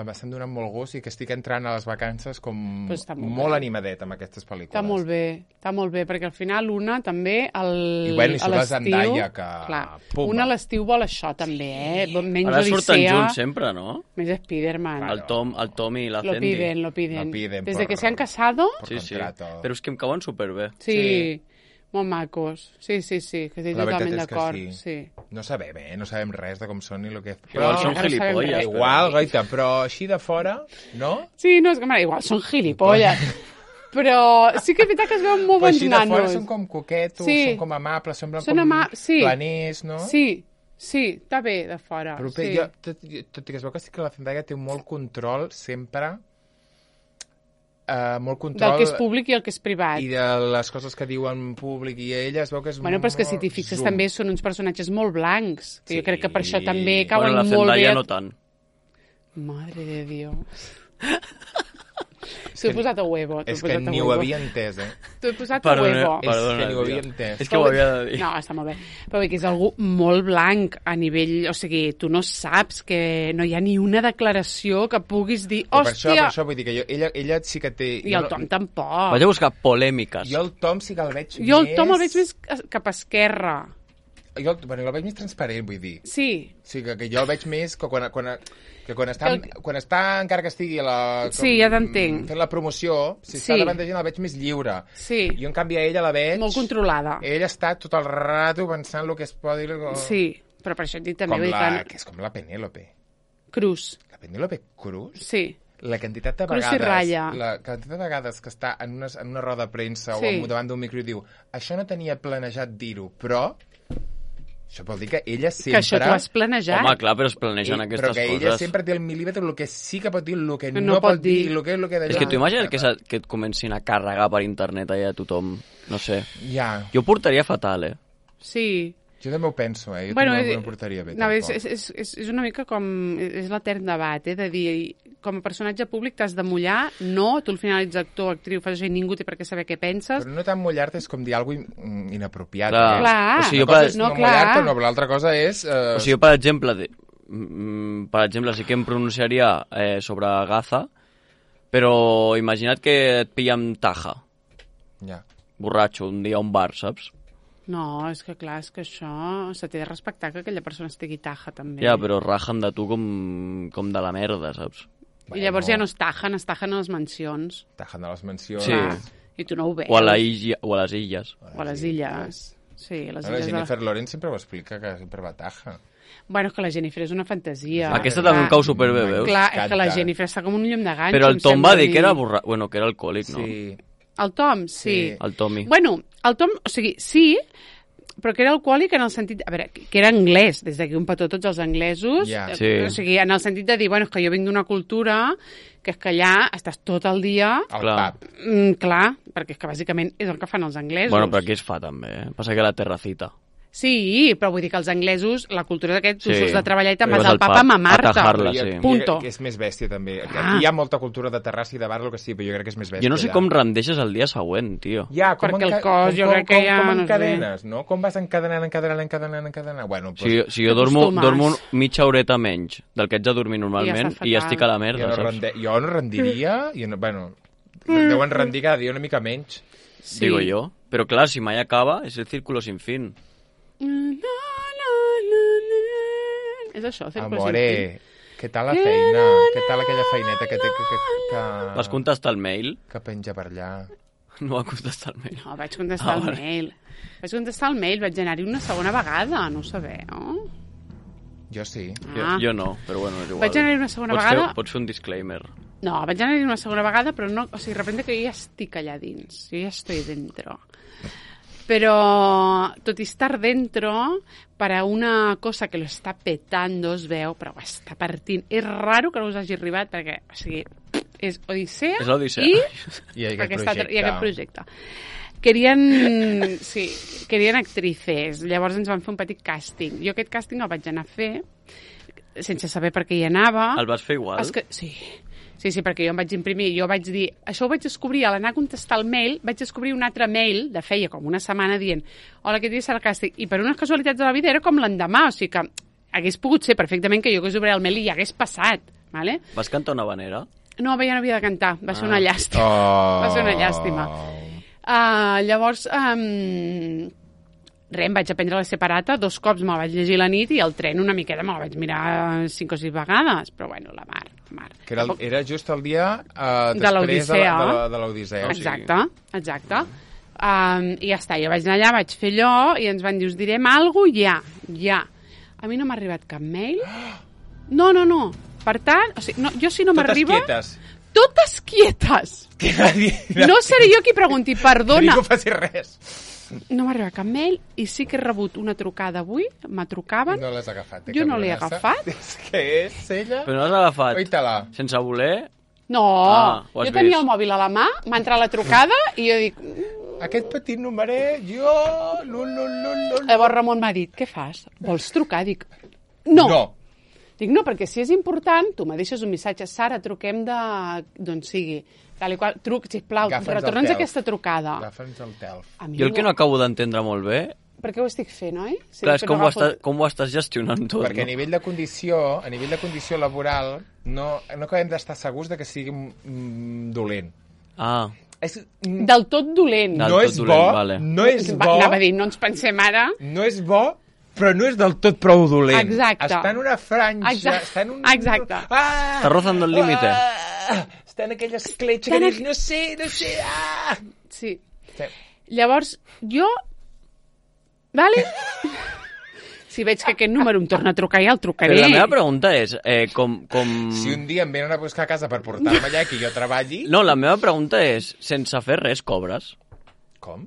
m'estan donant molt gust i que estic entrant a les vacances com Pues està molt molt bé. animadet amb aquestes pel·lícules. Està molt bé, està molt bé, perquè al final una també el, I bueno, i a surt la l'estiu... Zendaya, que... Clar, Pumba. una a l'estiu vol això també, eh? Menys Ara surten Odissea, junts sempre, no? més Spiderman. El Tom, el Tom i la Lo Fendi. piden, lo piden. Lo piden Desde por- que se han casado, por Sí, sí. contrato. Però és que em cauen superbé. sí, Sí. molt macos. Sí, sí, sí, que estic La veritat totalment és que d'acord. sí. Sí. No sabem, eh? No sabem res de com són ni el que... Igual són encara sabem gilipolles. res. però- Igual, goita, però així de fora, no? Sí, no, és que, mare, igual són gilipolles. Però sí que és veritat que es veuen molt Però bons així de fora nanos. són com coquetos, Sí. són com amables, semblen Són com ama- sí. planers, no? Sí, sí, està bé de fora. Però bé, sí. jo, tot, tot i que es veu que sí que la Zendaya té molt control sempre, uh, molt control... Del que és públic i el que és privat. I de les coses que diu en públic, i ella es veu que és Bueno, però és que si molt t'hi fixes zoom. també són uns personatges molt blancs, que Sí. jo crec que per això també cauen Bueno, la molt bé... Zendaya a- no tant. Madre de Dios. T'ho he posat a huevo. t'ho he És que posat a ni ho huevo. havia entès, eh? T'ho he posat Perdona, a huevo. És perdona, que ni ho tia. havia entès. És que ho havia de dir. No, està molt bé. Però vull dir que és algú molt blanc a nivell... O sigui, tu no saps que no hi ha ni una declaració que puguis dir Però per això, per hòstia... això vull dir que jo, ella, ella sí que té... I jo el no- Tom tampoc. Vaig a buscar polèmiques. Jo el Tom sí que el veig Jo el més... Tom el veig més cap a esquerra. Jo el, bueno, el veig més transparent, vull dir. Sí, O sigui, que, que jo el veig més que quan, quan, que quan, està, Que el- quan està, encara que estigui a la, Sí, ja t'entenc. fent la promoció, si està Sí. davant de gent el veig més lliure. sí. Jo, en canvi, a ella la veig... Molt controlada. Ella està tot el rato pensant el que es pot dir... el- Sí, però per això et dic també... Com vull dir la, que... que és com la Penélope. Cruz, La Penélope Cruz? sí. La quantitat de Cruz i vegades... ratlla. La quantitat de vegades que està en una, en una roda de premsa Sí. o en- davant d'un micro i diu això no tenia planejat dir-ho, però... Això vol dir que ella sempre... Que això t'ho has planejat. Home, clar, però es planegen Ell- aquestes però que ella coses. sempre té el mil·límetre, el que sí que pot dir, el que Que no, no pot pot dir, dir. el que és el que d'allà. És que t'ho imagines que, se- que et comencin a carregar per internet allà a tothom? No sé. Ja, Jo ho portaria fatal, eh? Sí. jo també ho penso, eh? Jo Bueno, també eh, no ho portaria bé, no, és, tampoc. és, és, és una mica com... És l'etern debat, eh? De dir, com a personatge públic t'has de mullar, no, tu al final ets actor, actriu, fas això i ningú té per què saber què penses. Però no tan mullar-te és com dir alguna cosa inapropiat. Clar. eh? Clar. O sigui, jo Una cosa per, és no, no, clar. mullar-te, no, però l'altra cosa és... Eh, o sigui, jo, per exemple, de, mm, per exemple, sí que em pronunciaria eh, sobre Gaza, però imagina't que et pilla amb taja, ja. borratxo, un dia a un bar, saps? No, és que clar, és que això se té de respectar que aquella persona estigui taja, també. Ja, però rajen de tu com, com de la merda, saps? I llavors Bueno. ja no es tajen, es tajen a les mansions. Tajen de les mencions. Sí. Clar. I tu no ho veus. O a, la illa, o a les illes. O a les illes. Sí, a les No, la illes de la... Jennifer Lawrence sempre ho explica, que sempre va taja. Bueno, és que la Jennifer és una fantasia. Aquesta Clar. també em cau superbé, veus? Clar, és que la M'encanta. Jennifer està com un llum de ganxo. Però el em Tom sembla va a dir mi. que era borra... Bueno, que era alcohòlic, no? Sí. El Tom, sí. Sí. El Tommy. Bueno, el Tom, o sigui, sí, però que era alcohòlic en el sentit... A veure, que era anglès, des d'aquí un petó tots els anglesos. Ja. eh, Sí. O sigui, en el sentit de dir, bueno, és que jo vinc d'una cultura que és que allà estàs tot el dia... Al Clar. pub. Mm, clar, perquè és que bàsicament és el que fan els anglesos. Bueno, però aquí es fa també, eh? Passa que la terracita. Sí, però vull dir que els anglesos, la cultura d'aquest, tu Sí. surts de treballar i te'n Vas vas al al pub pub a mamar-te. a tajar-la, Però sí. jo- Punto. jo crec Que és més bèstia, també. Aquí Ah. hi ha molta cultura de terrassa i de bar, el que sí, però jo crec que és més bèstia. Jo no sé allà. com rendeixes el dia següent, tio. Ja, com Perquè el enca- cos, com, jo com, crec que com, ja, Com no sé. encadenes, no? Com vas encadenant, encadenant, encadenant, encadenant? Bueno, Si, jo- doncs, si jo dormo, T'acostumes. dormo mitja horeta menys del que haig de dormir normalment està i ja fatal. estic a la jo, merda, no saps? rende, jo no rendiria, i no, bueno, deuen rendir cada dia una mica menys. Sí. Digo jo. Però clar, si mai acaba, és el círculo sin fin. Na, na, na, na. És això, fer Amore, què tal la feina? Què tal aquella feineta que té que, que, que, Vas contestar el mail? que penja per allà? No va contestar el mail. No, vaig contestar Ah, el vale. mail. Vaig contestar el mail, vaig anar-hi una segona vegada, no ho sabeu. Jo sí. Ah. Jo, jo no, però bueno, és igual. Vaig anar-hi una segona pots vegada. Fer, pots fer un disclaimer. No, vaig anar-hi una segona vegada, però no... O sigui, de repente que jo ja estic allà dins. Jo ja estoy dentro. Però, tot i estar dentro, para una cosa que lo està petando, es veu, però ho està partint. És raro que no us hagi arribat, perquè, o sigui, és Odissea, És l'Odissea. i, I aquest aquesta- projecte. i aquest projecte. Querien, sí, querien actrices, llavors ens van fer un petit càsting. Jo aquest càsting el vaig anar a fer, sense saber per què hi anava. El vas fer igual? Es que, sí, sí, sí, perquè jo em vaig imprimir, jo vaig dir, això ho vaig descobrir, a l'anar a contestar el mail, vaig descobrir un altre mail de feia com una setmana dient, hola, aquest dia serà el càsting, i per unes casualitats de la vida era com l'endemà, o sigui que hagués pogut ser perfectament que jo hagués obert el mail i hi hagués passat, ¿vale? Vas cantar una vanera? No, ja no havia de cantar, va ser Ah. una llàstima, Oh. va ser una llàstima. Uh, llavors, um, res, em vaig aprendre la separata, dos cops me la vaig llegir la nit i el tren una miqueta me la vaig mirar cinc o sis vegades, però bueno, la mar, la mar. Que era, el, Tampoc- era just el dia uh, De després l'Odissea. de la- de la- de l'Odissea. o sigui, Exacte, exacte. Um, I ja està, jo vaig anar allà, vaig fer allò i ens van dir, us direm alguna cosa? Ja, ja. A mi no m'ha arribat cap mail. No, no, no. Per tant, o sigui, no, jo si no Totes m'arriba... quietes. Totes quietes. Que nadie, No seré jo qui pregunti, que perdona. ningú faci res. No m'ha arribat cap mail i sí que he rebut una trucada avui, me trucaven. No l'has agafat. eh, Jo no l'he cabronassa. agafat. És que és ella. Però no has agafat Oita-la. sense voler? No, Ah, ho has jo tenia vist. el mòbil a la mà, m'ha entrat la trucada i jo dic... "Mm". Aquest petit numeret, jo... Lul, lul, lul, lul. Llavors Ramon m'ha dit, què fas? Vols trucar? Dic, no. No. Dic, no, perquè si és important, tu me deixes un missatge, Sara, truquem de... d'on sigui. Tal i qual, truc, sisplau, Agafa'ns el retorna'ns telf. aquesta trucada. Agafa'ns el telf. A mi Jo el que no acabo d'entendre molt bé, Per què ho estic fent, oi? Si clar, és després com ho, agafo- estàs, com ho estàs gestionant tot, Perquè a no? nivell de condició, a nivell de condició laboral, no, no acabem d'estar segurs de que sigui mm, dolent. Ah, És, mm, Del tot dolent. Del no tot és dolent, bo, vale. no és Va, bo, Anava a dir, no ens pensem ara... no és bo, però no és del tot prou dolent. Exacte. Està en una franja, Exacte. està en un... Exacte. Ah, Està rozando el límite. Ah, està en aquella escletxa Està que en dius, no sé, no sé, ah! Sí. Sí. Llavors, jo... Vale? Si veig que aquest número em torna a trucar, ja el trucaré. però la meva pregunta és, eh, com... com... Si un dia em venen a buscar a casa per portar-me allà i que jo treballi... No, la meva pregunta és, sense fer res cobres? Com?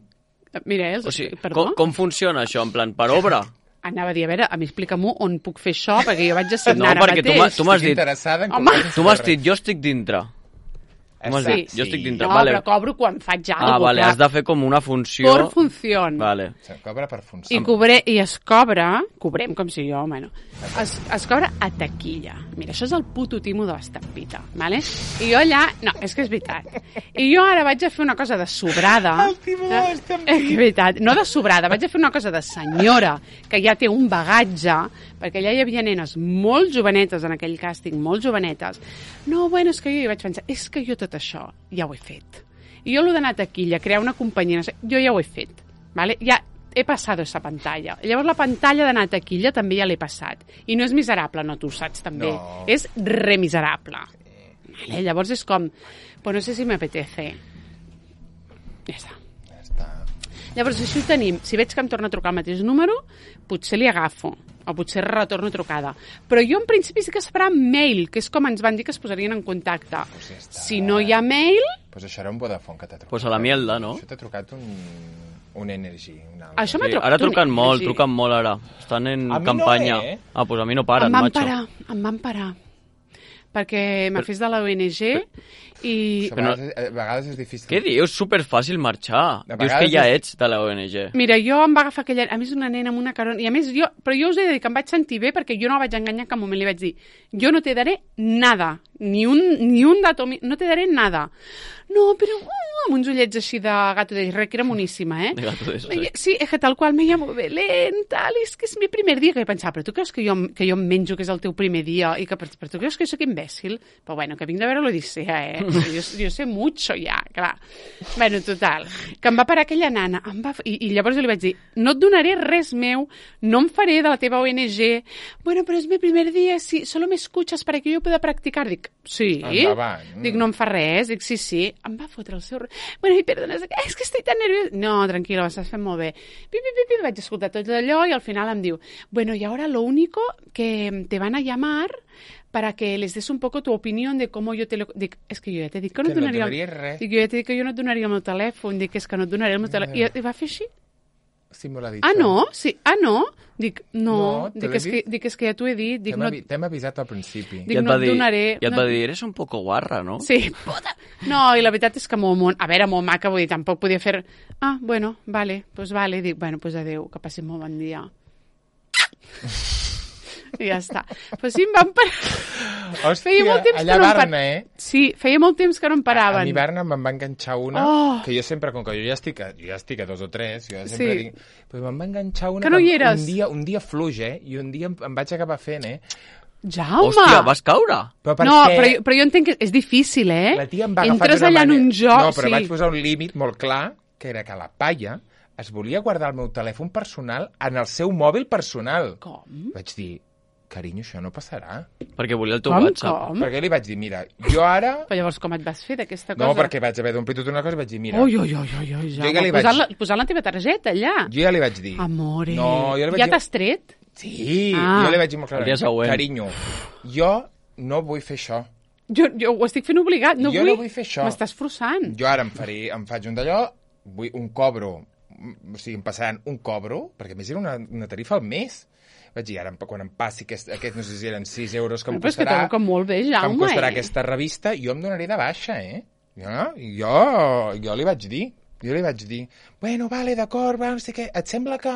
Mira, els... O sigui, perdó? com, com funciona això, en plan, per obra? Anava a dir, a veure, a mi explica'm-ho on puc fer això, perquè jo vaig No, assignar ara perquè tu mateix. m'ha- tu m'has Estic dit... interessada en Home. com Tu m'has dit, jo estic dintre. Tu m'has Sí, dit, jo estic dintre. No, vale. però cobro quan faig alguna Ah, cosa. vale, has de fer com una funció... Por función. Vale. Se cobra per funció. I, cobre, I es cobra, cobrem com si jo, bueno, es, es cobra a taquilla. Mira, això és el puto timo de l'estampita, ¿vale? I jo allà... No, és que és veritat. I jo ara vaig a fer una cosa de sobrada. El timo de l'estampita. És veritat. No de sobrada, vaig a fer una cosa de senyora, que ja té un bagatge, perquè allà hi havia nenes molt jovenetes en aquell càsting, molt jovenetes. No, bueno, és que jo hi vaig pensar, és que jo tot això ja ho he fet. I jo l'ho d'anar a taquilla, crear una companyia, no sé, jo ja ho he fet. ¿Vale? Ja he passat esa pantalla. Llavors la pantalla d'anar a taquilla també ja l'he passat. I no és miserable, no, tu ho saps també. No. És remiserable. Vale? Llavors és com, pues no sé si m'apetece. Ja està. Ja està. Llavors, així ho tenim. Si veig que em torna a trucar el mateix número, potser li agafo, o potser retorno trucada. Però jo, en principi, sí que es farà mail, que és com ens van dir que es posarien en contacte. Pues ja està. Si no hi ha mail, Pues això era un Vodafone que t'ha trucat. Pues a la mielda, no? Això t'ha trucat un, un Energy. Un altre. això m'ha Sí, trucat. ara truquen un- molt, sí. truquen molt ara. Estan en A mi no, campanya. eh? Ah, pues a mi no paren, em van macho. parar, em van parar. Perquè m'ha fet de l'O N G i... Això a, Però- vegades, a vegades és difícil. Què dius? Superfàcil marxar. De Dius que vegades ja és- ets de la O N G. Mira, jo em va agafar aquella... A més, una nena amb una carona... I a més, jo... Però jo us he de dir que em vaig sentir bé perquè jo no la vaig enganyar en cap moment. Li vaig dir, jo no te daré nada. Ni un, ni un dato... mi- No te daré nada. No, però... Uh, amb uns ullets així de gato de Shrek, que era moníssima, eh? De gato de Shrek. Me- Sí, es que tal qual me llamo Belén, tal, és que és mi primer dia. Que he pensat, però tu creus que jo, que jo em menjo que és el teu primer dia? I que, però, però tu creus que jo sóc imbècil? Però bueno, que vinc de veure l'Odissea, eh? Jo, jo sé mucho ja, clar. Bueno, total, que em va parar aquella nana, em va, i, i llavors jo li vaig dir, no et donaré res meu, no em faré de la teva O N G. Bueno, però és mi primer dia, sí, solo me escuchas para que yo pueda practicar. Dic, sí. Endavant. Dic, no em fa res. Dic, sí, sí. Em va fotre el seu... Bueno, i perdona, és que estic tan nerviosa. No, tranquil·la, ho estàs fent molt bé. Pi, pi, pi, pi, vaig escoltar tot allò i al final em diu, bueno, y ahora lo único que te van a llamar para que les des un poco tu opinión de cómo yo te lo... Dic, és que jo ja t'he dit que no Que et no et donaria... donaria res. Dic, jo ja t'he dit que jo no et donaria el meu telèfon. Dic, és que no et donaré el meu telèfon. I, I va fer així. si me l'ha dit. Ah, això. no? Sí. Ah, no? Dic, no. No, te dic, l'he és que, dit? dic, és que ja t'ho he dit. Dic, T'hem no... avi- t'hem avisat al principi. Dic, I et no va et dir, donaré... I et no- va dir, eres un poco guarra, no? Sí, puta. No, i la veritat és que molt, molt... A veure, molt maca, vull dir, tampoc podia fer... Ah, bueno, vale, pues vale. Dic, bueno, pues adéu, que passi molt bon dia. I ja està. Però sí, em van parar... Hòstia, Feia molt temps allà que no a em par- Barna, eh? Sí, feia molt temps que no em paraven. A mi Barna me'n va enganxar una, Oh. que jo sempre, com que jo ja estic a, jo ja estic a dos o tres, jo ja sempre Sí. dic... Però me'n va enganxar una Que no hi em- eres. un dia, un dia fluix, eh? I un dia em, em vaig acabar fent, eh? Jaume! Hòstia, vas caure? Però per No, què? però, jo- però jo entenc que és difícil, eh? La tia em va agafar Entres d'una allà en manera- un joc, No, però sí. vaig posar un límit molt clar, que era que la palla es volia guardar el meu telèfon personal en el seu mòbil personal. Com? Vaig dir, carinyo, això no passarà. Perquè volia el teu Com, WhatsApp. com? Perquè li vaig dir, mira, jo ara... Però llavors com et vas fer d'aquesta cosa? No, perquè vaig haver d'omplir tota una cosa i vaig dir, mira, Ui, ui, ui, ui, ui, Jo ja li vaig- posant, la, posant la teva targeta allà. jo ja li vaig dir... Amore. No, jo li vaig Ja dir... t'has tret? Sí, Ah. jo li vaig dir molt El dia clarament, següent. carinyo, jo no vull fer això. Jo, jo ho estic fent obligat, no Jo vull... no vull fer això. M'estàs forçant. Jo ara em, faré, em faig un d'allò, vull un cobro, o sigui, em passaran un cobro, perquè a més era una, una tarifa al mes. Vaig dir, ara, quan em passi aquest, aquest no sé si eren sis euros que em Però és que costarà, trobo que molt bé, que em Jaume, costarà eh? aquesta revista, jo em donaré de baixa, eh? Jo, jo, jo li vaig dir, jo li vaig dir, bueno, vale, d'acord, va, no sé què, et sembla que,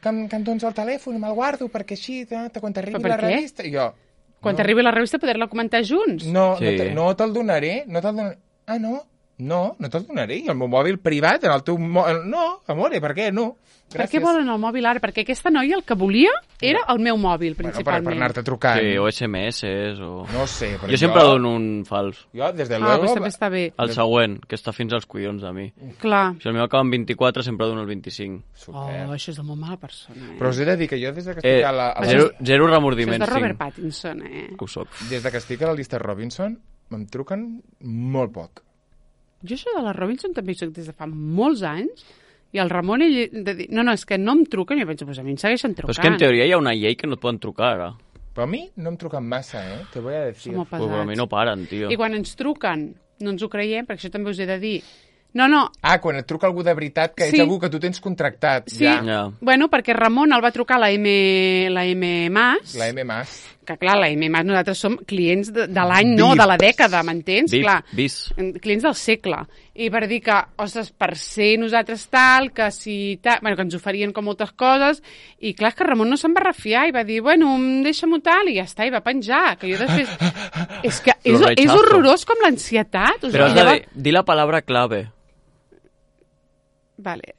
que, em, que em dones el telèfon i me'l guardo perquè així, te, te, quan t'arribi Però per la què? revista... I jo, Quan no, t'arribi la revista poder-la comentar junts. no, Sí. no, te, no te'l donaré, no te'l donaré. Ah, no? No, no te'l donaré. I el meu mòbil privat, en el teu... Mo... No, amore, per què? No. Per què volen el mòbil ara? Perquè aquesta noia el que volia era el meu mòbil, Bueno, per, principalment. per anar-te trucant. Sí, o S M S o... No sé, però Jo sempre jo... dono un fals. Jo, des de Ah, luego... doncs també està bé. El següent, que està fins als collons de mi. Clar. Si el meu acaba en vint-i-quatre, sempre dono el vint-i-cinc. Super. Oh, això és de molt mala persona, eh? Però us he de dir que jo des de que estic Eh, a la... A la... zero, zero Això és remordiments, de Robert cinc. Pattinson, eh? Que ho soc. Des de que estic a la llista Robinson, me'n truquen molt poc. Jo això de la Robinson també hi soc des de fa molts anys i el Ramon ell de dir, no, no, és que no em truquen i jo penso, pues a mi em segueixen trucant. Però és que en teoria hi ha una llei que no et poden trucar ara. Però a mi no em truquen massa, eh? Te voy a decir. Som molt Pues, però a mi no paren, tio. I quan ens truquen no ens ho creiem, perquè això també us he de dir. No, no, Ah, quan et truca algú de veritat, que Sí. ets algú que tu tens contractat. sí, Ja. Ja. bueno, perquè Ramon el va trucar la M, la M Mas, La M Mas. que clar, la M Mas nosaltres som clients de, de l'any, no, Vips. de la dècada, m'entens? Bis, Clar, bis. clients del segle. I per dir que, ostres, per ser nosaltres tal, que si tal... Bueno, que ens oferien com moltes coses, i clar, és que Ramon no se'n va refiar, i va dir, bueno, deixa'm-ho tal, i ja està, i va penjar, que jo després... és que és, Lo és rechazo. horrorós com l'ansietat. O Però has sigui, de dir, dir la palabra clave. Vale.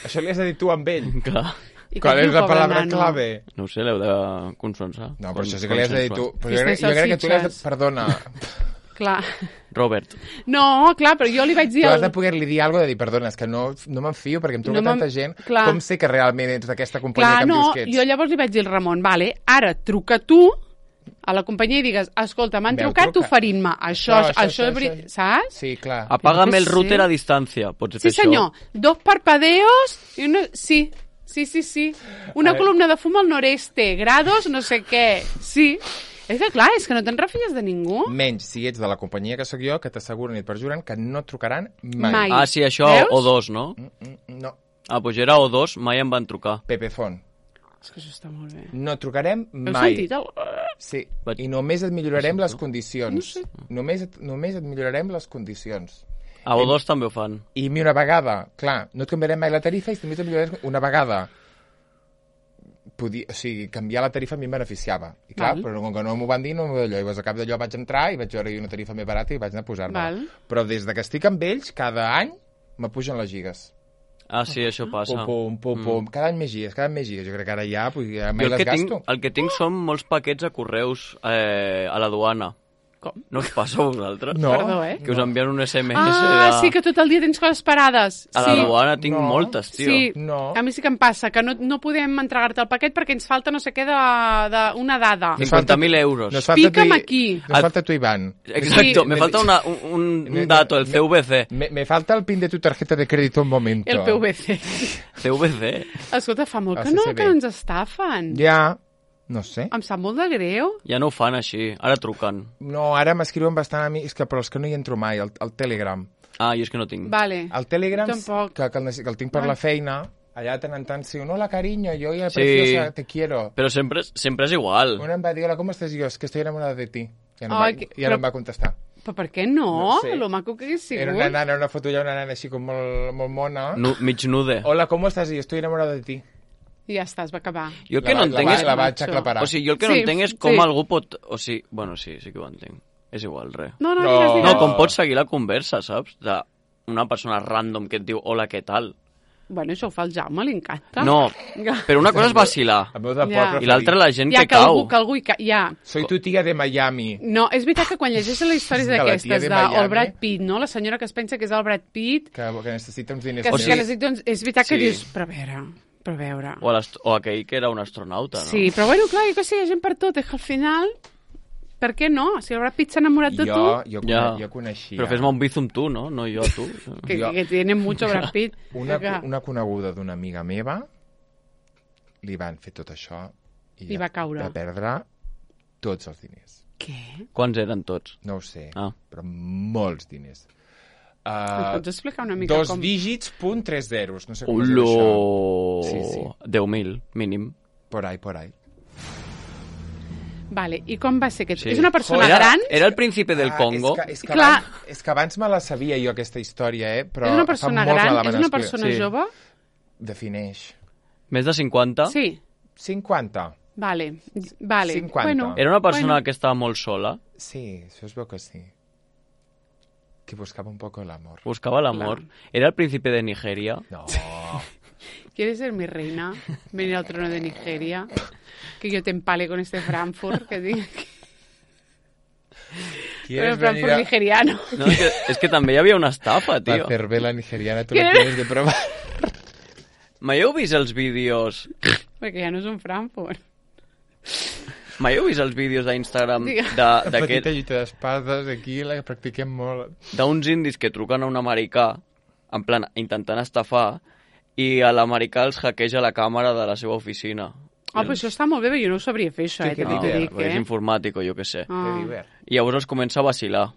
Això li has de dir tu amb ell. Clar. I Qual com és diu, la pobre paraula nano? clave? No ho sé, l'heu de consensar. No, però això sí que li has de dir tu. Però jo, Festa crec, i jo crec que tu li has de... salsitxes. Perdona. Clar. Robert. No, clar, però jo li vaig dir... Tu has al- de poder-li dir alguna cosa de dir, perdona, és que no, no me'n fio perquè em truca No me'n- tanta gent. clar. Com sé que realment ets d'aquesta companyia Clar, que em no, dius que ets? jo llavors li vaig dir al Ramon, vale, ara truca tu a la companyia i digues, escolta, m'han Veu, trucat truca. oferint-me això, això, això, això, això. saps? Sí, clar. Apágame Jo el què router sé. a distància. Pots Sí, fer senyor, això? dos parpadeos i una... Sí, sí, sí, sí. Una A columna de fum al noreste, grados, no sé què. Sí. És que clar, és que no te'n refies de ningú. Menys si ets de la companyia que sóc jo, que t'asseguren i et perjuren que no et trucaran mai. Mai. Ah, sí, això, Veus? o dos, no? Mm, mm, No, Ah, doncs era o dos, mai em van trucar. Pepefon. És que això està molt bé. No et trucarem Heu mai. sentit el... Sí, Vaig- i només et millorarem les No condicions. sé. Només, et, només et millorarem les condicions. A o dos també ho fan. I a mi una vegada, clar, no et canviarem mai la tarifa i també et millorarem una vegada. Podia, o sigui, canviar la tarifa a mi em beneficiava. I clar, Val. però com que no m'ho van dir, no m'ho d'allò. I llavors, a cap d'allò vaig entrar i vaig veure una tarifa més barata i vaig anar a posar-me. Val. Però des de que estic amb ells, cada any m'apugen les gigas. Ah, sí, això passa. Pum, pum, pum, pum. Cada any més gigas, cada any més gigas. Jo crec que ara ja, pues, ja Jo mai el les que, tinc, gasto. el que tinc són molts paquets a correus eh, a la duana. Com? No us passa a vosaltres? No. Perdó, eh? Que us envien un S M S Ah, de... sí, que tot el dia tens coses parades. A la sí. duana tinc No. moltes, tio. Sí, No. a mi sí que em passa, que no, no podem entregar-te el paquet perquè ens falta no sé què de, de una dada. Nos cinquanta falta- mil euros. Nos falta Pica'm tu i- aquí. Nos falta tu, Iván. Exacto, Sí. me falta una, un, un, un dato, el C V C. Me, me falta el pin de tu tarjeta de crédito un momento. El P V C. C V C. Escolta, fa molt El que no, C C B. que no ens estafen. Ja, no sé. Em sap molt de greu. Ja no ho fan així, ara truquen. No, ara m'escriuen bastant a mi, és que però els que no hi entro mai, el, el Telegram. Ah, jo és que no tinc. Vale. El Telegram, Tampoc. que, que, el, necess- que el tinc per Ai. la feina, allà tant en tant, sí, un hola, cariño, yo ya Sí. preciosa, te quiero. Però sempre, sempre és igual. Una em va dir, hola, ¿cómo estás? Y yo, es que estoy enamorada de ti. Ja no, Ai, va, que- ja però- no em va contestar. Però per què no? No sé. Lo maco que hagués sigut. Era una nana, una foto ja una nana així com molt, molt mona. Nu, mig nude. Hola, ¿cómo estás? Y yo, estoy enamorada de ti. I ja està, es va acabar. Jo el que la, no va- entenc la, és... va- la vaig Macho. aclaparar. O sigui, jo el que no Sí, entenc és com sí. algú pot... O sigui, bueno, sí, sí que ho entenc. És igual, res. No, no, No. digues, digues. No, com pots seguir la conversa, saps? D'una persona random que et diu hola, què tal? Bueno, això ho fa el Jaume, li encanta. No, però una cosa és vacilar. El meu deport Ja. preferit. I l'altra la gent Ja, que que algú, cau. que algú hi ca... Ja. Soy tu tía de Miami. No, és veritat que quan llegeixes les històries De la tia d'aquestes, de de, Miami. el Brad Pitt, no? La senyora que es pensa que és el Brad Pitt, Que, que necessita uns diners. que, O sí, sigui- que necessita, doncs, és veritat que Sí. dius, però a veure, però a veure... O, l'ast- o aquell que era un astronauta, no? Sí, però bueno, clar, jo que sé, hi ha gent per tot, és que al final, per què no? Si el Brad Pitt s'ha enamorat de jo, tu, jo, Ja. ja. jo coneixia... Però fes-me un bizum tu, no? No jo a tu. que, jo- que tiene mucho Brad Pitt. Una, que... una coneguda d'una amiga meva li van fer tot això i I va caure. va perdre tots els diners. Què? Quants eren tots? No ho sé, Ah. però molts diners. Em Uh, pots explicar una mica dos com... dígits, punt, tres zeros. No sé com es diu això. Olo! Sí, sí. deu mil, mínim. Por ahí, por ahí. Vale, i com va ser? Que... Sí. És una persona era, gran? Era el principi del Ah, Congo. És que, és, que Clar. abans, és que abans me la sabia jo, aquesta història, eh? Però És una fa persona molts gran? la van És una explicar. persona Sí. jove? Defineix. Més de cinquanta? Sí. cinquanta. Vale, vale. cinquanta. Bueno, Era una persona bueno. que estava molt sola, Sí, això es veu que sí. Que buscava un poco el amor. buscava l'amor. Era el príncipe de Nigeria. No. ¿Quieres ser mi reina? Venir al trono de Nigeria. Que yo te empale con este Frankfurt. Que diga que... ¿Quieres el Frankfurt venir a nigeriano. No, és, que, és que també hi havia una estafa, la tio. cervela nigeriana? Tu ¿Qué? la tienes de probar. Mai heu vist els vídeos... Porque ya no es un Frankfurt. Mai heu vist els vídeos d'Instagram Digue. de- La petita d'aquest- lluita d'espades, aquí la practiquem molt. d'uns indis que truquen a un americà, en plan, intentant estafar, i a l'americà els hackeja la càmera de la seva oficina. Ah, pues això està molt bé, però jo no ho sabria fer, això, Sí, eh? que També no, t'ho dic, perquè és eh? informàtic o jo què sé. Ah. Que divert. I llavors els comença a vacilar.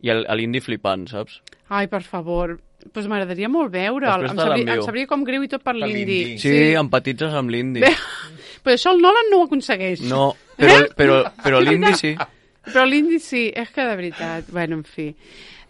I el- a l'indi flipant, saps? Ai, per favor. Doncs pues m'agradaria molt veure'l. Després Em te sabria, l'envio. em sabria com greu i tot per Per l'indi. l'indi. Sí, sí. empatitzes amb l'indi. Bé, però això el Nolan no ho aconsegueix. No, però, Eh? però, però És l'indi veritat. sí. Però l'indi sí, és que de veritat, bueno, en fi.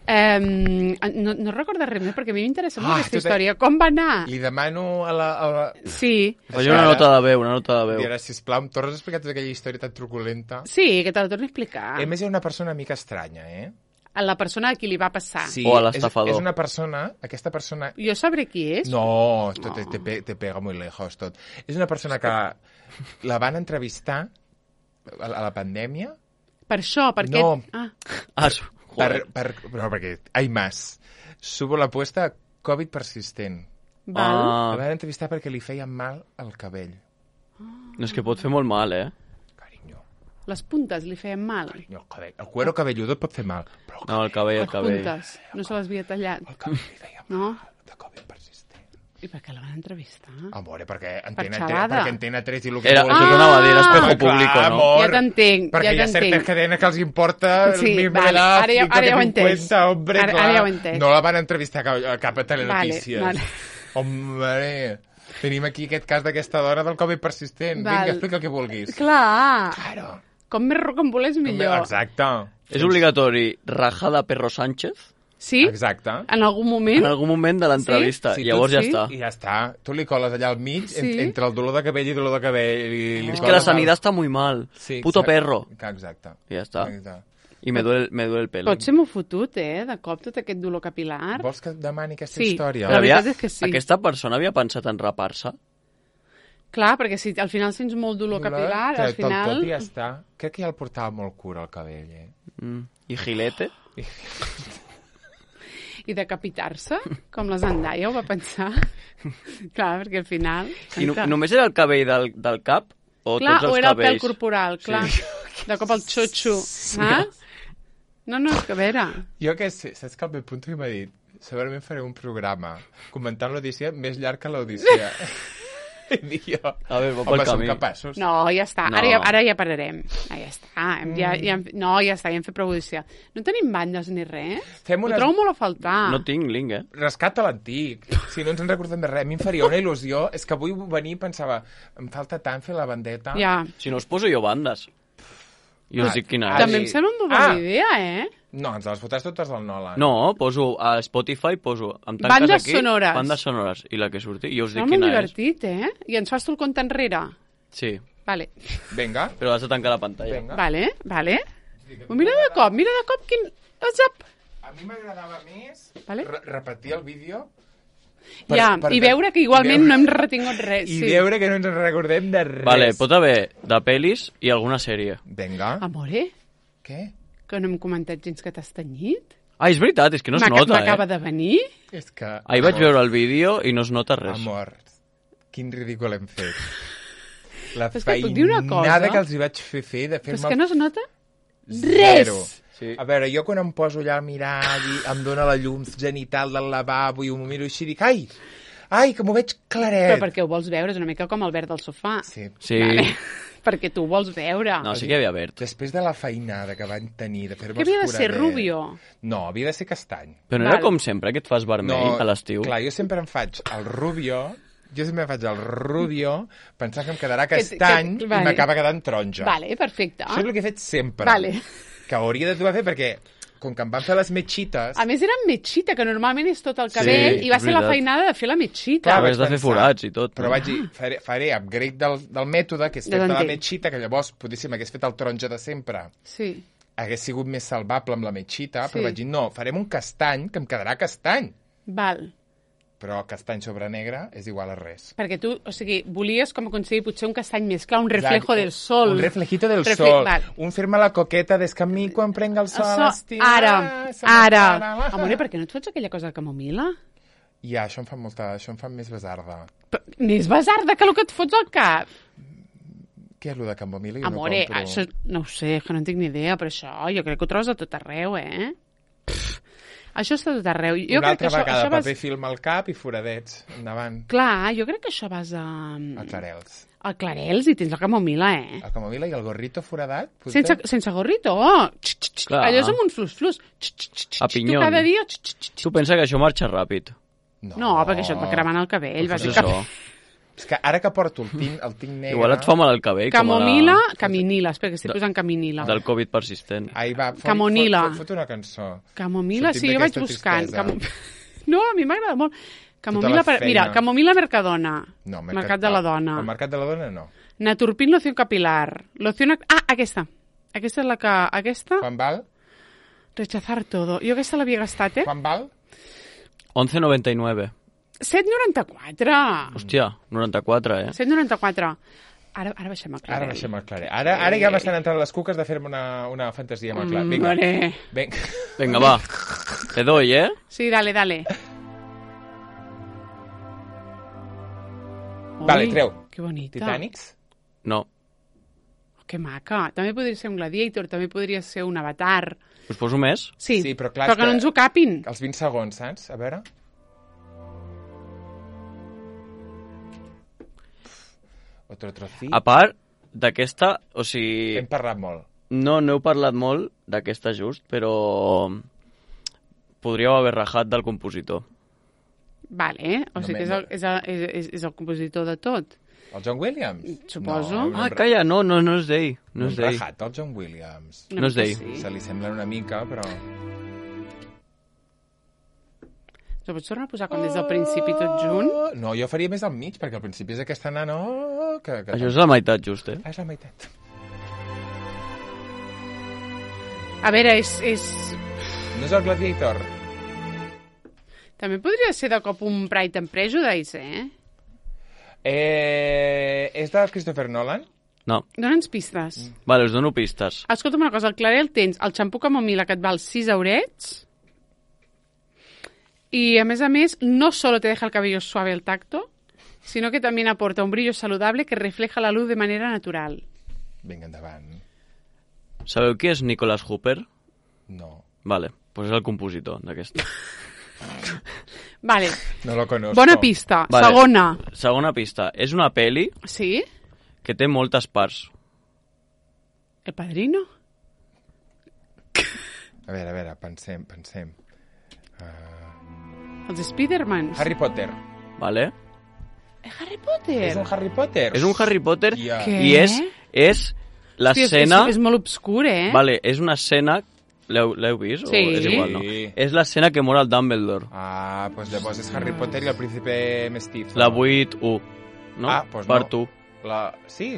Um, no, no recordo res més, perquè a mi m'interessa molt Ah, aquesta tu te- història. Com va anar? Li demano a la... A la... Sí, Faig una nota de veu, una nota de veu. Dirà, sisplau, em tornes a explicar tota aquella història tan truculenta? sí, que te la torni a explicar. A més, és una persona una mica estranya, eh? A la persona a qui li va passar. Sí, O a és, l'estafador. és una persona, aquesta persona... Jo sabré qui és. No, esto te, te, pe- te pega muy lejos, tot. És una persona que la van entrevistar a la, a la pandèmia Per això, perquè... No. Ah, Ah, su- per, joder. per, no, perquè hay más. Subo la apuesta Covid persistent. val. Ah, La van entrevistar perquè li feien mal al cabell. no, és que pot fer molt mal, eh? Carinyo, Les puntes li feien mal. carinyo, el cabell. El cuero cabelludo et pot fer mal, però el, No, el cabell, el Les cabell. puntes. No se les havia tallat. el cabell li feia mal No? de Covid persistent. I per què la van entrevistar? Amore, perquè Antena, Per tre, xalada. perquè Antena tres i el que Era, vulgui. això que anava a dir, era espejo Home, público, clar, no? amor, Ja t'entenc, perquè ja hi ha certes t'entenc. cadenes que els importa Sí, el mismo vale, edad, ara ja- ara ja ho he entès. cincuenta, hombre, Ara- clar. ara ja ho he entès. No la van entrevistar a cap, a cap a Telenotícies. Vale, Hombre, tenim aquí aquest cas d'aquesta dona del Covid persistent. Val. Vinga, explica el que vulguis. Clar. Claro. Com més rocambolers millor. Exacte. És obligatori rajar de Perro Sánchez Sí? Exacte. En algun moment? en algun moment de l'entrevista. Sí, I llavors tu ja sí? està. I ja està. Tu li coles allà al mig, Sí. en, entre el dolor de cabell i dolor de cabell. I li És que coles la el- sanidad està muy mal. Sí, Puto exacte. perro. Que Exacte. I ja està. Exacte. I me duele, me duele el pelo. Pot ser molt fotut, eh? De cop tot aquest dolor capilar. Vols que et demani aquesta Sí. història? La Havia- veritat és que sí. Aquesta persona havia pensat en rapar-se? Clar, perquè si al final sents molt dolor capilar, al Tot, tot final... i ja està. Crec que ja el portava molt cura, el cabell, eh? Mm. I gilete? I decapitar-se, com la Zendaya ho va pensar. Clar, perquè al final... I no, només era el cabell del, del cap? O Clar, tots els o era el pèl cabells? corporal, clar. Sí. De cop el xotxo, saps? No, no, és que a veure... Jo què sé, saps que el meu punt m'ha dit segurament faré un programa comentant l'Odissea més llarg que l'Odissea. I dic jo, A veure, va pel home, som camí. capaços. No, ja està. No. Ara, ja, ara ja pararem. Ah, ja està. Hem, ja, ja, hem- no, ja està, ja hem fet prou audició. No tenim bandes ni res? Fem Ho unes- trobo molt a faltar. No tinc link, eh? Rescata l'antic. Si no ens en recordem de res, a mi em faria una il·lusió. És que avui venir i pensava, em falta tant fer la bandeta. Ja. Si no us poso jo bandes. I us Ah, dic quina ah, és. També em sí. sembla una bona Ah. idea, eh? No, ens les fotràs totes al Nolan. No, poso a Spotify, poso... Em tanques Bandes aquí, sonores. Bandes sonores. I la que surti, i us dic Sembla molt quina és. divertit, eh? I ens fas tu el compte enrere. Sí, Vale, Vinga. però has de tancar la pantalla. Vinga. vale, vale. Oh, mira de cop, mira de cop quin... WhatsApp. A mi m'agradava més Vale. re repetir el vídeo Ja, i veure que igualment no hem retingut res. i sí. veure que no ens en recordem de res. Vale, pot haver de pel·lis i alguna sèrie. Vinga. Amore, Què? que no hem comentat gens que t'has tenyit. Ah, és veritat, és que no es M'aca- nota, M'acaba eh? de venir. És que... Ahir vaig amor, veure el vídeo i no es nota res. Amor, quin ridícul hem fet. La Però és que et puc dir una cosa? feinada que els hi vaig fer fer de Però és fer-me que no es nota zero. res. Sí. A veure, jo quan em poso allà a mirar i em dóna la llum genital del lavabo i ho miro així, dic, ai, ai, que m'ho veig claret. Però perquè ho vols veure, és una mica com el verd del sofà. Sí. Sí. Vale. perquè tu ho vols veure. No, sí que hi havia verd. Després de la feinada que van tenir de fer-me Que havia de els ser foradets- rubio. No, havia de ser castany. Però no Val. era com sempre, que et fas vermell a l'estiu? Clar, jo sempre em faig el rubio, jo sempre em faig el rubio pensant que em quedarà Que- castany que- i vale. m'acaba quedant taronja. Vale, perfecte. Això és el que he fet sempre. Vale. Que hauria de trobar a fer perquè, com que em van fer les metxites... A més, era amb metxita, que normalment és tot el cabell, Sí, i va és ser la veritat. feinada de fer la metxita. Clar, Però vaig has de fer pensar, forats i tot. Però vaig dir, faré, faré upgrade del, del mètode, que és Ja fer la t'entenc. metxita, que llavors, potser si m'hagués fet el taronja de sempre, Sí. hagués sigut més salvable amb la metxita, Sí. però vaig dir, no, farem un castany, que em quedarà castany. Val. Però castany sobre negre és igual a res. Perquè tu, o sigui, volies com aconseguir potser un castany més clar, un reflejo Exacte. del sol. Un reflejito del Refle- sol. val. Un fer-me la coqueta des que a mi quan prenga el sol Això, estima... ara, se m'enfara ara. la- Amore, per què no et fots aquella cosa de camomila? Ja, això em fa molta... Això em fa més besarda. Però, més besarda que el que et fots al cap. Què és lo de camomila? Jo Amore, no compro. això no ho sé, que no en tinc ni idea, però això jo crec que ho trobes a tot arreu, eh? Pff, això està a tot arreu. Jo Una crec que altra això, vegada, això vas... paper film al cap i foradets. Endavant. Clar, jo crec que això vas a... A clarels. a Clarels i tens la camomila, eh? El camomila i el gorrito foradat. potser? Sense, sense gorrito. Oh! Xt, xt, xt. Clar. Allò és amb un flus-flus. Xt, xt, xt, A xt. pinyón. Tu cada dia... Xt, xt, xt. Tu pensa que això marxa ràpid. No, No, perquè això et va cremant el cabell, Pues és bàsicament. això. És que ara que porto el tinc, el tinc negre... Igual et fa mal el cabell, Camomila, com a caminila. Espera, que estic De- posant caminila. la, del Covid persistent. Ai, va, fot, Camonila. Fot, fot, fot una cançó. Camomila, Sortim sí, jo vaig d'aquesta buscant. tristesa. Camo... No, a mi m'agrada molt. Camomila, la per... feina. mira, camomila Mercadona. No, Mercat de la Dona. El mercat de la dona no. Naturpin loción capilar. Loción... Ah, aquesta. Aquesta és la que... Aquesta... Quan val? Rechazar todo. Jo aquesta l'havia gastat, eh? Quan val? once noventa y nueve. set noranta-quatre. Hòstia, noranta-quatre, eh? set noranta-quatre. Ara, ara baixem a Clarell. Ara baixem al claret. Ara, ara ja m'estan entrant les cuques de fer-me una, una fantasia amb el clar. Vinga. Vale. Vinga. Vinga, va. Te doy, eh? Sí, dale, dale. Vale, Ui, treu. Que bonita. Titanics? No. Que maca. També podria ser un Gladiator, també podria ser un Avatar. Us poso més? Sí, Sí, però clar, però és que no que- ens ho capin. Els vint segons, saps? A veure. Otro trocit. A part d'aquesta, o sigui... Hem parlat molt. No, no heu parlat molt d'aquesta just, però podríeu haver rajat del compositor. Vale, o No sigui que és el, és, el, és, és, és el compositor de tot. El John Williams? Suposo. No, Ah, hem- calla, no, no, no és d'ell. No No hem és d'ell. rajat el John Williams. No és d'ell. Sí. Se li semblen una mica, però... Ho pots tornar a posar com des del principi tot junt? Oh, no, jo faria més al mig, perquè al principi és aquesta nana... Oh, que, que... Això és la meitat just, eh? Ah, és la meitat. A veure, és, és... No és el Gladiator? També podria ser de cop un Pride and Prejudice, eh? Eh, és de Christopher Nolan? No. Dóna'ns pistes. Vale, us dono pistes. Escolta'm una cosa, al Clarel tens el xampú camomila que et val sis eurets y a més a més no solo te deja el cabello suave al tacto, sino que también aporta un brillo saludable que refleja la luz de manera natural. Vinga, endavant. Sabeu qui és Nicholas Hooper? No. Vale, doncs és el compositor d'aquesta. Vale. No lo conozco. Bona pista. Vale. Segona. Segona pista. És una peli Sí? que té moltes parts. El Padrino? A veure, a veure, pensem, pensem. Uh... Els Spidermans? Harry Potter. Vale? Eh, Harry Potter? És un Harry Potter? És un Harry Potter Ja. Què? i és, és l'escena... És, és molt obscur, eh? Vale, és una escena... L'heu l'heu vist? Sí. O és igual, no? Sí. És l'escena que mor el Dumbledore. Ah, doncs llavors és Harry Potter i el príncipe mestizo. La vuit u. No? Ah, doncs Part no. u. La... Sí.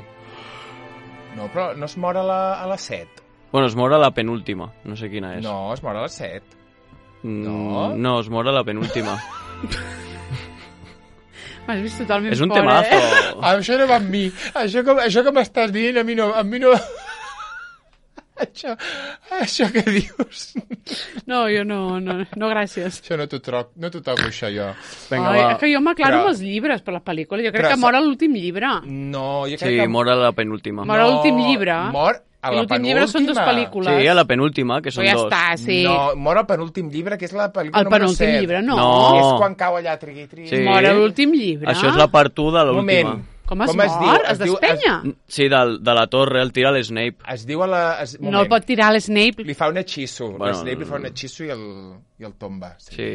No, però no es mor a la, a la set. Bueno, es mor a la penúltima. No sé quina és. No, es mor a la set. Mm, no. No, es mor a la penúltima. M'has vist totalment És un fora, temazo. Eh? Ah, això no va amb mi. Això que, això que m'estàs dient, a mi no... A mi no... això, això que dius... No, jo no, no, no gràcies. Això no t'ho troc, no t'ho toco, això, jo. Vinga, Ai, va. és que jo m'aclaro Però- amb els llibres per les pel·lícules. Jo crec Però que sa- mor a l'últim llibre. No, jo crec Sí, que... mor a la penúltima. Mor a l'últim llibre. Mor a I la l'últim llibre són dues penúltima. pel·lícules. Sí, a la penúltima, que són Però ja dos. està, sí. No, mor al penúltim llibre, que és la pel·lícula El número penúltim set. llibre, no. No. És quan cau allà, trigui, trigui. Sí. Mor a l'últim llibre. Això és la part u de Un moment. l'última. Com es Com es mor? diu? Es Es diu- despenya? Sí, de, de la torre, el tira l'Snape. Es diu a la... Es, No el pot tirar a l'Snape. Li fa un hechizo. Bueno, Bueno, Snape li fa un hechizo i el, i el tomba. Sí.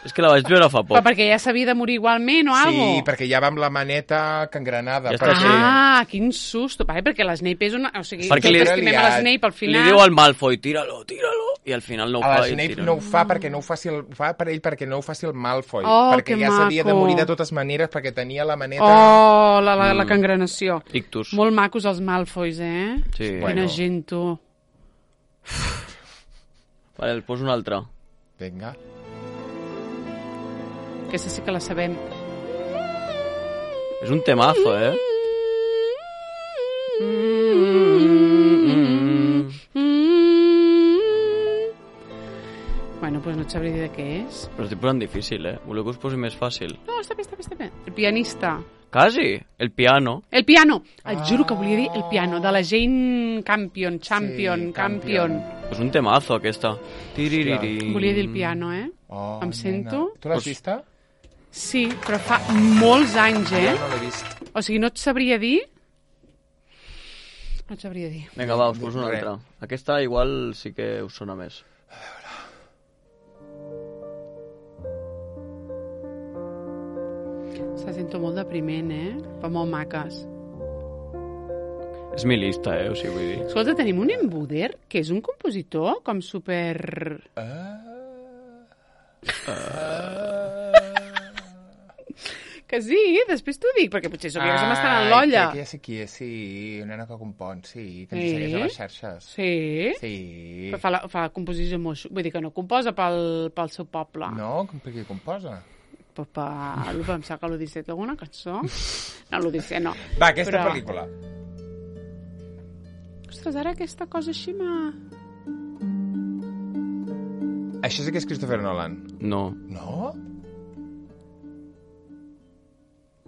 És que la vaig veure fa Però poc. perquè ja s'havia de morir igualment o Sí, alguna perquè ja va amb la maneta cangrenada. Ja està, perquè... Ah, quin susto. Vale, perquè l'Snape és una... O sigui, Perquè tots li- estimem a l'Snape al Li final. diu al Malfoy, tira-lo, tira-lo, i al final no ho A fa. la i Snape tira. no ho fa perquè no ho faci el, ho fa per ell perquè no ho faci el Malfoy. Oh, perquè que ja s'havia de maco. morir de totes maneres perquè tenia la maneta... Oh, la, la, la Mm. cangrenació. Ictus. Molt macos els Malfoys, eh? Sí. Bueno. Quina gent, tu. Vale, el poso un altre. Vinga. Aquesta sí que la sabem. És un temazo, eh? Bueno, doncs no et sabré dir de què és. Però estic posant difícil, eh? Voleu que us posi més fàcil? No, està bé, està bé, està bé. El pianista. Quasi! El piano. El piano. Et juro que volia dir el piano, de la Jane Campion, Champion, Sí, Campion. Campion. És un temazo, aquesta. Tiririri. Volia dir el piano, eh? Oh, Em sento? nena. Tu l'has Pues- vista? Sí, però fa molts anys, eh? Jo no l'he vist. O sigui, no et sabria dir... No et sabria dir. Vinga, va, us poso una Res. altra. Aquesta igual sí que us sona més. Se sento molt depriment, eh? Però molt maques. És mi lista, eh? O sigui, vull dir... Escolta, tenim un embuder, que és un compositor com super... Que sí, després t'ho dic, perquè potser sóc jo que se m'estan en l'olla. Crec que ja sé qui és, sí. Una nena que compon, sí. Que ens Sí? segueix a les xarxes. Sí? Sí. Però fa, la, fa composició molt... xu- Vull dir que no composa pel, pel seu poble. No? Com per qui composa? Pues per... Em sap que l'Odissea té alguna cançó. No, l'Odissea no. Va, aquesta Però- pel·lícula. Ostres, ara aquesta cosa així m'ha... Això sí que és Christopher Nolan. No. No?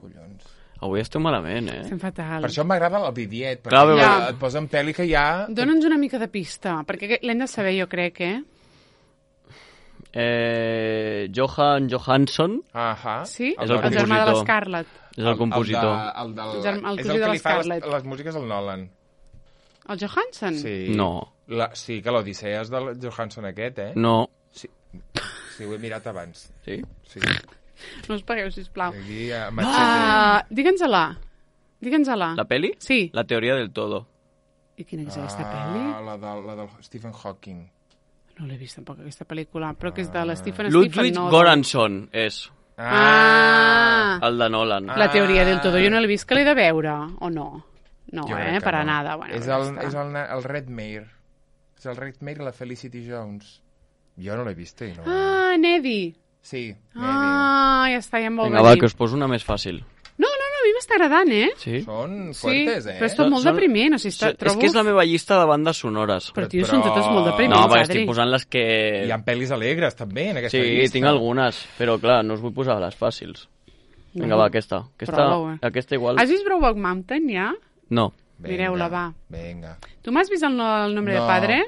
Collons. Avui estem malament, eh? Estem fatal. Per això m'agrada el Vidiet, perquè Clar, ja. ja. et posa en pel·li que ja... Dóna'ns una mica de pista, perquè l'hem de saber, jo crec, eh? Eh, Johan Johansson Ahà. Sí? És El, el germà de compositor. l'Scarlett. és el compositor. El, de, el, del, El germà- el és cosí el de que la li fa les, Scarlett. les músiques al Nolan. El Johansson? Sí. No. La, sí, que l'Odissea és del Johansson aquest, eh? No. Sí, sí ho he mirat abans. Sí? Sí. No us pagueu, sisplau. Aquí, a Machete. Ah, digue'ns-la. Digue'ns-la. La peli? Sí. La teoria del todo. I quina és aquesta pel·li? Ah, la del, la del Stephen Hawking. No l'he vist tampoc, aquesta pel·lícula, però que és de la Stephen Stephen Ludwig Nolan. Göransson és Ah! el de Nolan. La teoria del todo. Jo no l'he vist, que l'he de veure, o no? No, Jo eh? crec que Per a no. nada. Bueno, és ja el, està. és el, el Redmayne. És el Redmayne i la Felicity Jones. Jo no l'he vist i no... Ah, Neddy. Sí, Neddy. Ah, ja està, ja em vol Vinga, va, venir. que us poso una més fàcil. No, no, no, a mi m'està agradant, eh? Sí? Són Sí, fuertes, eh? però és tot molt Són- depriment. O sigui, està, És trobo... que és la meva llista de bandes sonores. Però, tio, Però- són totes molt No, depriments, perquè Adri. estic posant les que... Hi ha pel·lis alegres, també, en aquesta Sí, llista. tinc algunes, però clar, no us vull posar les fàcils. Vinga, va, aquesta. Aquesta, Prova-ho, eh. aquesta igual... Has vist Brokeback Mountain, ja? No. Vinga, Mireu-la, va. Vinga. Tu m'has vist el, no- el nombre No. de padre?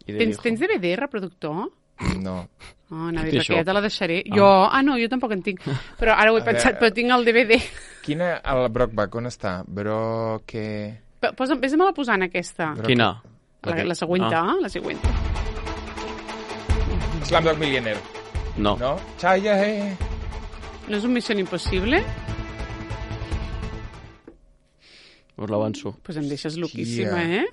I de Tens, hijo. tens D V D, reproductor? No. Oh, anava a Tot dir, això. perquè ja te la deixaré. Ah. Jo, ah, no, jo tampoc en tinc. Però ara ho he A pensat, veure. però tinc el D V D. Quina... El Brokeback, on està? Broke... P- Posa, vés-me la posant, aquesta. Broke- Quina? La, la següent, ah. la següent. Slumdog Millionaire. No. No? Chaya, eh. No és un Mission Impossible? Us l'avanço. Doncs pues em deixes loquíssima, Hòstia. eh?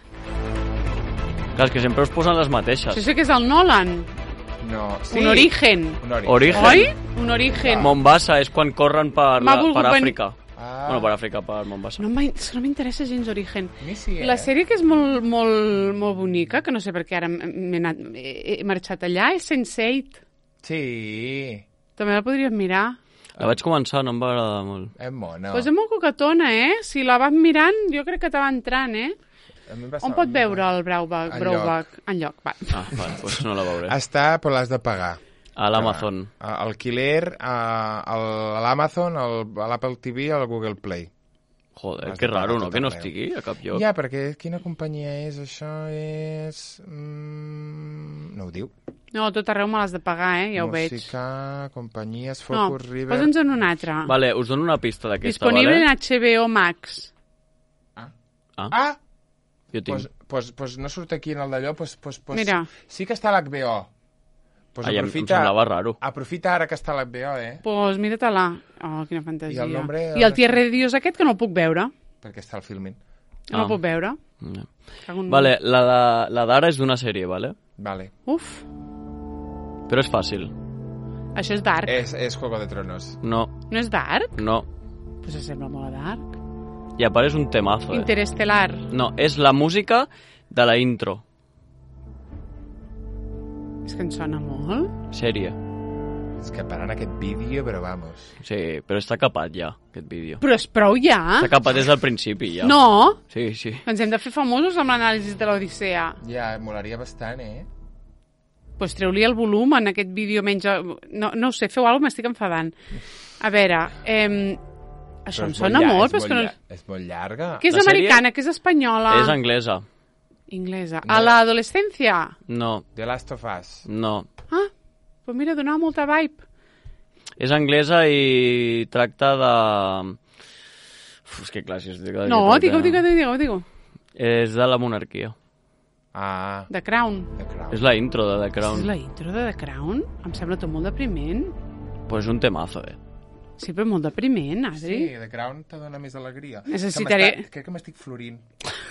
Clar, és que sempre us posen les mateixes. Això sí que és el Nolan. No. Sí. Un origen. Un origen. Origen. Oi? Un origen. Mombasa és quan corren per, M'ha la, volgut per ven- Àfrica. Ah. Bueno, per Àfrica, per Mombasa. No m'ha- no m'interessa gens Origen. A mi sí, eh? La sèrie que és molt, molt, molt bonica, que no sé per què ara m'he anat, he he marxat allà, és sense eight. Sí. També la podries mirar. La vaig començar, no em va agradar molt. És mona. No. Pues és molt coquetona, eh? Si la vas mirant, jo crec que te va entrant, eh? A mi em va On semblar- pot veure el Braubac? Enlloc. Braubac? Enlloc, va. Ah, vale, doncs no la veuré. Està, però l'has de pagar. A l'Amazon. A- El Killer, a, al- a l'Amazon, al- a l'Apple T V i al Google Play. Joder, Has que de pagar raro, no? tot Que no arreu. estigui a cap lloc. Ja, perquè quina companyia és? Això és... Mm, no ho diu. No, tot arreu me l'has de pagar, eh? Ja ho veig. Música, companyies, No, Focus, River... posa'ns en una altra. Vale, us dono una pista d'aquesta, Disponible vale? en H B O Max. Ah, Ah! jo tinc. Pues, pues, pues no surt aquí en el d'allò, pues, pues, pues, Mira. sí que està a l'H B O. Pues Ai, em, em aprofita, semblava raro. aprofita ara que està a l'H B O, eh? Pues mira-te-la. Oh, quina fantasia. I el nombre- I el Tierra de Dios aquest que no el puc veure. Perquè està al filmin. No Ah. el puc veure. Ja. Cago en- Vale, la de- la d'ara és d'una sèrie, vale? Vale. Uf, Però és fàcil. això és Dark. És, és Juego de Tronos. No, No és Dark? no. Pues sembla molt a Dark. I a part és un temazo, eh? Interestelar. No, és la música de la intro. És que em sona molt. Sèrie. És que parant aquest vídeo, però vamos. Sí, però està capat ja, aquest vídeo. Però és prou ja. Està capat des del principi, ja. No, Sí, sí. ens hem de fer famosos amb l'anàlisi de l'Odissea. Ja, molaria bastant, eh? Pues treu-li el volum en aquest vídeo menys... No, no ho sé, feu alguna cosa, m'estic enfadant. A veure, eh, això Però em és sona llar- molt, és però és que no... llar- És molt llarga. Que és La sèrie americana, que és espanyola. És anglesa. Inglesa. A l'adolescència? No, The Last of Us. no. Ah, pues mira, donava molta vibe. És anglesa i tracta de... Uf, és que clar, si us dic... No, digue-ho, digue-ho, digue-ho, digue-ho. És de la monarquia. Ah, The Crown. The Crown. És la intro de The És Crown. la intro de The Crown? Em sembla tot molt depriment. Pues és un temazo, eh? Sí, però molt depriment, Adri. Sí, The Crown te dona més alegria. Necessitaré- Que m'està- Crec que m'estic florint.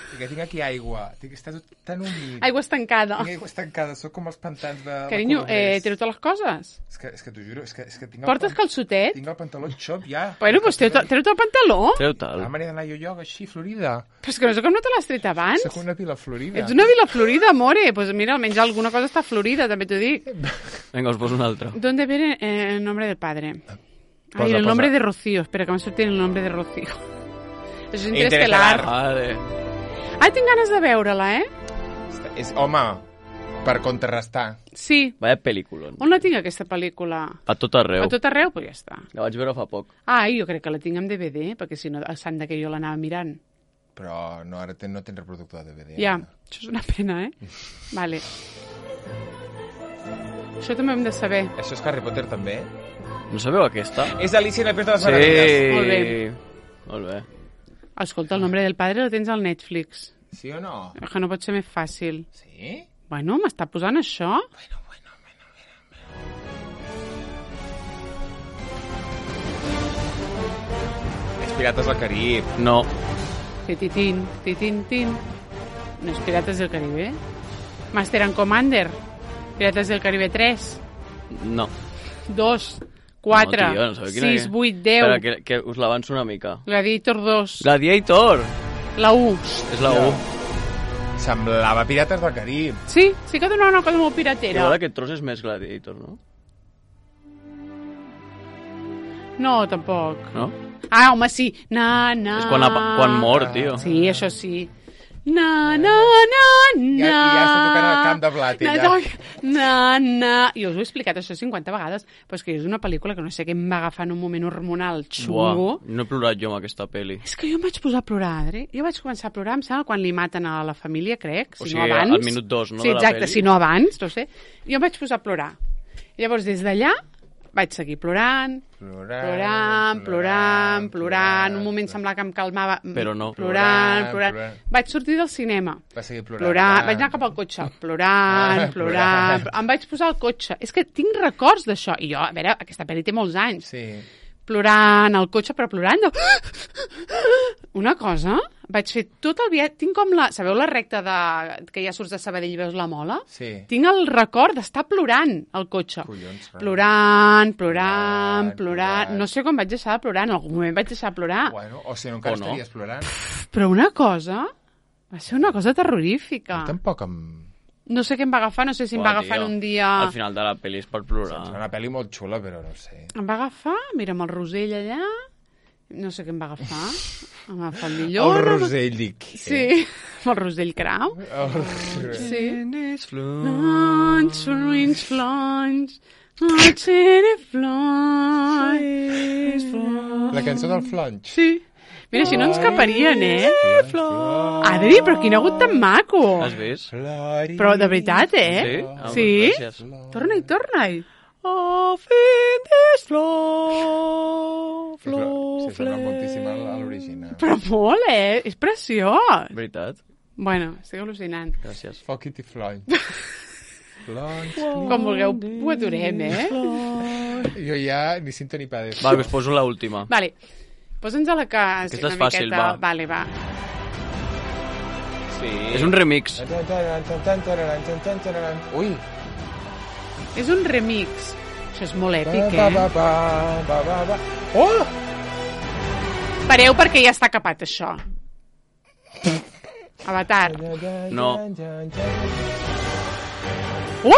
Perquè tinc aquí aigua. Tinc, està tot tan humit. Aigua estancada. Tinc aigua estancada. Soc com els pantans de... la Carinyo, eh, Colomers. treu-te les coses. És que, és que t'ho juro, és que, és que tinc el, Portes pan- calçotet? tinc el pantaló xop ja. Bueno, doncs treu-te treu-te el pantaló. Treu-te'l. Ah, m'he d'anar jo yoga així, florida. Però és que no sé com no te l'has tret abans. Soc una pila florida. Ets una vila florida, amore. Pues mira, almenys alguna cosa està florida, també t'ho dic. Vinga, us poso un altre. ¿Dónde viene eh, el nombre del padre? Ay, Posa, el nombre posa. de Rocío. Espera, que m'ha sortit el nombre de Rocío. Això és Interestelar. Interestelar. Vale. Ah, tinc ganes de veure-la, eh? És, home, per contrarrestar. Sí. Vaya pel·lícula. On la tinc, aquesta pel·lícula? A tot arreu. A tot arreu? Pues ja està. La vaig veure fa poc. Ah, jo crec que la tinc en D V D, perquè si no, el sant de que jo l'anava mirant. Però no, ara ten, no tens reproductor de D V D. Ja, ara. això és una pena, eh? Vale. Això també ho hem de saber. Això és Harry Potter, també? No sabeu aquesta? És Alicia en el País de les Sí. Meravilles. Molt bé. Molt bé. Escolta, el nombre del padre lo tens al Netflix. Sí o no? És que no pot ser més fàcil. Sí? Bueno, m'està posant això? Bueno, bueno, bueno, bueno. És Pirates del Carib. No. Tititín, titín, tin. No és Pirates del Caribe? Master and Commander. Pirates del Caribe tres, No. dos, quatre, No, tio, no sabeu quina sis, és. vuit, deu. Espera, que, que us l'avanço una mica. Gladiator dos. Gladiator! La U. És la U. Semblava Pirates del Carib. Sí, sí que donava una cosa molt Igual piratera. aquest tros és més Gladiator, no? No, tampoc. No? Ah, home, sí. Na, na. És quan, apa- quan mor, tio. Sí, això sí. Na, na, na, na. Ja, ja està tocant el camp de blat, na, ella. Na, na. Jo us ho he explicat això cinquanta vegades, però és que és una pel·lícula que no sé què em va agafar en un moment hormonal xungo. Buah, no he plorat jo amb aquesta pel·li. És que jo em vaig posar a plorar, Adri. Jo vaig començar a plorar, em sembla, quan li maten a la família, crec, si O sigui, no abans. al minut dos, no, Sí, de la exacte, pel·li? si no abans, no sé. Jo em vaig posar a plorar. Llavors, des d'allà, vaig seguir plorant, Plorant, plorant, plorant, plorant. Un moment semblava que em calmava. Però no. Plorant, Plorant, plorant. plorant. Vaig sortir del cinema. Va seguir plorant. Plorant. Vaig anar cap al cotxe. Plorant, Ah, plorant. plorant. Em vaig posar al cotxe. És que tinc records d'això. I jo, a veure, aquesta pel·li té molts anys. Sí. Plorant al cotxe, però plorant de... Una cosa, vaig fer tot el viatge... Tinc com la... Sabeu la recta de... que ja surts de Sabadell i veus la Mola? Sí. Tinc el record d'estar plorant al cotxe. Collons, rai. Plorant, plorant, Plorant, plorant. plorant. No sé com vaig deixar de plorar. En algun moment vaig deixar de plorar. Bueno, o si no, encara O no. estaries plorant. Però una cosa... Va ser una cosa terrorífica. Tampoc em... No sé què em va agafar, no sé si em va Buah, agafar tio, en un dia... Al final de la pel·li és per plorar. És una pel·li molt xula, però no sé. Em va agafar, mira, amb el Rosell allà... No sé què em va agafar. Em va agafar el millor. El Rosell, dic. Sí, amb el Rosell Crau. El Rosell. Sí. Tennis Flons, flons, flons, flons, flons. La cançó del Flonch. Sí. Mira, si no ens caparien, eh? Flor. Adri, però quin agut tan maco. Has vist? Flori. Però de veritat, eh? Sí? Ah, Sí? gràcies. Torna-hi, torna-hi. Of in this flow, Sí, però, sí, sona moltíssim a a l'original. Però molt, eh? És preciós. Veritat? Bueno, estic al·lucinant. Gràcies. Foc-it i Flonch. Flonch. Com vulgueu, ho adorem, eh? Jo ja ni cinto ni pa de... Va, que us poso l'última. Vale, posa'ns a la casa Aquesta una és fàcil, miqueta. va. Vale, va. Sí. És un remix. Ui. És un remix. Això és molt èpic, Ba, eh? ba, ba, ba, ba, ba. Oh! Pareu perquè ja està capat, això. Avatar. No. Uh!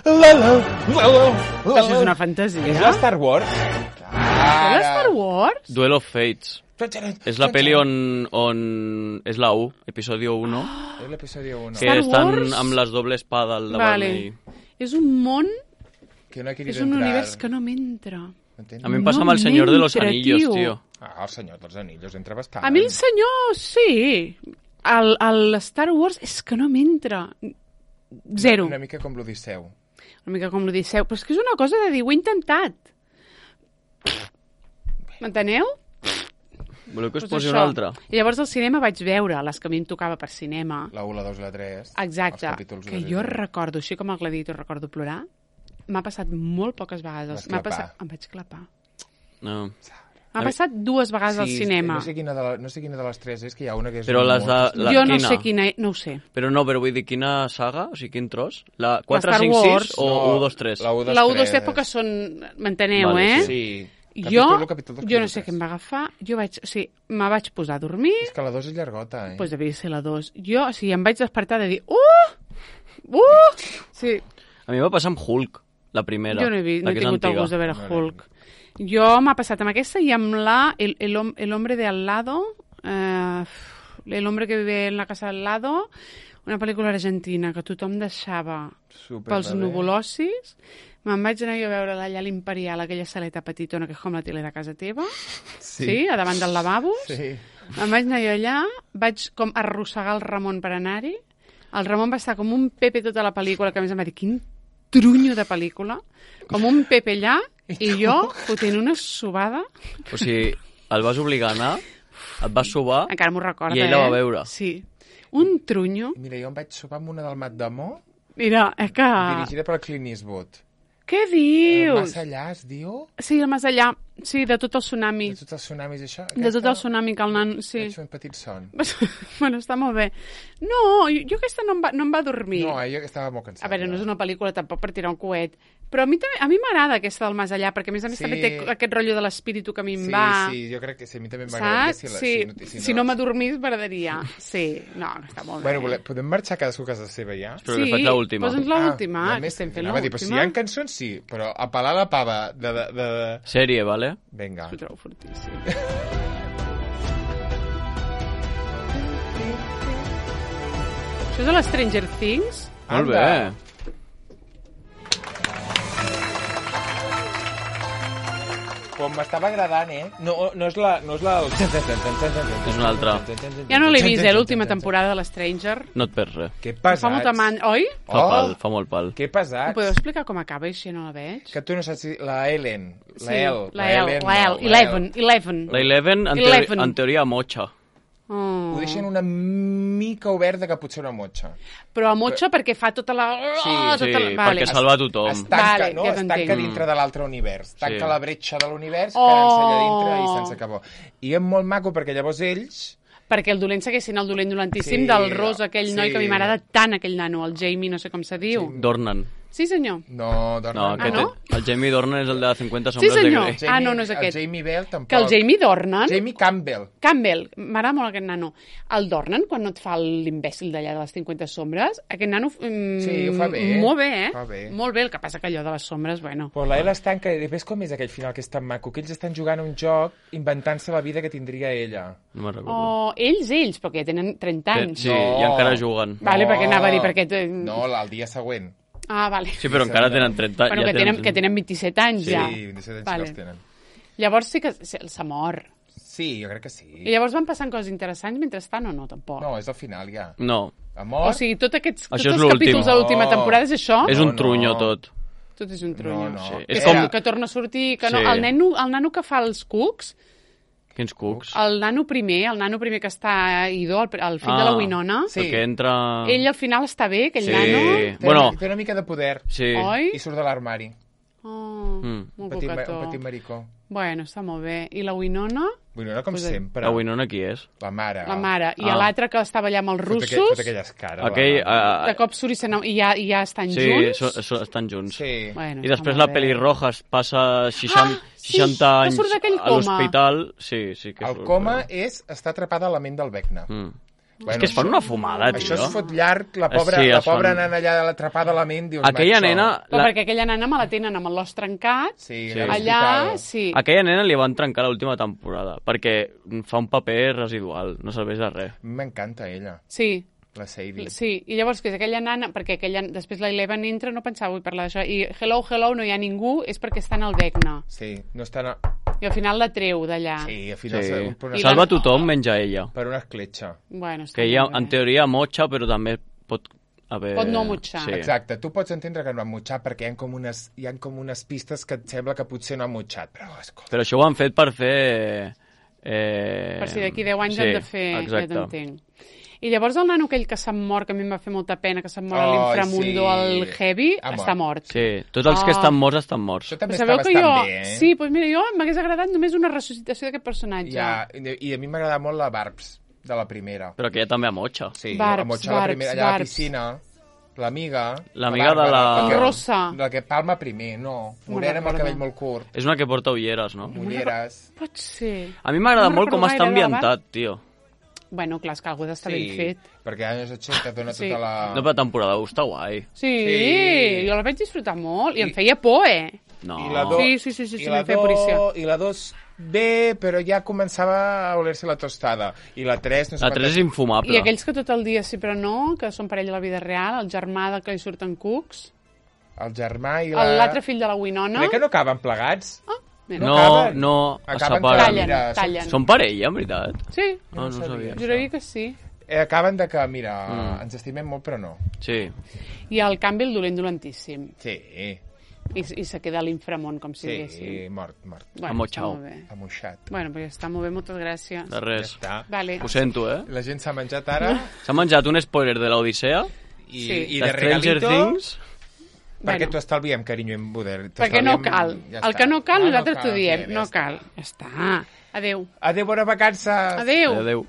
La, la, la, la, la. Això és una fantasia. És la Star Wars? És la Star Wars? Duel of Fates. És la pel·li on, on... És la u, episodio uno, És l'episodi uno. que Star estan Wars? amb les doble espada al davant. Vale. I... És un món, Que no he querido és un entrar. univers que no m'entra. Entens? A mi em passa No amb el Senyor de los m'entra, Anillos, tio. tio. Ah, el senyor dels anillos entra bastant. A mi el senyor, sí. El, el Star Wars és que no m'entra. Zero. Una mica com l'Odisseu. Una mica com l'Odisseu. Però és que és una cosa de dir, ho he intentat. M'enteneu? Voleu que us Pues posi això. una altra? I llavors al cinema vaig veure les que a mi em tocava per cinema. La u, la dos i la tres. Exacte. Els capítols Que dos i jo tres. recordo, així com el Gladiator recordo plorar, m'ha passat molt poques vegades. Vas M'ha clapar. passat... Em vaig clapar. No. M'ha passat dues vegades al cinema. No sé, quina de la, no sé quina de les tres és, que hi ha una que és... Però les de... molt- La, jo no quina? sé quina... No ho sé. Però no, però vull dir, quina saga? O sigui, quin tros? La quatre, Star cinc, Wars. sis o No, u, dos, tres? La u, dos, La u, dos, tres. tres, perquè són... M'enteneu, Vale, eh? Sí. Jo, Capítol u, capítol dos, jo no capítol sé què tres. em va agafar. Jo vaig... O sigui, me vaig posar a dormir, És que la dos és llargota, eh? doncs pues devia ser la dos. Jo, o sigui, em vaig despertar de dir... Uh! Uh! Sí, A mi em va passar amb Hulk, la primera. jo no he, vist, no la he que és tingut el antiga. gust de veure No l'he Hulk. Jo m'ha passat amb aquesta i amb la... El, el, hom- el hombre de al lado... Eh, el hombre que vive en la casa al lado... Una pel·lícula argentina que tothom deixava Super pels bebè. nuvolossis. Me'n vaig anar jo a veure allà a l'Imperial, aquella saleta petitona que és com la tele de casa teva. Sí. Sí, a davant del lavabo. Sí. Em vaig anar jo allà, vaig com arrossegar el Ramon per anar-hi. El Ramon va estar com un Pepe tota la pel·lícula, que a més em va dir, quin trunyo de pel·lícula. Com un Pepe allà, i jo fotent una sobada. O sigui, el vas obligar a anar, et vas sobar... Encara m'ho recorda, I ell la va eh? veure. Sí. Un trunyo. Mira, jo em vaig sopar amb una del Mat d'Amor, Mira, és que... dirigida per Clint Eastwood. Què dius? Massa allà, es diu? Sí, el més allà. Sí, de tot el tsunami. De tots els tsunamis, això? De tot el tsunami que el nan... Sí. Vaig fer un petit son. Bueno, està molt bé. No, jo, jo aquesta no em, va, no em va dormir. No, eh, jo estava molt cansat. A veure, no és una pel·lícula tampoc per tirar un coet, però a mi també, a mi m'agrada aquesta del Més allà, perquè a més a més Sí. també té aquest rotllo de l'espíritu que a mi em Sí, va. sí, jo crec que sí, a mi també m'agradaria. Saps? la- Sí, no- si no m'adormís m'agradaria. Sí, no, està molt Bueno, bé. vole- podem marxar cadascú a casa seva ja? Però que faig l'última. posa'ns l'última, Ah, que només- estem fent anava a dir, però si hi l'última. ha cançons, sí, però a pelar la pava de... de, de... Sèrie, vale? Vinga. Ho trobo fortíssim. Això és a l'Stranger Things? Molt bé. Com m'estava agradant, eh? No, no és la... No és la... És una altra. Ja no l'he vist, eh, l'última temporada de l'Stranger. No et perds res. Que Fa pesats. molta man... Oi? Fa Oh. pal, fa molt pal. Que Em pesats. podeu explicar com acaba, així no la veig? Que tu no saps si... La Ellen. La Sí, El. la L, Ellen, la no, L, Eleven, Eleven. La Eleven, en, Eleven. teori en teoria, motxa. Oh. Ho deixen una mica oberta que potser una motxa. Però a motxa perquè fa tota la... Sí, oh, Sí, tota la... Vale. perquè salva tothom. Es tanca, Vale, no? ja Es tanca t'entenc. dintre de l'altre univers. Tanca Sí. la bretxa de l'univers, Oh. quedant-se allà dintre i sense acabó. I és molt maco perquè llavors ells... Perquè el dolent segueix sent el dolent dolentíssim Sí, del Ros, aquell sí. noi que a mi m'agrada tant, aquell nano, el Jamie, no sé com se diu. Dornan. Sí, senyor. No, Dornan, No, Ah, aquest, no? el Jamie Dornan és el de cinquanta Sí, sombres de senyor. Grey. Ah, no, no és aquest. El Jamie Bell tampoc. Que el Jamie Dornan... Jamie Campbell. Campbell, m'agrada molt aquest nano. El Dornan, quan no et fa l'imbècil d'allà de les cinquanta sombres, aquest nano... Mm, Sí, ho fa bé. Molt bé, eh? Fa bé. Molt bé, el que passa que allò de les sombres, bueno... Però la Ella es tanca i ves com és aquell final que és tan maco, que ells estan jugant un joc inventant-se la vida que tindria ella. No me'n recordo. Oh, ells, ells, perquè ja tenen trenta anys. Sí, No. i encara juguen. Vale, perquè anava a dir, perquè... te- No, el dia següent. Ah, vale. Sí, però encara tenen trenta. Bueno, ja que tenen, que tenen vint-i-set anys, Sí, ja. vint-i-set anys Vale. que els tenen. Llavors sí que s'ha mort. Sí, jo crec que sí. I llavors van passant coses interessants mentrestant o no, tampoc? No, és al final ja. No, Amor... O sigui, tots aquests, tots Això és els l'últim. capítols de l'última No. temporada és això? és No, un trunyo no. tot. Tot és un trunyo. No, no. Sí. Que, És com... com- que torna a sortir, que no... Sí. El, nano, el nano que fa els cucs, Quins cucs. el nano primer, el nano primer que està a Ido, el, el fill de la Winona, Sí. El que entra... ell al final està bé, aquell Sí. nano... Té, Bueno. té una mica de poder Sí. Oi? i surt de l'armari. Oh, Mm. molt Petit, ma- cocató. un petit maricó. Bueno, està molt bé. I la Winona, Bueno, no com Pues, sempre. La Winona qui és? La mare. la mare. I Ah. l'altre que estava allà amb els Fot aquell- russos, fot aquelles cares. Aquell... la mare. Uh, de cop surt i, se n'ha- i, ja, i ja estan sí, junts. so, so, estan junts. Sí. Bueno, I està després molt la bé. pelirroja es passa seixanta, Ah, sí, seixanta que anys surt d'aquell a coma. l'hospital. Sí, sí que El surt, coma però- és estar atrapada a la ment del Vecna. Mm. Bueno, és que es fan això- una fumada, tio. Això es fot llarg, la Eh, pobra, sí, la es fan- pobra nana allà atrapada a la ment, dius, Aquella macho. nena... Però La... perquè aquella nana me la tenen amb l'os trencat, Sí, Sí. a allà, l'hospital. sí. Aquella nena li van trencar l'última temporada perquè fa un paper residual, no serveix de res. M'encanta ella, Sí, la Sadie. sí. I llavors, que és aquella nana, perquè aquella, després la Eleven entra, no pensava, vull parlar d'això, i hello, hello, no hi ha ningú, és perquè està en el Vecna. Sí, no estan... A... I al final la treu d'allà. Sí, al final Sí. sí. per, una, I Salva la- tothom menys a ella. per una escletxa. Bueno, està Que ella, molt bé. en teoria, motxa, però també pot haver... Pot no motxar. Sí. Exacte, tu pots entendre que no ha motxat perquè hi ha, com unes, hi ha com unes pistes que et sembla que potser no ha motxat, però escolta... Però això ho han fet per fer... Eh... Per si d'aquí deu anys sí, han de fer... Exacte. Ja t'entenc. I llavors el nano aquell que se'm mor, que a mi em va fer molta pena, que se'm mor a Ai, l'inframundo, sí. el Heavy, Ha mort. està mort. Sí, tots els que Ah. estan morts estan morts. Això també Però està sabeu que bastant jo... bé, eh? Sí, doncs mira, jo m'hagués agradat només una ressuscitació d'aquest personatge. Ja, i i a mi m'agrada molt la Barbs, de la primera. Però que ella també ha motxa. Sí, Barbs, la motxa la Barbs, primera, allà a la Barbs. piscina, l'amiga... L'amiga de la- que- Rossa. La que palma primer, no. No Morena amb el recordo. cabell molt curt, És una que porta ulleres, no? ulleres... Pot ser. A mi m'agrada No molt com recordo està gaire de la ambientat, tio. Bueno, clar, és que algú ha d'estar ben fet. perquè als anys ochenta dona Sí. tota la... No, però la temporada u està guai. Sí, Sí. jo la vaig disfrutar molt i em I- feia por, eh? No. I la do... Sí, sí, sí, sí, i sí, la em feia do- policia. I la dos bé, però ja començava a oler-se la tostada. I la tres... No sé La quantes- tres és infumable. I aquells que tot el dia sí però no, que són parella a la vida real, el germà de que li surten cucs, El germà i la... l'altre fill de la Winona... Crec que no acaben plegats. Ah, mira. No, acaben. no, es Acaben separen. Tallen, mira, són- tallen. Són parella, en veritat? Sí, No, no sabia. sabia. juraria que sí. Eh, acaben de que, mira, Mm. ens estimem molt, però no. Sí. I el Campbell dolent dolentíssim. Sí, I, i se queda a l'inframont, com si sí, diguéssim. mort, mort. Bueno, Amotxau. està molt bé. Amoixat. Bueno, pues ja està molt bé, moltes gràcies. De res. Ja està. Vale. Ho sento, eh? La gent s'ha menjat ara S'ha menjat un spoiler de l'Odissea, i, Sí. i de de Stranger regalito... Things... Perquè Bueno. t'ho estalviem, carinyo, en Buder. Perquè no cal. El que no cal, Ah, nosaltres cal, t'ho diem. sí, ja No està. cal. Ja està. Adéu. Adéu, bona vacances. Adéu. Adéu.